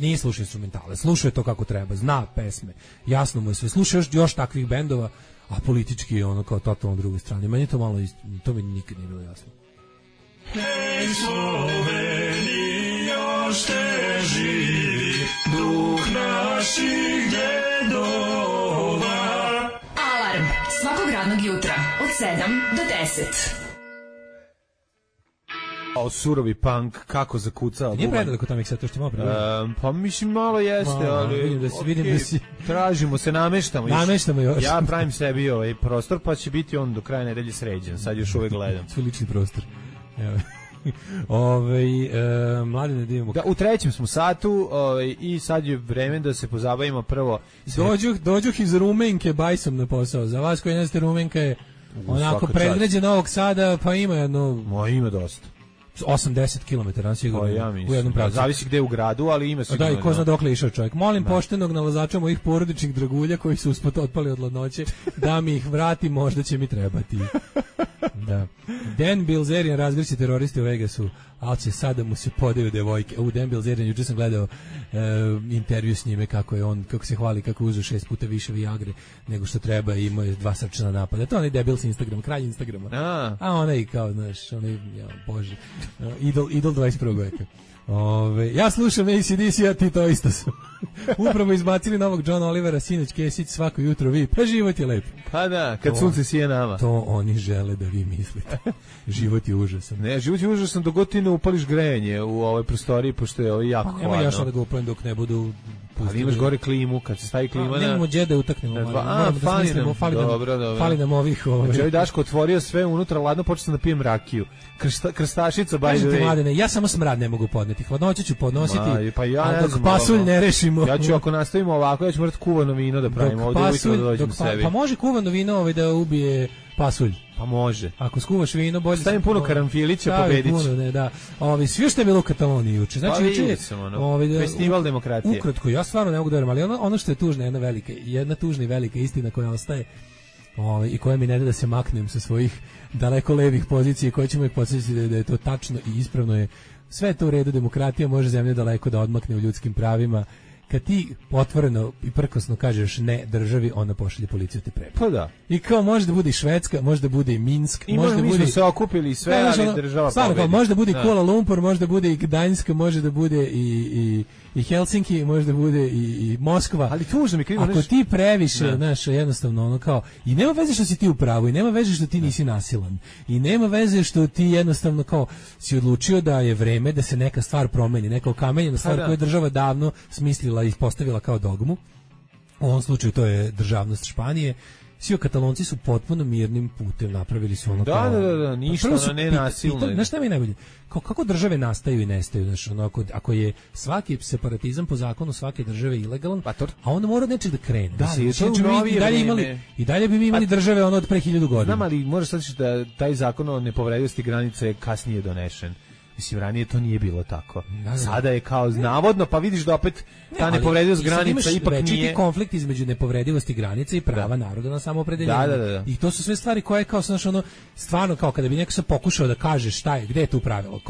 Speaker 6: nije slušao instrumentale, slušao je to kako treba, zna pesme, jasno mu je sve, slušao još takvih bendova, a politički je kao totalno druge strane. Meni je to malo, to mi nikad nije bilo jasno.
Speaker 13: Hej Sloveni, još te živi duh naših dedova.
Speaker 3: Alarm svakog radnog jutra od 7 do 10.
Speaker 5: Surovi punk, kako zakucao.
Speaker 6: Nije predaleko tamo ih sad to što malo predaleko.
Speaker 5: Pa mislim malo jeste, ali
Speaker 6: vidim da si
Speaker 5: tražimo se, nameštamo
Speaker 6: još.
Speaker 5: Ja pravim sebi prostor, pa će biti on do kraja nedelje sređen. Sad još uvek gledam.
Speaker 6: Svoj lični prostor. Evo. Mladine da imamo.
Speaker 5: Da, u trećem smo satu i sad je vreme da se pozabavimo prvo.
Speaker 6: Dođuh iz Rumenke bajsom na posao. Za vas koji ne znate, Rumenka je onako predgrađe Novog Sada, pa ima jedno...
Speaker 5: Ima dosta.
Speaker 6: 80 km sigurno u jednom pravcu.
Speaker 5: Zavisi gde u gradu, ali ima sigurno.
Speaker 6: Da, i ko zna dokle išao čovjek. Molim poštenog nalazača mojih porodičnih dragulja koji su usput otpali od ladnoće da mi ih vrati, možda će mi trebati. Da. Dan Bilzerian razgrši teroristi u Vegasu, ali će sada mu se podaju devojke. Dan Bilzerian, juče sam gledao intervju s njime kako se hvali kako uzeo 6 puta više Viagre nego što treba i imao je 2 srčana napada. To je onaj debil s Instagram, kralj Instagrama. A onaj kao, znaš, bože, idol 21. veka. Ja slušam AC/DC, a ti to isto su. Upravo izbacili novog John Olivera, sinoć Kesić, svako jutro vi. Pa život je lep.
Speaker 5: Pa da, kad sunce sije nama.
Speaker 6: To oni žele da vi mislite. Život je užasan.
Speaker 5: Ne, život je užasan dok god ti ne upališ grejanje u ovoj prostoriji, pošto je jako hladno.
Speaker 6: Nema jašno da ga upalim dok ne budu pustili.
Speaker 5: Ali imaš gore klimu, kad se stavi klima.
Speaker 6: Nemamo gdje da utaknemo. Fali nam ovih.
Speaker 5: Znači, Daško otvorio sve unutra, ladno, počeo sam da pijem rakiju. Krstašica,
Speaker 6: ja samo smrad ne mogu podneti. Hladnoću ću podnositi,
Speaker 5: a
Speaker 6: dok pasulj ne rešimo.
Speaker 5: Ja ću, ako nastavimo ovako, ja ću morati kuvano vino da pravimo ovdje ujutro da dođem sebi.
Speaker 6: Pa može kuvano vino da ubije pasulj.
Speaker 5: Pa može.
Speaker 6: Ako skuvaš vino, bolje...
Speaker 5: Stavim puno karanfilića, pobedit će.
Speaker 6: Puno, ne, da. Svi što je bilo u Kataloniji juče. Znači,
Speaker 5: pa
Speaker 6: juče
Speaker 5: festival demokratije.
Speaker 6: Ukratko, ja stvarno ne mogu da verujem, ali ono što je tužna, jedna tužna i velika istina koja ostaje i koja mi ne da se maknem sa svojih daleko levih pozicija, koje ćemo ih podsjetiti da je to tačno i ispravno je. Sve je to u redu, demokratija može zemlju daleko da odmakne u ljudskim pravima. Kad ti otvoreno i prkosno kažeš ne državi, ona pošalje policiju te prebi.
Speaker 5: Pa da.
Speaker 6: I kao može da bude i Švedska, može da bude i Minsk, može da bude...
Speaker 5: I se okupili sve, ali država pobedi.
Speaker 6: Može da bude i Kuala Lumpur, može da bude i Gdańsk, može da bude i Helsinki, može da bude i Moskva.
Speaker 5: Ali tužno mi krivo.
Speaker 6: Ako ti previše, znaš, jednostavno ono kao... I nema veze što si ti u pravu, i nema veze što ti nisi nasilan. I nema veze što ti jednostavno kao si odlučio da je vreme da se neka stvar promeni, neka okamenjena stvar koju je država davno smislila i ispostavila kao dogmu. U ovom slučaju to je državnost Španije. Svi Katalonci su potpuno mirnim putem napravili su ono kao...
Speaker 5: Da, ništa, ono ne nasilno.
Speaker 6: Znaš šta mi je najbolje? Kako države nastaju i nestaju? Znaš, ono, ako je svaki separatizam po zakonu svake države ilegalan, a onda mora od nečeg da krene.
Speaker 5: Da,
Speaker 6: i dalje bi mi imali države ono od pre 1000 godina.
Speaker 5: Znam, ali možeš sad da taj zakon o nepovredivosti granice je kasnije donešen. Mislim, ranije to nije bilo tako. Sada je kao navodno, pa vidiš da opet ta nepovredivost granica ipak nije...
Speaker 6: Imaš konflikt između nepovredivosti granice i prava naroda na samoopredeljenje.
Speaker 5: Da.
Speaker 6: I to su sve stvari koje kao, znaš, ono, stvarno kao kada bi neko se pokušao da kaže šta je, gde je tu pravilo,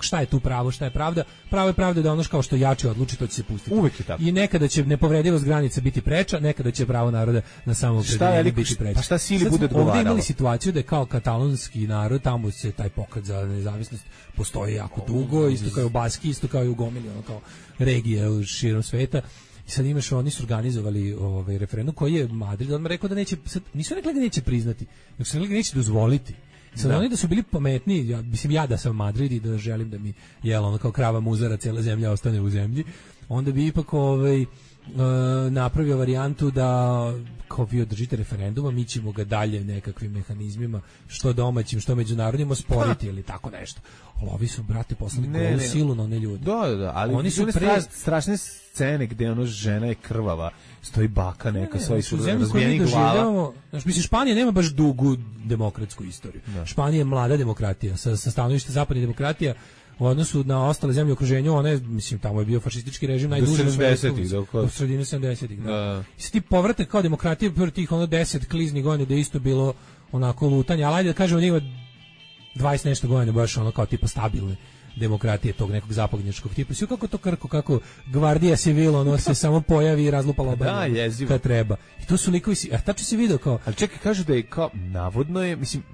Speaker 6: šta je tu pravo, šta je pravda, pravo je pravda da ono kao što jači odluči, to će se pustiti.
Speaker 5: Uvek je tako.
Speaker 6: I nekada će nepovredivost granice biti preča, nekada će pravo naroda na samoopredeljenje biti preča.
Speaker 5: Pa šta sili bude odgovaralo?
Speaker 6: Ovdje imali situaciju da je kao katalonski narod, tamo se taj pokret za nezavisnost postoji jako dugo, isto kao i u Baski, isto kao i u gomili, ono kao regije širom sveta. I sad imaš, oni su organizovali referendum koji je Madrid odmah rekao da neće, nisu rekli da neće priznati, nego su rekli da neće dozvoliti. Sad oni da su bili pametniji, ja da sam Madrid i da želim da mi ono kao krava muzara cijela zemlja ostane u zemlji, onda bi ipak napravio varijantu da kao vi održite referenduma, mi ćemo ga dalje nekakvim mehanizmima, što domaćim, što međunarodnim osporiti ili tako nešto. Ali ovi su, brate, poslali golu silu na one ljude.
Speaker 5: Da, ali oni su strašne scene gde ono žena je krvava, stoji baka neka, svoji su razbijenih glava.
Speaker 6: Znaš, mislim, Španija nema baš dugu demokratsku istoriju. Španija je mlada demokratija, sa stanovišta zapadne demokratija, u odnosu na ostale zemlje u okruženju, mislim, tamo je bio fašistički režim najduže do sredine 70-ih. I sad ti povratak kao demokratije prvo tih 10 kliznih godina da je isto bilo onako lutanje, ali ajde da kažemo njima 20 nešto godina baš ono kao tipa stabilne demokratije tog nekog zapadnjačkog tipa. Sve kako to krko, kako Gvardija Civil, ono se samo pojavi i razlupa lobanje kad treba. I to su likovi, a tačno si video kao...
Speaker 5: Ali čekaj, kažu da je kao,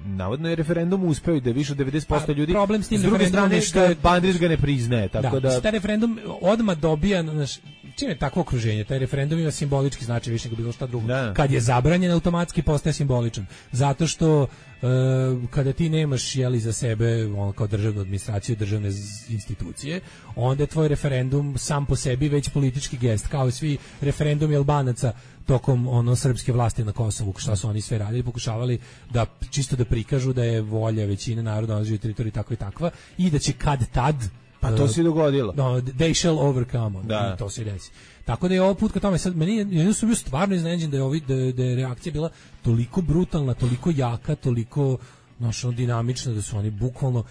Speaker 5: navodno je referendum uspeo i da je više od 90% ljudi...
Speaker 6: Problem s tim
Speaker 5: referendumom je što Bandić ga ne priznaje, tako da...
Speaker 6: taj referendum odmah dobija, čim je takvo okruženje, taj referendum ima simbolički značaj više nego bilo šta drugo. Kad je zabranjen, automatski postaje simboličan. Zato što kada ti nemaš za sebe kao državnu administraciju, državne institucije, onda je tvoj referendum sam po sebi već politički gest, kao i svi referendumi Albanaca tokom srpske vlasti na Kosovu, šta su oni sve radili, pokušavali da čisto da prikažu da je volja većine naroda na teritoriji takva i takva i da će kad tad
Speaker 5: pa to se dogodilo.
Speaker 6: They shall overcome. I to se desi. Tako da je ovo put ka tome, sad meni sam bio stvarno iznenađen da je reakcija bila toliko brutalna, toliko jaka, toliko dinamična, da su oni bukvalno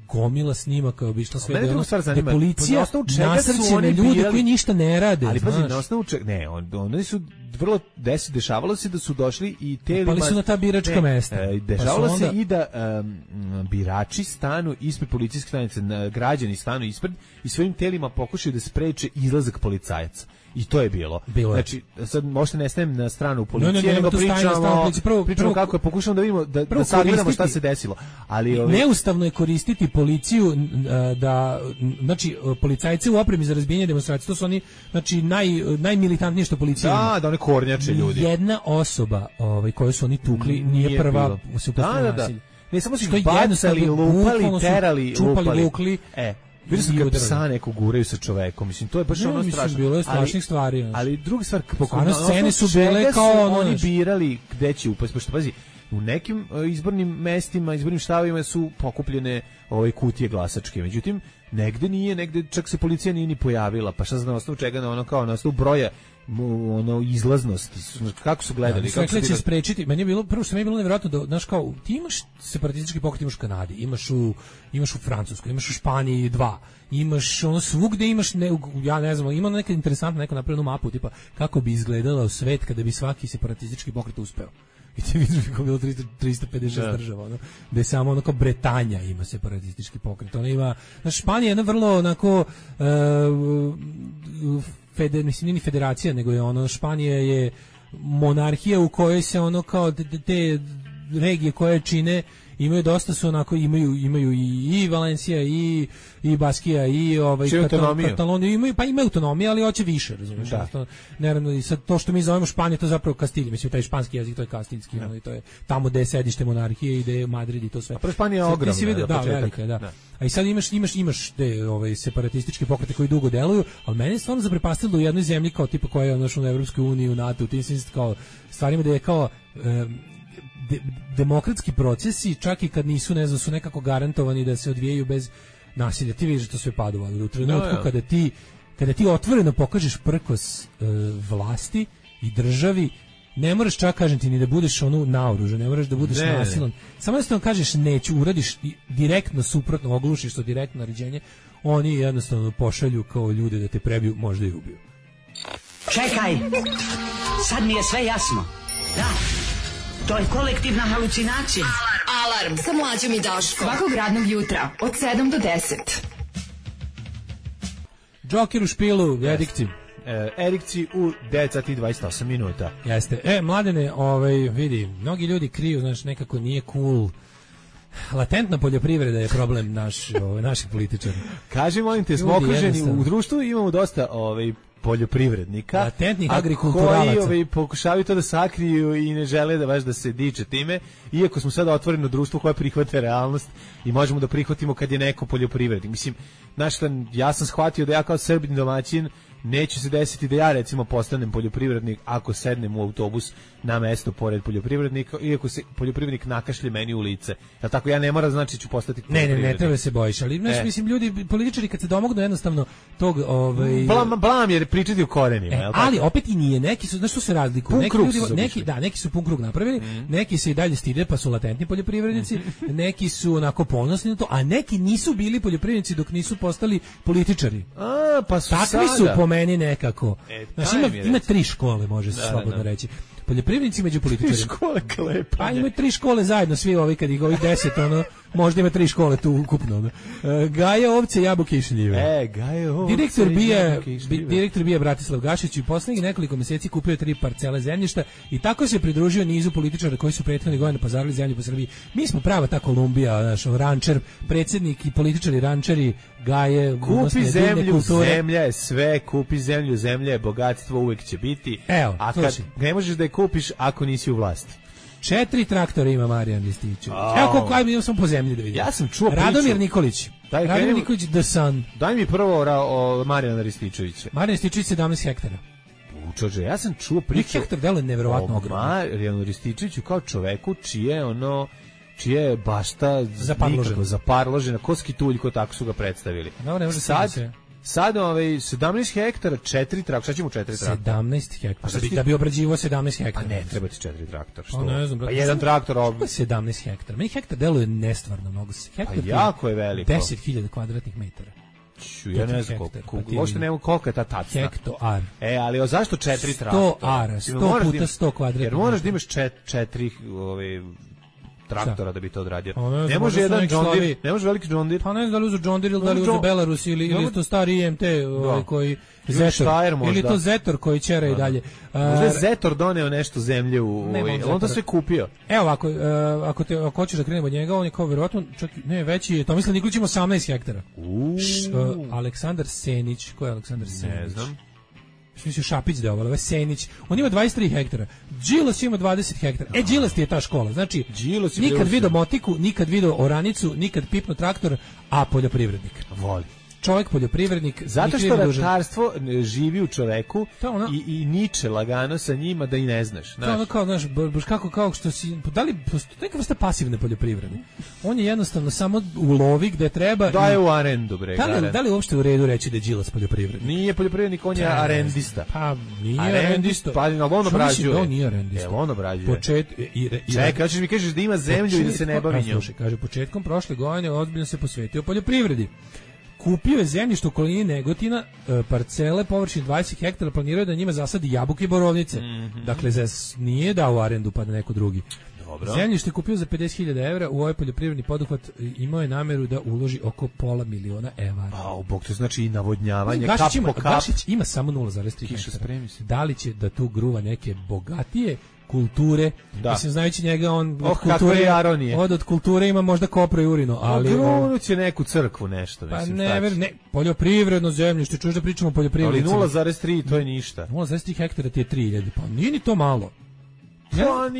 Speaker 6: gomila snimaka obišla sve, da policija nasrće na ljude koji ništa ne rade.
Speaker 5: Ali pazi, na osnovu čega, oni su vrlo dešavalo se da su došli i telima...
Speaker 6: Pali su na ta biračka mesta.
Speaker 5: Dešavalo se i da birači stanu ispred policijske stanice, građani stanu ispred i svojim telima pokušaju da spreče izlazak policajaca. I to je bilo. Znači, sad možete ne stajem na stranu policije, nego pričamo kako je, pokušamo da vidimo, da sagledamo šta se desilo. Ali
Speaker 6: neustavno je koristiti policiju znači, policajci u opremi za razbijanje demonstracije, to su oni, znači, najmilitantnije što policija ima.
Speaker 5: Da one kornjače ljudi.
Speaker 6: Jedna osoba koju su oni tukli nije prva u suprotnom nasilju.
Speaker 5: Ne, samo su ih bacali, lupali, terali,
Speaker 6: čupali, vukli.
Speaker 5: Vidio sam kad psa neko guraju sa čovekom, mislim, to je baš ono strašno.
Speaker 6: Bilo je strašnih stvari.
Speaker 5: Ali druga stvar,
Speaker 6: scene su bile kao
Speaker 5: oni birali gde će upasti, pošto pazi, u nekim izbornim mestima, izbornim štabovima su pokupljene kutije glasačke, međutim, negde nije, negde čak se policija nije ni pojavila, pa šta znam na osnovu čega, kao na osnovu broja ono izlaznost, kako su gledali,
Speaker 6: kako su će sprečiti. Meni je bilo prvo što mi je bilo nevjerojatno da znaš kao ti imaš separatistički pokret, imaš u Kanadi, imaš u Francuskoj, imaš u Španiji 2, imaš ono svugde imaš ja ne znam, ima neka interesantna neko napravljenu mapu tipa kako bi izgledala svet kada bi svaki separatistički pokret uspeo. I ti vidiš kako je bilo 356 država, ono, da je samo ono kao Bretanja ima separatistički pokret. Ona ima, znaš, Španija je jedna vrlo onako mislim, nije ni federacija, nego je ono, Španija je monarhija u kojoj se ono kao te regije koje čine imaju dosta su onako imaju i Valencija i Baskija i Kataloniju imaju autonomiju, ali hoće više, razumiješ? Naravno i sad to što mi zovemo Španija to zapravo Kastilj, mislim taj španski jezik to je kastiljski, i to je tamo gde je sedište monarhije i gde je Madrid i to sve.
Speaker 5: A Španija je ogromna,
Speaker 6: da, velika je, da. A i sad imaš te separatističke pokrete koji dugo deluju, ali mene je stvarno zaprepastilo da u jednoj zemlji kao tipa koja je u Evropskoj uniji, u NATO, u tim kao stvarima da je kao demokratski procesi, čak i kad nisu, ne znam, su nekako garantovani da se odvijaju bez nasilja. Ti vidiš da to sve padovalo. U trenutku kada ti otvoreno pokažeš prkos vlasti i državi, ne moraš čak, kažem ti, ni da budeš naoružan, ne moraš da budeš nasilan. Samo jednostavno kažeš neću, uradiš direktno suprotno, oglušiš to direktno naređenje, oni jednostavno pošalju kao ljude da te prebiju, možda i ubiju.
Speaker 2: Čekaj, sad mi je sve jasno. Da, to je kolektivna halucinacija.
Speaker 3: Alarm sa Mlađom i Daškom. Svakog radnog jutra od 7 do 10.
Speaker 6: Džoker u špilu, Erikci.
Speaker 5: Erikci u 9 sati i 28 minuta.
Speaker 6: Jeste. Mladene, vidi, mnogi ljudi kriju, znaš, nekako nije cool. Latentna poljoprivreda je problem naših političara.
Speaker 5: Kaži, molim te, smo okruženi u društvu, imamo dosta poljoprivrednika,
Speaker 6: latentnih agrikulturalaca
Speaker 5: koji pokušavaju to da sakriju i ne žele da baš da se diče time, iako smo sada otvoreno društvo koje prihvata realnost i možemo da prihvatimo kad je neko poljoprivrednik. Mislim, znaš šta, ja sam shvatio da ja kao Srbin domaćin neće se desiti da ja recimo postanem poljoprivrednik ako sednem u autobus na mesto pored poljoprivrednika, iako se poljoprivrednik nakašlje meni u lice. Jel tako, ja ne moram, znači ću postati poljoprivrednik.
Speaker 6: Ne treba se bojiš, ali mislim, ljudi, političari kad se domognu jednostavno tog
Speaker 5: blam jer pričati u korenima, jel tako?
Speaker 6: Ali opet i nije, neki su, znaš što se razlikuju? Neki su pun krug napravili, neki se i dalje stide pa su latentni poljoprivrednici, neki su onako ponosni na to, a neki nisu bili poljoprivrednici dok nisu postali političari.
Speaker 5: Pa su
Speaker 6: takvi su po meni nekako. Znači ima 3 škole, može se slobodno reći. Poljoprivrednici među političarima.
Speaker 5: 3 škole klepanja.
Speaker 6: Pa ima 3 škole zajedno, svi ovi kad ih ovih 10, možda ima 3 škole tu ukupno. Gaje, ovce, jabuke i šljive.
Speaker 5: Gaje, ovce,
Speaker 6: direktor bija Bratislav Gašić i poslednjih nekoliko meseci kupio 3 parcele zemljišta i tako se pridružio nizu političara koji su prethodne godine pazarili zemlju po Srbiji. Mi smo prava ta Kolumbija, naš rančer, predsjednik i političari rančeri, Gaje,
Speaker 5: kupi zemlju, zemlja je sve, kupi zemlju, zemlja je bogatstvo, uvek će biti.
Speaker 6: Evo,
Speaker 5: a kad ne možeš da je kupiš ako nisi u vlasti.
Speaker 6: 4 traktora ima Marijan Rističević. Evo koliko ajmo sam po zemlji da vidim.
Speaker 5: Ja sam čuo priču.
Speaker 6: Radomir Nikolić. Radomir Nikolić The Sun.
Speaker 5: Daj mi prvo o Marijana Rističevića.
Speaker 6: Marijan Rističević 17 hektara.
Speaker 5: Čože, ja sam čuo priču.
Speaker 6: Hektar delo je neverovatno ogromno.
Speaker 5: Marijanu Rističeviću kao čoveku čije je bašta zaparložena, koski tuljko, tako su ga predstavili.
Speaker 6: No, ne može
Speaker 5: Sad 17 hektara, 4 traktora, šta ćemo 4 traktora?
Speaker 6: 17 hektara, da bi obrađivao 17 hektara.
Speaker 5: A ne, treba ti 4 traktora, što?
Speaker 6: Ne znam,
Speaker 5: pa jedan traktor...
Speaker 6: 17 hektara, meni hektar deluje nestvarno mnogo.
Speaker 5: Pa jako je veliko.
Speaker 6: 10.000 kvadratnih metara.
Speaker 5: Ja ne znam uopšte nema koliko je ta tacna.
Speaker 6: Hektoar.
Speaker 5: Ali zašto 4 traktora?
Speaker 6: 100 ara, 100 puta 100 kvadratnih.
Speaker 5: Jer moraš da imaš 4 traktora da bi to odradio. Ne može jedan John Deere, ne može veliki John Deere.
Speaker 6: Pa ne znam da li uzu John Deere ili da li uzu Belarus ili to stari IMT koji Zetor. Ili to Zetor koji ćera i dalje.
Speaker 5: Možda je Zetor doneo nešto zemlje on to sve kupio.
Speaker 6: Evo, ako hoćeš da krenemo od njega, on je kao verovatno, čak ne, veći je, Tomislav Nikolić ima 18 hektara. Aleksandar Senić, ko je Aleksandar Senić?
Speaker 5: Ne znam.
Speaker 6: Mislio Šapić da je Senić. On ima 23 hektara. Đilas ima 20 hektara. Đilas ti je ta škola. Znači, nikad vidio motiku, nikad vidio oranicu, nikad pipno traktor, a poljoprivrednik.
Speaker 5: Voli.
Speaker 6: čovjek poljoprivrednik.
Speaker 5: Zato što ratarstvo živi u čoveku i niče lagano sa njima da i ne znaš.
Speaker 6: To ono kao, znaš, baš kao što si, da li neka vrsta pasivne poljoprivrede? On je jednostavno samo u lovi gde treba.
Speaker 5: Daje u arendu, bre.
Speaker 6: Da li uopšte u redu reći da je Đilas poljoprivrednik?
Speaker 5: Nije poljoprivrednik, on je arendista.
Speaker 6: Pa nije arendista.
Speaker 5: Pa on obrađuje.
Speaker 6: On nije arendista.
Speaker 5: On obrađuje. Čekaj, hoćeš mi kažeš da ima zemlju i da se ne bavi njom.
Speaker 6: Slušaj, kaže, početkom prošle godine ozbiljno se posvetio poljoprivredi. Kupio je zemljište u okolini Negotina, parcele površine 20 hektara, planirao da njima zasadi jabuke i borovnice. Dakle, nije dao u arendu pa na neko drugi.
Speaker 5: Dobro.
Speaker 6: Zemljište kupio za 50.000 evra, u ovaj poljoprivredni poduhvat imao je nameru da uloži oko $500.000 evra.
Speaker 5: Pa, bog, to znači i navodnjavanje,
Speaker 6: Gašić ima samo 0,3 hektara. Da li će da tu gruva neke bogatije kulture, mislim, znajući njega, on od kulture ima možda kopro i urino, ali
Speaker 5: grunu će neku crkvu nešto,
Speaker 6: pa
Speaker 5: mislim.
Speaker 6: Ne, poljoprivredno zemljište, čuš da pričamo o poljoprivrednicima.
Speaker 5: Ali 0,3 to je ništa.
Speaker 6: 0,3 hektara ti je 3.000, pa nije ni to malo.
Speaker 5: Ja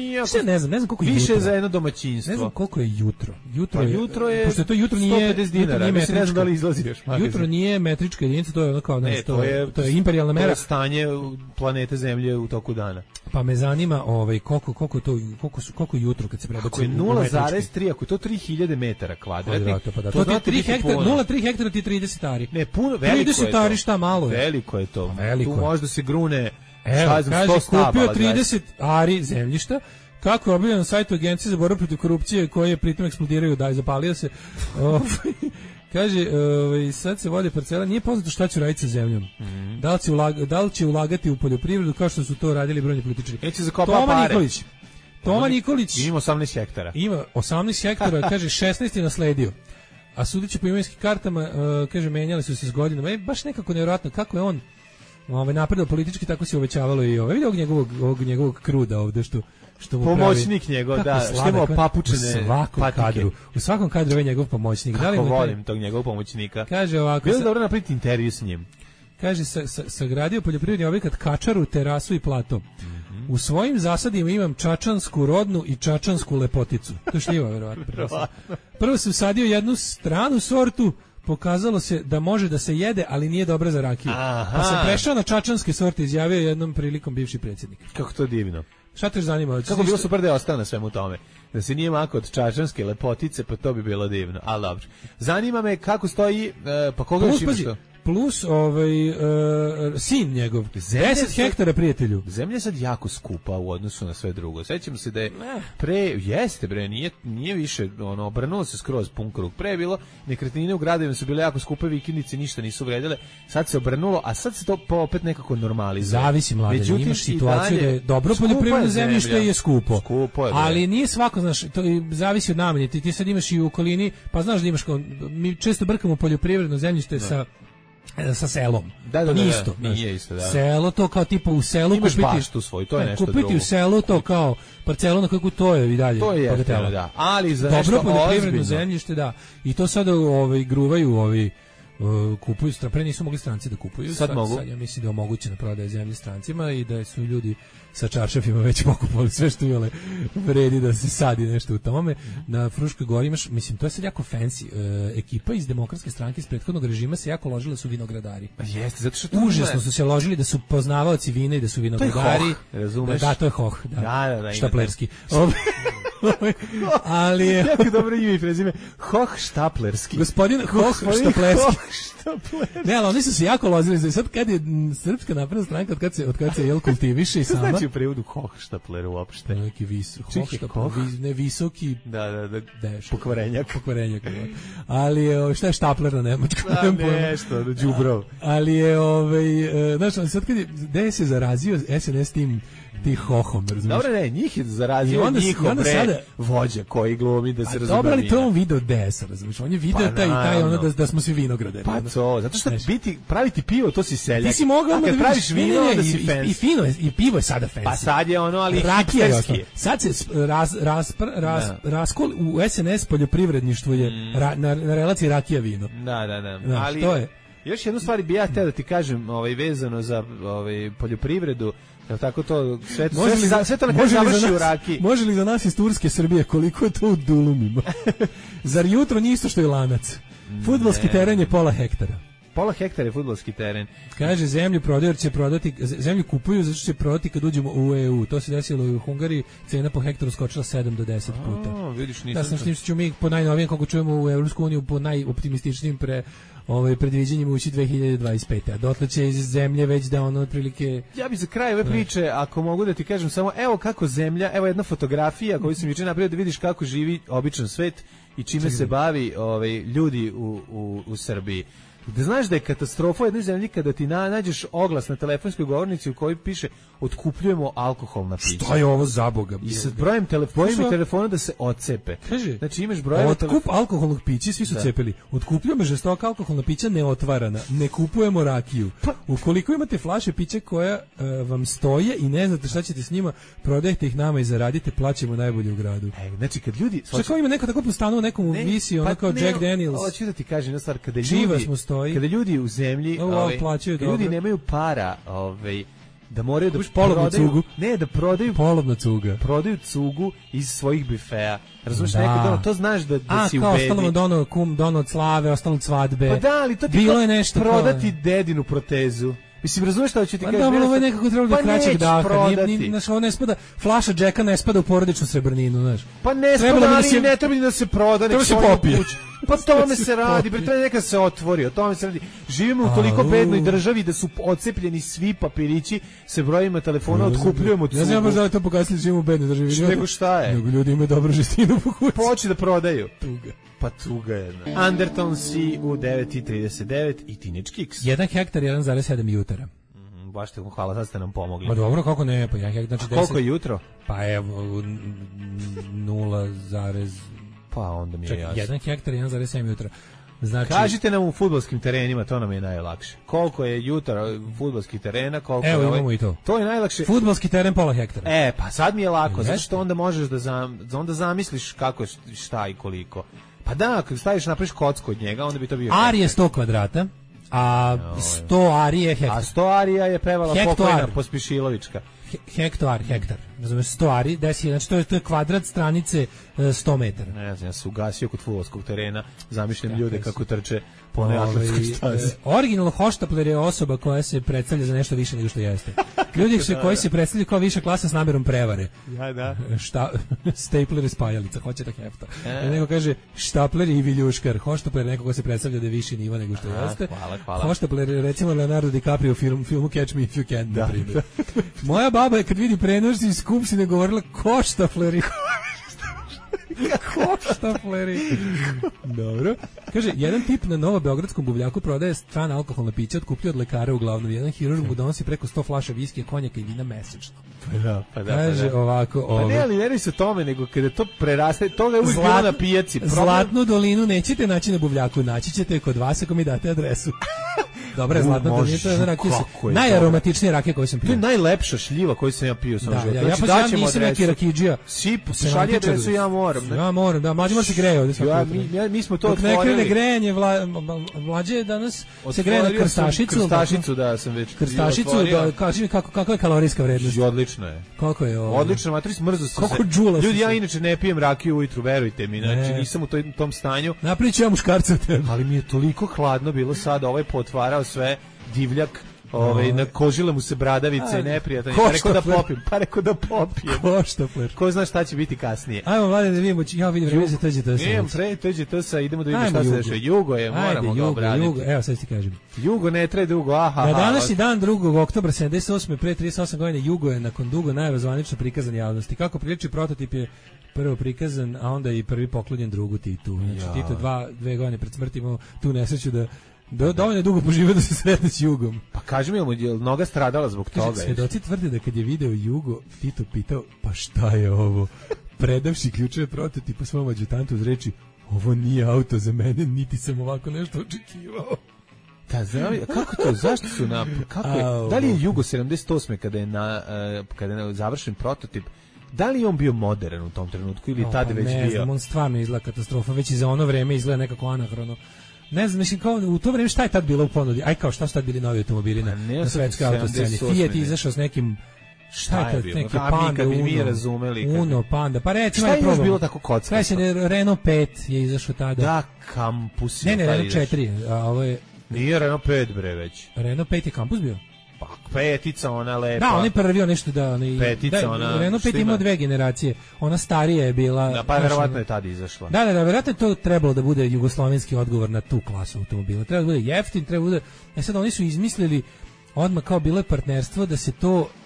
Speaker 6: ne znam koliko je
Speaker 5: više
Speaker 6: jutro.
Speaker 5: Za jedno domaćinstvo.
Speaker 6: Ne znam koliko je jutro.
Speaker 5: Jutro je
Speaker 6: pošto to jutro nije
Speaker 5: 150 dinara. Ne znam da li izlazi još.
Speaker 6: Jutro nije metrička jedinica, to je ono kao nešto. To je imperijalna mera.
Speaker 5: To je stanje planete Zemlje u toku dana.
Speaker 6: Pa me zanima koliko jutro kad se prebaci.
Speaker 5: Ako je 0,3, ako je to 3000 metara kvadratnih.
Speaker 6: To je 3 hektara, 0,3 hektara ti 30 ari.
Speaker 5: Ne, puno, veliko je to.
Speaker 6: 30 ari šta malo je.
Speaker 5: Veliko je to. Tu možda se grune.
Speaker 6: Evo, kaže, kupio 30 ari zemljišta, kako je objavljeno na sajtu Agencije za borbu protiv korupcije, koje je pritom eksplodiraju, zapalio se. Kaže, sad se vode parcela, nije poznato šta će raditi sa zemljom. Da li će ulagati u poljoprivredu kao što su to radili brojni političari. Toma Nikolić
Speaker 5: ima 18 hektara.
Speaker 6: Ima 18 hektara, kaže 16 je nasledio. A sudeći po imovinskim kartama, kaže, menjali su se s godinama. Baš nekako nevjerojatno kako je on napredao politički, tako se uvećavalo i vidi ovog njegovog kruda ovde što mu
Speaker 5: pomoćnik njegov, što ima papučene patike.
Speaker 6: U svakom kadru je njegov pomoćnik.
Speaker 5: Kako volim tog njegovog pomoćnika.
Speaker 6: Kaže ovako,
Speaker 5: bilo dobro napraviti intervju s njim.
Speaker 6: Kaže, sagradio poljoprivredni objekat, kačaru, terasu i plato. U svojim zasadima imam čačansku rodnu i čačansku lepoticu. To šljiva, verovatno. Prvo sam sadio jednu stranu sortu, pokazalo se da može da se jede, ali nije dobra za rakiju. Pa sam prešao na čačanske sorte, izjavio jednom prilikom bivši predsjednik.
Speaker 5: Kako to divno.
Speaker 6: Šta te zanima?
Speaker 5: Kako bilo super da je ostao na svemu tome. Da se nije mako od čačanske lepotice, pa to bi bilo divno. Ali dobro. Zanima me kako stoji, pa koga još imaš to?
Speaker 6: Plus sin njegov, 10 hektara, prijatelju.
Speaker 5: Zemlja je sad jako skupa u odnosu na sve drugo. Sećam se da je jeste bre, nije više, obrnulo se skroz pun krug. Pre je bilo, nekretnine u gradovima su bile jako skupe, vikendice ništa nisu vredile, sad se obrnulo, a sad se to opet nekako normalizuje.
Speaker 6: Zavisi, mladen, imaš situaciju da je dobro poljoprivredno zemljište je skupo.
Speaker 5: Skupo je,
Speaker 6: ali nije svako, znaš, to zavisi od namene. Ti sad imaš i u okolini, pa znaš da imaš, mi često brkamo poljoprivredno zemljište sa selom.
Speaker 5: Nije isto, da.
Speaker 6: Selo to kao tipa u selu
Speaker 5: imaš baštu svoju, to je nešto drugo.
Speaker 6: Kupiti u selu to kao parcelu na kakvu to je i dalje.
Speaker 5: To je jeftino, da. Ali za
Speaker 6: dobro poljoprivredno zemljište, da. I to sada gruvaju kupuju, pre nisu mogli stranci da kupuju. Sad mogu. Sad ja mislim da je omogućena prodaja zemlje strancima i da su ljudi sa čaršafima već pokupovali sve što imale vredi da se sadi nešto u tome. Na Fruškoj gori imaš, mislim, to je sad jako fancy. Ekipa iz Demokratske stranke iz prethodnog režima se jako ložila su vinogradari.
Speaker 5: Jeste, zato što
Speaker 6: užasno su se ložili da su poznavaoci vina i da su vinogradari.
Speaker 5: To je hoh, razumeš?
Speaker 6: Da, to je hoh.
Speaker 5: Da,
Speaker 6: štaplerski. Ali je
Speaker 5: jako dobro ime i prezime. Hoh Štaplerski.
Speaker 6: Gospodin Hoh Štaplerski. Ne, ali oni su se jako lozili. Sad kad je Srpska napredna stranka, od kad se kultiviše i sama.
Speaker 5: Šta znači u prevodu Hochštapler uopšte?
Speaker 6: Neki visoki.
Speaker 5: Da. Pokvarenjak.
Speaker 6: Ali šta je štapler na nemačkom?
Speaker 5: Nešto, đubrov.
Speaker 6: Ali je, znaš, sad kad je, gde se zarazio SNS tim hohom, razumiješ?
Speaker 5: Dobro, ne, njih je zarazio njihov vođa koji glumi da se razumije.
Speaker 6: Dobro, ali to on video DS-a, razumiješ? On je video taj da smo svi vinograde.
Speaker 5: Pa to, zato što praviti pivo, to si seljak.
Speaker 6: Ti si mogao
Speaker 5: da praviš vino, onda si fans.
Speaker 6: I fino je, i pivo je sada fancy.
Speaker 5: Pa sad je ali
Speaker 6: hipsterski. Sad se raskol u SNS poljoprivredništvu je na relaciji rakija vino.
Speaker 5: Da. Ali to je. Još jednu stvar bi ja htio da ti kažem, vezano za poljoprivredu. Jel tako to sve to na kraju završi u rakiji.
Speaker 6: Može li za nas iz Turske, Srbije, koliko je to u dulumima? Zar jutro nije isto što je Lanac? Fudbalski teren je 0,5 hektara.
Speaker 5: pola hektara je fudbalski teren.
Speaker 6: Kaže, zemlju prodaju će prodati, zemlju kupuju zato što će prodati kad uđemo u EU. To se desilo i u Hungariji, cena po hektaru skočila 7 do 10 puta.
Speaker 5: Vidiš,
Speaker 6: da sam s tim što ćemo mi po najnovijem, kako čujemo u Evropsku uniju, po najoptimističnijim predviđanjima ući 2025. A dotle će iz zemlje već da ono otprilike...
Speaker 5: Ja bih za kraj ove priče, ako mogu da ti kažem samo, evo kako zemlja, evo jedna fotografija koju sam juče napravio da vidiš kako živi običan svet i čime se bavi ljudi u Srbiji. Da znaš da je katastrofa u jednoj zemlji kada ti nađeš oglas na telefonskoj govornici u kojoj piše otkupljujemo alkoholna pića.
Speaker 6: Šta je ovo za Boga?
Speaker 5: I sa brojem telefona da se odcepe.
Speaker 6: Kaže,
Speaker 5: znači imaš brojeve
Speaker 6: otkup alkoholnog pića, svi su cepili. Otkupljujemo žestoka alkoholna pića neotvarana. Ne kupujemo rakiju. Ukoliko imate flaše pića koja vam stoje i ne znate šta ćete s njima, prodajte ih nama i zaradite, plaćemo najbolje u gradu.
Speaker 5: Znači kad ljudi...
Speaker 6: Šta ima neko tako po stanu, nekom visi, ono kao Jack Daniels.
Speaker 5: Hoću da ti kažem jedna stvar, kada ljudi u zemlji, kada ljudi nemaju para, da moraju da prodaju, da prodaju
Speaker 6: polovna cuga.
Speaker 5: Prodaju cugu iz svojih bifeja. Razumeš, neko to znaš da si u bedi.
Speaker 6: Ostalo dono od slave, ostalo od svadbe.
Speaker 5: Pa da, ali to ti
Speaker 6: bilo je nešto
Speaker 5: prodati dedinu protezu. Mislim, razumeš šta hoću ti kažem?
Speaker 6: Dobro, ovo je nekako trebalo da kraćeg daha. Znaš, ovo ne spada, flaša džeka ne spada u porodičnu srebrninu, znaš.
Speaker 5: Pa ne spada, ali ne treba ni da se proda.
Speaker 6: Treba se popije.
Speaker 5: Pa tome se radi, treba neka se otvori, o tome se radi. Živimo u toliko bednoj državi da su odcepljeni svi papirići sa brojima telefona, otkupljujemo cugu.
Speaker 6: Ne znam baš da li to pokazali, živimo u bednoj državi.
Speaker 5: Nego šta je?
Speaker 6: Nego ljudi imaju dobru žestinu po kući.
Speaker 5: Poći da prodaju.
Speaker 6: Tuga.
Speaker 5: Pa tuga jedna. Underton si u 9:39 i Teenage Kicks.
Speaker 6: 1 hektar, 1,7 jutara.
Speaker 5: Baš te hvala, sad ste nam pomogli.
Speaker 6: Ma dobro, kako ne, pa 1 hektar, znači 10.
Speaker 5: Koliko je jutro?
Speaker 6: Pa evo, 0,
Speaker 5: pa onda mi je jasno.
Speaker 6: 1 hektar, 1,7 jutra. Znači,
Speaker 5: kažite nam u fudbalskim terenima, to nam je najlakše. Koliko je jutra fudbalskih terena, koliko
Speaker 6: evo
Speaker 5: je
Speaker 6: imamo i to.
Speaker 5: To je najlakše.
Speaker 6: Fudbalski teren pola hektara.
Speaker 5: Pa sad mi je lako, zato što onda možeš da onda zamisliš kako, šta i koliko. Pa da, kad staviš napraviš kocku od njega, onda bi to bio...
Speaker 6: Ar je 100 kvadrata, a 100 ari je hektar.
Speaker 5: A 100 arija je pevala pokojna Pospišilovička.
Speaker 6: Hektar. Razumeš, 100 ari, znači to je kvadrat stranice 100 metara.
Speaker 5: Ne znam, ja sam ugasio kod fudbalskog terena, zamišljam ljude kako trče po onoj atletskoj stazi.
Speaker 6: Originalno hoštapler je osoba koja se predstavlja za nešto više nego što jeste. Ljudi koji se predstavljaju kao viša klasa s namjerom prevare.
Speaker 5: Ja, da.
Speaker 6: Stapler je spajalica, hoće da hefta. Neko kaže štapler i viljuškar. Hoštapler je neko ko se predstavlja da je viši nivo nego što jeste.
Speaker 5: Hvala.
Speaker 6: Hoštapler je recimo Leonardo DiCaprio u filmu Catch Me If You Can, na primjer. Moja baba je kad vidi prenos iz Skupštine govorila koštapleri. Koštapleri. Dobro. Kaže, jedan tip na novobeogradskom buvljaku prodaje strana alkoholna pića, otkupljuje od lekara uglavnom. Jedan hirurg mu donosi preko 100 flaša viskija, konjaka i vina mesečno.
Speaker 5: Pa da.
Speaker 6: Kaže ovako...
Speaker 5: Pa ne, ali ne se tome, nego kada to preraste, toga je uvijek bilo na pijaci.
Speaker 6: Zlatnu dolinu nećete naći na buvljaku, naći ćete kod vas ako mi date adresu. Dobra je Zlatna dolina, to je rakija, najaromatičnija rakija koju sam pio.
Speaker 5: To je najlepša šljiva koju sam ja pio.
Speaker 6: Ja nisam neki rakidžija.
Speaker 5: Šalje adresu, ja moram.
Speaker 6: Ja moram, da, mlađe mora se greje ovdje.
Speaker 5: Mi smo to otvorili.
Speaker 6: Dok ne krene grejanje, mlađe danas se greje na krstašicu.
Speaker 5: Krstašicu, da, sam već
Speaker 6: krstašicu, kaži mi kakva je kalorijska vrednost.
Speaker 5: Odlično je.
Speaker 6: Koliko je ovo?
Speaker 5: Odlično, matri smrzu se.
Speaker 6: Koliko džula?
Speaker 5: Ljudi, ja inače ne pijem rakiju ujutru, verujte mi, znači nisam u tom stanju.
Speaker 6: Napriču ja muškarca od tebe.
Speaker 5: Ali mi je toliko hladno bilo sada, potvarao sve, divljak. Na kožile mu se bradavice i neprijatno. Pa rekao da popijem.
Speaker 6: Koštapler.
Speaker 5: Ko zna šta će biti kasnije.
Speaker 6: Ajmo, Vlade, da vidimo. Ja vidim vreme za TGT-sa.
Speaker 5: Idemo pre TGT-sa, idemo da vidimo šta se dešava. Jugo je, moramo ga obraditi.
Speaker 6: Evo, sad ti kažem.
Speaker 5: Jugo ne traje dugo,
Speaker 6: Na današnji dan 2. oktobra 78. pre 38 godina Jugo je nakon dugo najave zvanično prikazan javnosti. Kako priliči, prototip je prvo prikazan, a onda i prvi poklonjen drugu Titu. Znači, Tito 2 godine pred smrti imao tu nesreću da dovoljno dugo poživio da se sretne s Jugom.
Speaker 5: Pa kaži mi, je noga stradala zbog toga?
Speaker 6: Svedoci tvrde da kad je video Jugo, Tito pitao, pa šta je ovo? Predavši ključeve prototipa svom adjutantu uz reči, ovo nije auto za mene, niti sam ovako nešto očekivao.
Speaker 5: Da, kako to, zašto su da li je Jugo 78. kada je završen prototip, da li je on bio modern u tom trenutku ili tada već bio?
Speaker 6: Ne znam, on stvarno izgleda katastrofa, već i za ono vreme izgleda nekako anahrono. Ne znam, mislim, kao u to vreme šta je tad bilo u ponudi? Kao šta su tad bili novi automobili na svetskoj autosceni? Fiat izašao s nekim, šta je tad, neki Panda, Uno, Panda, pa recimo
Speaker 5: šta je još bilo tako kockasto?
Speaker 6: Renault 5 je izašao tada.
Speaker 5: Da, Campus.
Speaker 6: Ne, Renault 4, a ovo je...
Speaker 5: Nije Renault 5 bre već.
Speaker 6: Renault 5 je kampus bio?
Speaker 5: Pa petica ona lepa.
Speaker 6: Da, on je prvio nešto da
Speaker 5: petica ona.
Speaker 6: Renault 5 ima dve generacije. Ona starija je bila.
Speaker 5: Da, pa verovatno je tad izašla.
Speaker 6: Da, verovatno je to trebalo da bude jugoslovenski odgovor na tu klasu automobila. Treba da bude jeftin, treba da bude. Sad oni su izmislili odmah kao bilo je partnerstvo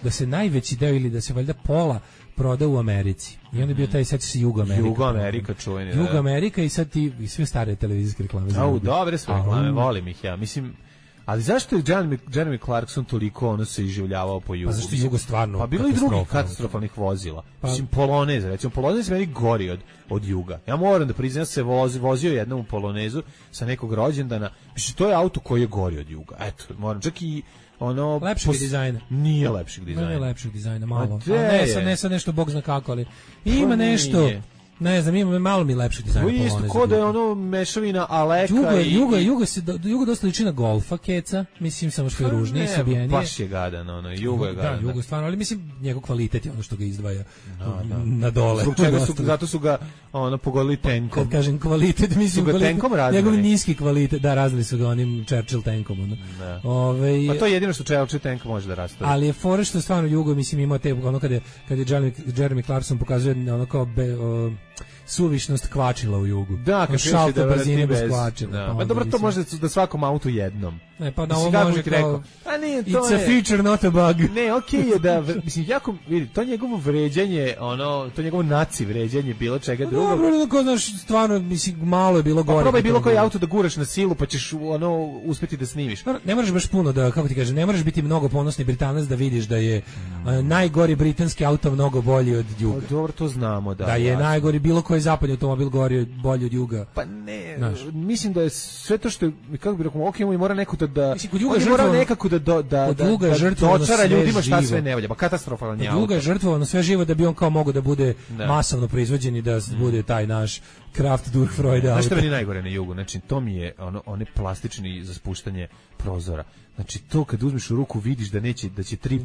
Speaker 6: da se najveći deo ili da se valjda pola proda u Americi. I onda je bio taj, sad se Jugo Amerika.
Speaker 5: Jugo Amerika čuveni.
Speaker 6: Jugo Amerika i sad ti i sve stare televizijske reklame.
Speaker 5: Dobre su reklame, volim ih ja. Mislim, ali zašto je Jeremy Clarkson toliko se iživljavao po Jugu?
Speaker 6: Pa zašto je Jugo stvarno
Speaker 5: pa bilo i drugih katastrofalnih vozila. Mislim, Polonez, recimo, Polonez meni gori od Juga. Ja moram da priznam, se vozio jednom u Polonezu sa nekog rođendana. Mislim, to je auto koji je gori od Juga. Eto, moram, čak i
Speaker 6: lepšeg dizajna.
Speaker 5: Nije lepšeg dizajna.
Speaker 6: Nije lepšeg dizajna, malo. Ne sad nešto bog zna kako, ali ima nešto. Ne znam, ima malo mi lepši dizajn Poloneza.
Speaker 5: Isto kod je mešavina Aleka
Speaker 6: Jugo dosta liči na Golfa keca, mislim samo što je ružniji, sabijenije.
Speaker 5: Baš je gadan, Jugo je gadan.
Speaker 6: Da, Jugo stvarno, ali mislim njegov kvalitet je ono što ga izdvaja na dole.
Speaker 5: Zato su ga pogodili tenkom.
Speaker 6: Kad kažem kvalitet, mislim njegov niski kvalitet, da, razli su ga onim Churchill tenkom.
Speaker 5: Pa to je jedino što Churchill tenk može da rastavi.
Speaker 6: Ali je fora što stvarno Jugo, mislim, ima te, kad je Jeremy Clarkson pokazuje ono kao suvišnost kvačila u Jugu.
Speaker 5: Da, kad
Speaker 6: šalta brzine bez kvačila.
Speaker 5: Da. Pa dobro, to može da svakom autu jednom.
Speaker 6: Ne, pa da ovo može kao... It's a feature, not a bug.
Speaker 5: Ne, okej je da, mislim, jako, vidi, to njegovo vređenje, to njegovo naci vređenje bilo čega drugog.
Speaker 6: Dobro, ko znaš, stvarno, mislim, malo je bilo gore.
Speaker 5: Pa probaj bilo koji auto da guraš na silu, pa ćeš, uspeti da snimiš.
Speaker 6: Ne moraš baš puno da, kako ti kažem, ne moraš biti mnogo ponosni Britanac da vidiš da je najgori britanski auto mnogo bolji od Juga.
Speaker 5: Dobro, to znamo, da.
Speaker 6: Da je najgori bilo koji zapadni automobil bolji od Juga.
Speaker 5: Pa ne, mislim da je sve to što je, kako bih rekao, okej, mora neko da
Speaker 6: mora
Speaker 5: nekako da dočara ljudima šta sve ne valja. Pa katastrofalan je auto.
Speaker 6: Juga je žrtvovano sve živo da bi on kao mogao da bude masovno proizvođen i da bude taj naš Kraft Durchfreude.
Speaker 5: Znaš što meni najgore na Jugu? Znači, to mi je one plastični za spuštanje prozora. Znači, to kad uzmeš u ruku vidiš da će tri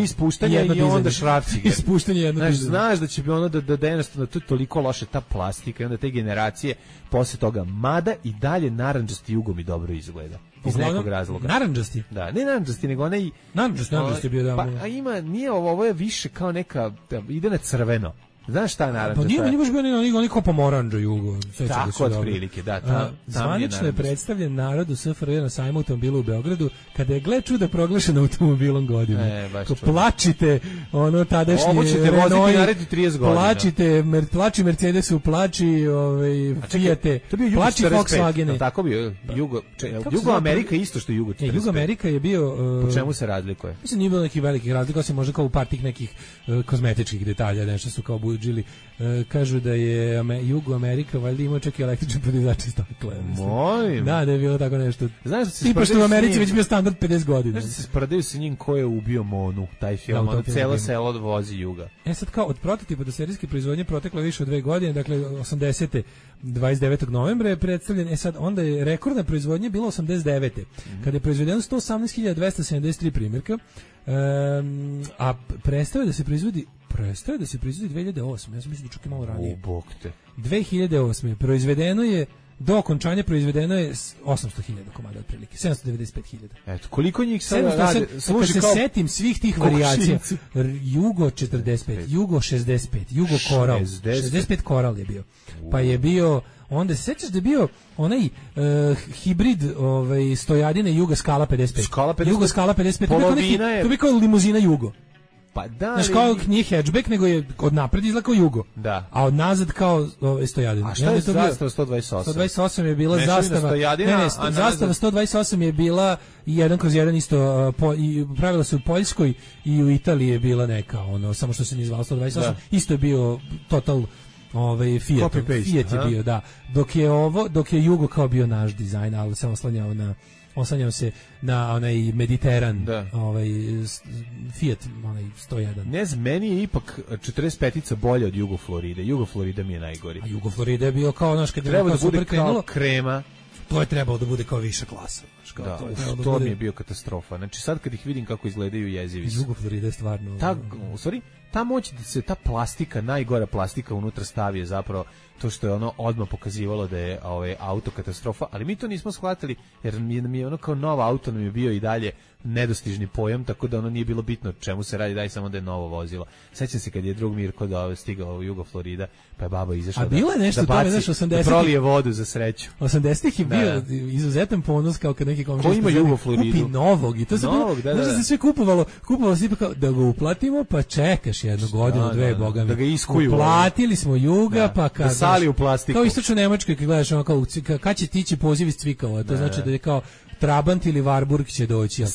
Speaker 5: spuštanja i onda šrafciger. Znaš da će bi da jednostavno to je toliko loše ta plastika i onda te generacije posle toga. Mada i dalje narandžasti Jugo mi dobro izgleda. Iz nekog razloga.
Speaker 6: Narandžasti?
Speaker 5: Da, ne narandžasti, nego onaj...
Speaker 6: Narandžasti je bio da...
Speaker 5: Pa ima, nije ovo je više kao neka, ide na crveno. Znaš šta je narandža?
Speaker 6: Pa nije baš bio ni kao pomoranđa Jugo.
Speaker 5: Tako otprilike, da.
Speaker 6: Zvanično je predstavljen narod u SFRJ na sajmu automobila u Beogradu, kada je, gle čuda, proglašen automobilom godine. Plačite, tadašnji
Speaker 5: Ovo ćete voziti narediti 30 godina.
Speaker 6: Plači Mercedesu, plači Fijate, plači Volkswagene.
Speaker 5: Tako bio Jugo Amerika isto što je Jugo 45.
Speaker 6: Jugo Amerika je bio...
Speaker 5: Po čemu se razlikuje?
Speaker 6: Mislim, nije bilo nekih velikih razlika, osim možda kao u par tih nekih kozmetičkih detalja, nešto su kao budžili. Kažu da je Jugo Amerika valjda imao čak i električne podizače stakla.
Speaker 5: Molim.
Speaker 6: Da je bilo tako nešto.
Speaker 5: Znaš da se
Speaker 6: tipa što u Americi već bio standard 50 godina.
Speaker 5: Znaš da se sprdaju sa njim ko je ubio Monu, taj film, celo selo vozi Juga.
Speaker 6: Sad kao od prototipa do serijske proizvodnje proteklo više od 2 godine, dakle 80. 29. novembra je predstavljen, sad onda je rekordna proizvodnja bila 89. Kada je proizvedeno 118.273 primjerka, a prestao da se proizvodi 2008. Ja sam mislim da čak i malo ranije. 2008. proizvedeno je, do okončanja proizvedeno je 800.000 komada otprilike, 795.000.
Speaker 5: Eto, koliko njih sada rade?
Speaker 6: Kad se setim svih tih varijacija, Jugo 45, Jugo 65, Jugo Coral, 65 Coral je bio. Pa je bio, onda se sećaš da je bio onaj hibrid stojadine Juga Skala 55. Jugo Skala 55, to bi kao limuzina Jugo.
Speaker 5: Pa da,
Speaker 6: znaš, kao nije hatchback, nego je od napred izgleda kao Jugo.
Speaker 5: Da.
Speaker 6: A od nazad kao stojadina.
Speaker 5: A šta je zastava 128?
Speaker 6: 128 je bila zastava. Zastava 128 je bila 1/1 isto, pravila se u Poljskoj i u Italiji je bila neka, samo što se nije zvalo 128. Da. Isto je bio total Fiat je bio, da. Dok je Jugo kao bio naš dizajn, ali se oslanjao se na onaj Mediteran, Fiat, onaj 101.
Speaker 5: Ne znam, meni je ipak 45-ica bolja od Jugo Floride. Jugo Florida mi je najgori.
Speaker 6: A Jugo Florida je bio kao, znaš, kad
Speaker 5: treba da bude kao krema.
Speaker 6: To je trebalo da bude kao viša klasa.
Speaker 5: Da, mi je bio katastrofa. Znači sad kad ih vidim kako izgledaju jezivi su.
Speaker 6: Jugo Florida je stvarno...
Speaker 5: U stvari, ta moć da se ta plastika, najgora plastika unutra stavi je zapravo to što je ono odmah pokazivalo da je auto katastrofa, ali mi to nismo shvatili jer mi je ono kao nova auto nam je bio i dalje nedostižni pojam, tako da ono nije bilo bitno čemu se radi, daj samo da je novo vozilo. Sećam se kad je drug Mirko stigao u Jugo Florida, pa je baba izašla da prolije vodu za sreću.
Speaker 6: 80-ih je bio izuzetan ponos kao kad neki komšija
Speaker 5: ima Jugo Floridu
Speaker 6: kupi novog i to se bilo, znaš da se sve kupovalo se ipak kao da ga uplatimo, pa čekaš jednu godinu, dve, boga mi.
Speaker 5: Da ga iskuju.
Speaker 6: Uplatili smo Juga, pa kad
Speaker 5: da sali u plastiku.
Speaker 6: Kao istočno Nemačkoj kad gledaš ono kao kad će tići poziv iz Cvikova, to znači da je kao Trabant ili Warburg će doći, a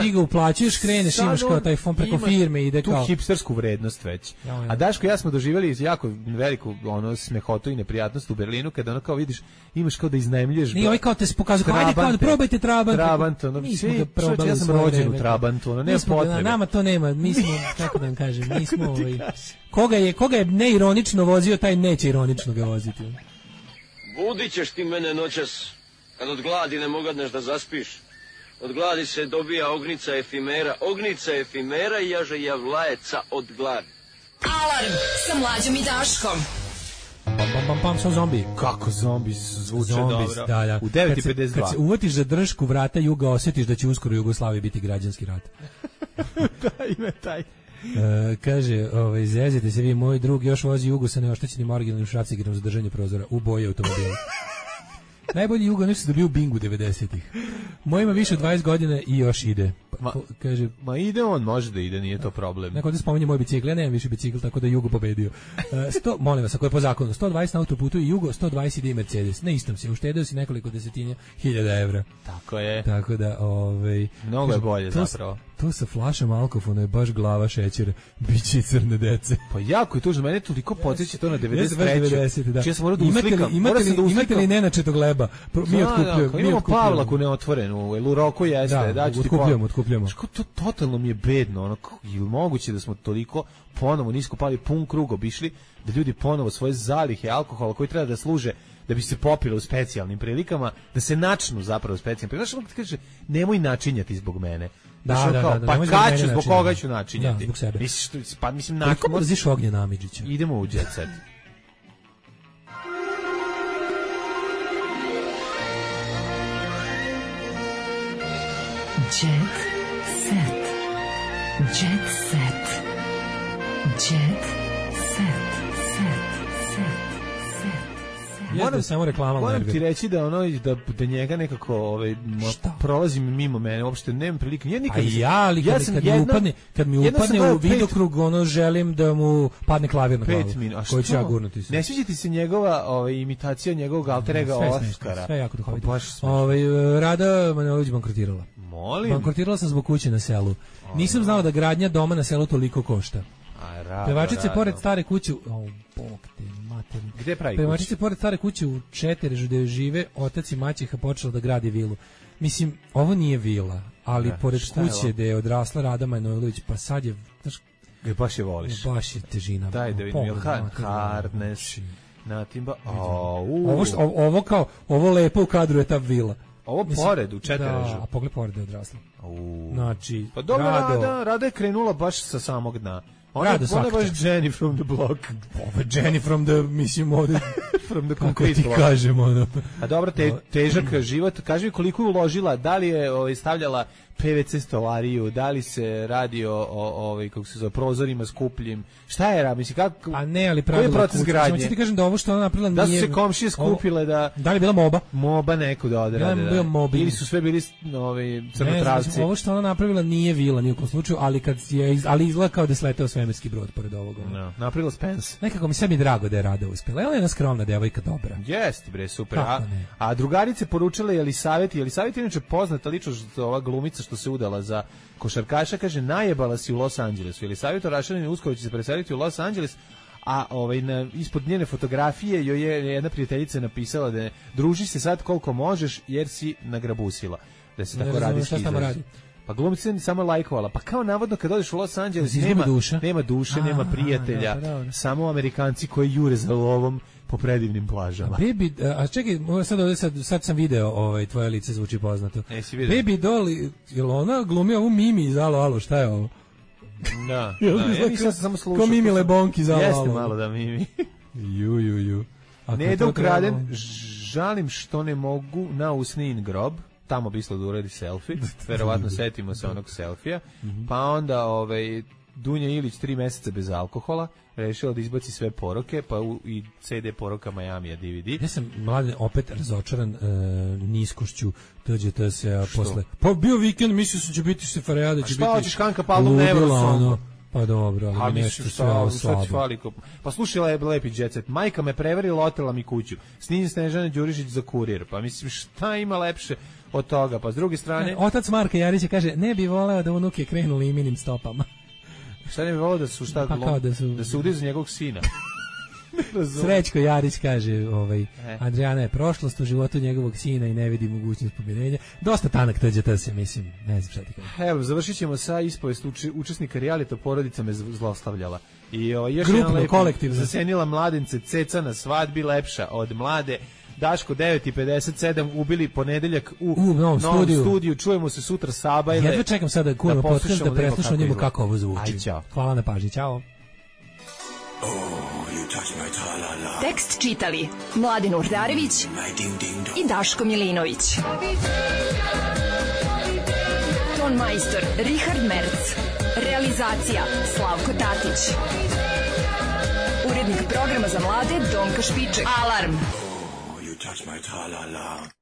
Speaker 6: ti ga uplaćuješ, kreneš, imaš kao taj fond preko firme, ide kao...
Speaker 5: tu hipstersku vrednost već. A Daško i ja smo doživjeli jako veliku smehotu i neprijatnost u Berlinu, kada ono kao vidiš, imaš kao da iznajmljuješ...
Speaker 6: I ovaj kao te pokazuje, ajde kao da probajte Trabant.
Speaker 5: Trabant, ja sam rođen u Trabantu, nema potrebe.
Speaker 6: Nama to nema, mi smo, kako da vam kažem, mi smo... Koga je neironično vozio, taj neće ironično ga voziti.
Speaker 11: Budit ćeš ti mene noćas, kad od gladi ne mogadneš da zaspiš. Od gladi se dobija ognica efimera i jaže javlajeca od gladi.
Speaker 3: Alarm sa Mlađom i Daškom.
Speaker 6: Pam, sa zombi.
Speaker 5: Kako zombi zvuče dobro.
Speaker 6: Da.
Speaker 5: U 9:52.
Speaker 6: Kad se uvatiš za držku vrata Juga, osjetiš da će uskoro u Jugoslaviji biti građanski rat.
Speaker 5: Da, ima taj.
Speaker 6: Kaže, zezite se vi, moj drug još vozi Jugu sa neoštećenim originalnim šrafcigerom za držanje prozora u boji automobila. Najbolji Jugo nešto se dobio u Bingu 90-ih. Moj ima više od 20 godina i još ide. Kaže,
Speaker 5: ide on, može da ide, nije to problem.
Speaker 6: Neko da spominje moj bicikl, ja nemam više bicikl, tako da Jugo pobedio. Molim vas, ako je po zakonu, 120 na autoputu i Jugo, 120 ide i Mercedes. Ne istom se, uštedeo si nekoliko desetinja hiljada evra.
Speaker 5: Tako je.
Speaker 6: Tako da,
Speaker 5: mnogo je bolje zapravo.
Speaker 6: To sa flašom alkofona je baš glava šećera, biće i crne dece.
Speaker 5: Pa jako je tužno, mene toliko podsjeća to na 93.
Speaker 6: Da.
Speaker 5: Čija sam morao da uslikam.
Speaker 6: Imate li nenačetog leba? Mi otkupljujemo.
Speaker 5: Imamo Pavlaku neotvorenu, u Roku jeste.
Speaker 6: Da, otkupljujemo.
Speaker 5: To totalno mi je bedno, je li moguće da smo toliko ponovo nisko pali, pun krug obišli, da ljudi ponovo svoje zalihe alkohola koji treba da služe da bi se popilo u specijalnim prilikama, da se načnu zapravo u specijalnim prilikama. Znaš, kaže, nemoj načinjati zbog mene.
Speaker 6: Da,
Speaker 5: pa kad ću, zbog koga ću načinjati?
Speaker 6: Da, zbog sebe.
Speaker 5: Mislim,
Speaker 6: koliko mrziš Ognjena Amidžića?
Speaker 5: Idemo u jet set.
Speaker 3: Jet set. Jet set. Jet set.
Speaker 5: Moram ti reći da da njega nekako prolazim mimo mene, uopšte nemam prilike.
Speaker 6: Kad mi upadne u vidokrug, želim da mu padne klavir na glavu. Koji će ja gurnuti se.
Speaker 5: Ne sviđa ti se njegova imitacija njegovog alter ega Oskara?
Speaker 6: Sve jako duhovito. Rada Manojlović bankrotirala.
Speaker 5: Molim.
Speaker 6: Bankrotirala sam zbog kuće na selu. Nisam znao da gradnja doma na selu toliko košta. Pevačice pored stare kuće, bog te materni.
Speaker 5: Gde pravi kuću?
Speaker 6: Pevačice pored stare kuće u Četerežu gde žive otac i maćeha počela da gradi vilu. Mislim, ovo nije vila, ali pored kuće gde je odrasla Rada Manojlović, pa sad je, znaš,
Speaker 5: baš je voliš.
Speaker 6: Baš je težina.
Speaker 5: Daj da vidim, Harnes, Natimba,
Speaker 6: ovo lepo u kadru je ta vila.
Speaker 5: Ovo pored u Četerežu.
Speaker 6: Da, a pogled pored je odrasla. Znači,
Speaker 5: pa dobro, Rada je krenula baš sa samog dna. Ona je baš Jenny from the block.
Speaker 6: Ovo je Jenny from the, mislim, ovdje,
Speaker 5: from the concrete block.
Speaker 6: Kažemo,
Speaker 5: A dobro, težak život. Kaži mi koliko je uložila, da li je stavljala PVC stolariju, da li se radi o kako se zove, prozorima skupljim, šta je, mislim, kako,
Speaker 6: a ne, ali pravila,
Speaker 5: koji je proces gradnje?
Speaker 6: Samo ću ti kažem da ovo što ona napravila nije...
Speaker 5: Da su se komšije skupile da...
Speaker 6: Da li je bila moba?
Speaker 5: Moba neko da odrade, da. Ili su sve bili crnotravci.
Speaker 6: Ne, ovo što ona napravila nije vila, nijekom slučaju, ali izgleda kao da je sleteo svemirski brod pored ovoga.
Speaker 5: No, napravila Spence.
Speaker 6: Nekako mi sebi drago da je Rada uspjela. Ona je jedna skromna devojka, dobra.
Speaker 5: Jeste, bre, super. A drugarice poručile Jelisaveti inače poznata ličnost, ova glumica što se udala za košarkaša, kaže, najebala si u Los Angelesu. Jelisaveta Rašanin uskoro će se preseliti u Los Angeles, a ispod njene fotografije joj je jedna prijateljica napisala da druži se sad koliko možeš jer si nagrabusila. Da se tako radi.
Speaker 6: Šta tamo radi?
Speaker 5: Pa glumica je samo lajkovala. Pa kao navodno kad odeš u Los Angeles nema duše, nema prijatelja, samo Amerikanci koji jure za lovom po predivnim plažama.
Speaker 6: A čekaj, sad sam video tvoje lice zvuči poznato.
Speaker 5: Baby
Speaker 6: Doll, jel ona glumi ovu Mimi iz Alo, šta je ovo?
Speaker 5: Da, ja nisam samo slušao.
Speaker 6: Ko Mimi Lebonki za
Speaker 5: jeste malo da Mimi.
Speaker 6: Ju.
Speaker 5: Neda ukraden, žalim što ne mogu na usnin grob, tamo bi da uradi selfie, verovatno setimo se onog selfija, pa onda Dunja Ilić 3 meseca bez alkohola, rešila da izbaci sve poroke, pa i CD poroka Majamija DVD.
Speaker 6: Ja sam, Mladen, opet razočaran niskošću TGT-a posle. Pa bio vikend, mislio sam će biti sefarejada, će biti...
Speaker 5: A šta hoćeš, Hanka Palom Nevrosongo?
Speaker 6: Pa dobro, ali nešto sve slabo.
Speaker 5: Pa slušala je Lepi Jet Set. Majka me prevarila, otela mi kuću. Snin Snežane Đurišić za kurir. Pa mislim, šta ima lepše od toga? Pa s druge strane...
Speaker 6: Otac Marka Jarića kaže, ne bi voleo da unuke krenu liminim stopama.
Speaker 5: Šta ne bi voleo da su da se ude za njegovog sina?
Speaker 6: Srećko Jarić kaže, Adriana je prošlost u životu njegovog sina i ne vidi mogućnost pomirenja. Dosta tanak TGT se, mislim, ne znam šta ti kažem.
Speaker 5: Evo, završit ćemo sa ispovest učesnika realita, porodica me zlostavljala. I još
Speaker 6: grupno, kolektivno.
Speaker 5: Zasenila mladence, ceca na svadbi lepša od mlade. Daško 9:57 ubili ponedeljak u novom studiju. Čujemo se sutra Sabajle.
Speaker 6: Jedva čekam sada kurno podcast da preslušamo njemu kako ovo zvuči. Hvala na pažnji, čao.
Speaker 3: Tekst čitali Mladen Urdarević i Daško Milinović. Ton majstor Richard Merc. Realizacija Slavko Tatić. Urednik programa za mlade Donka Špiček. Alarm! You touch my tra-la-la.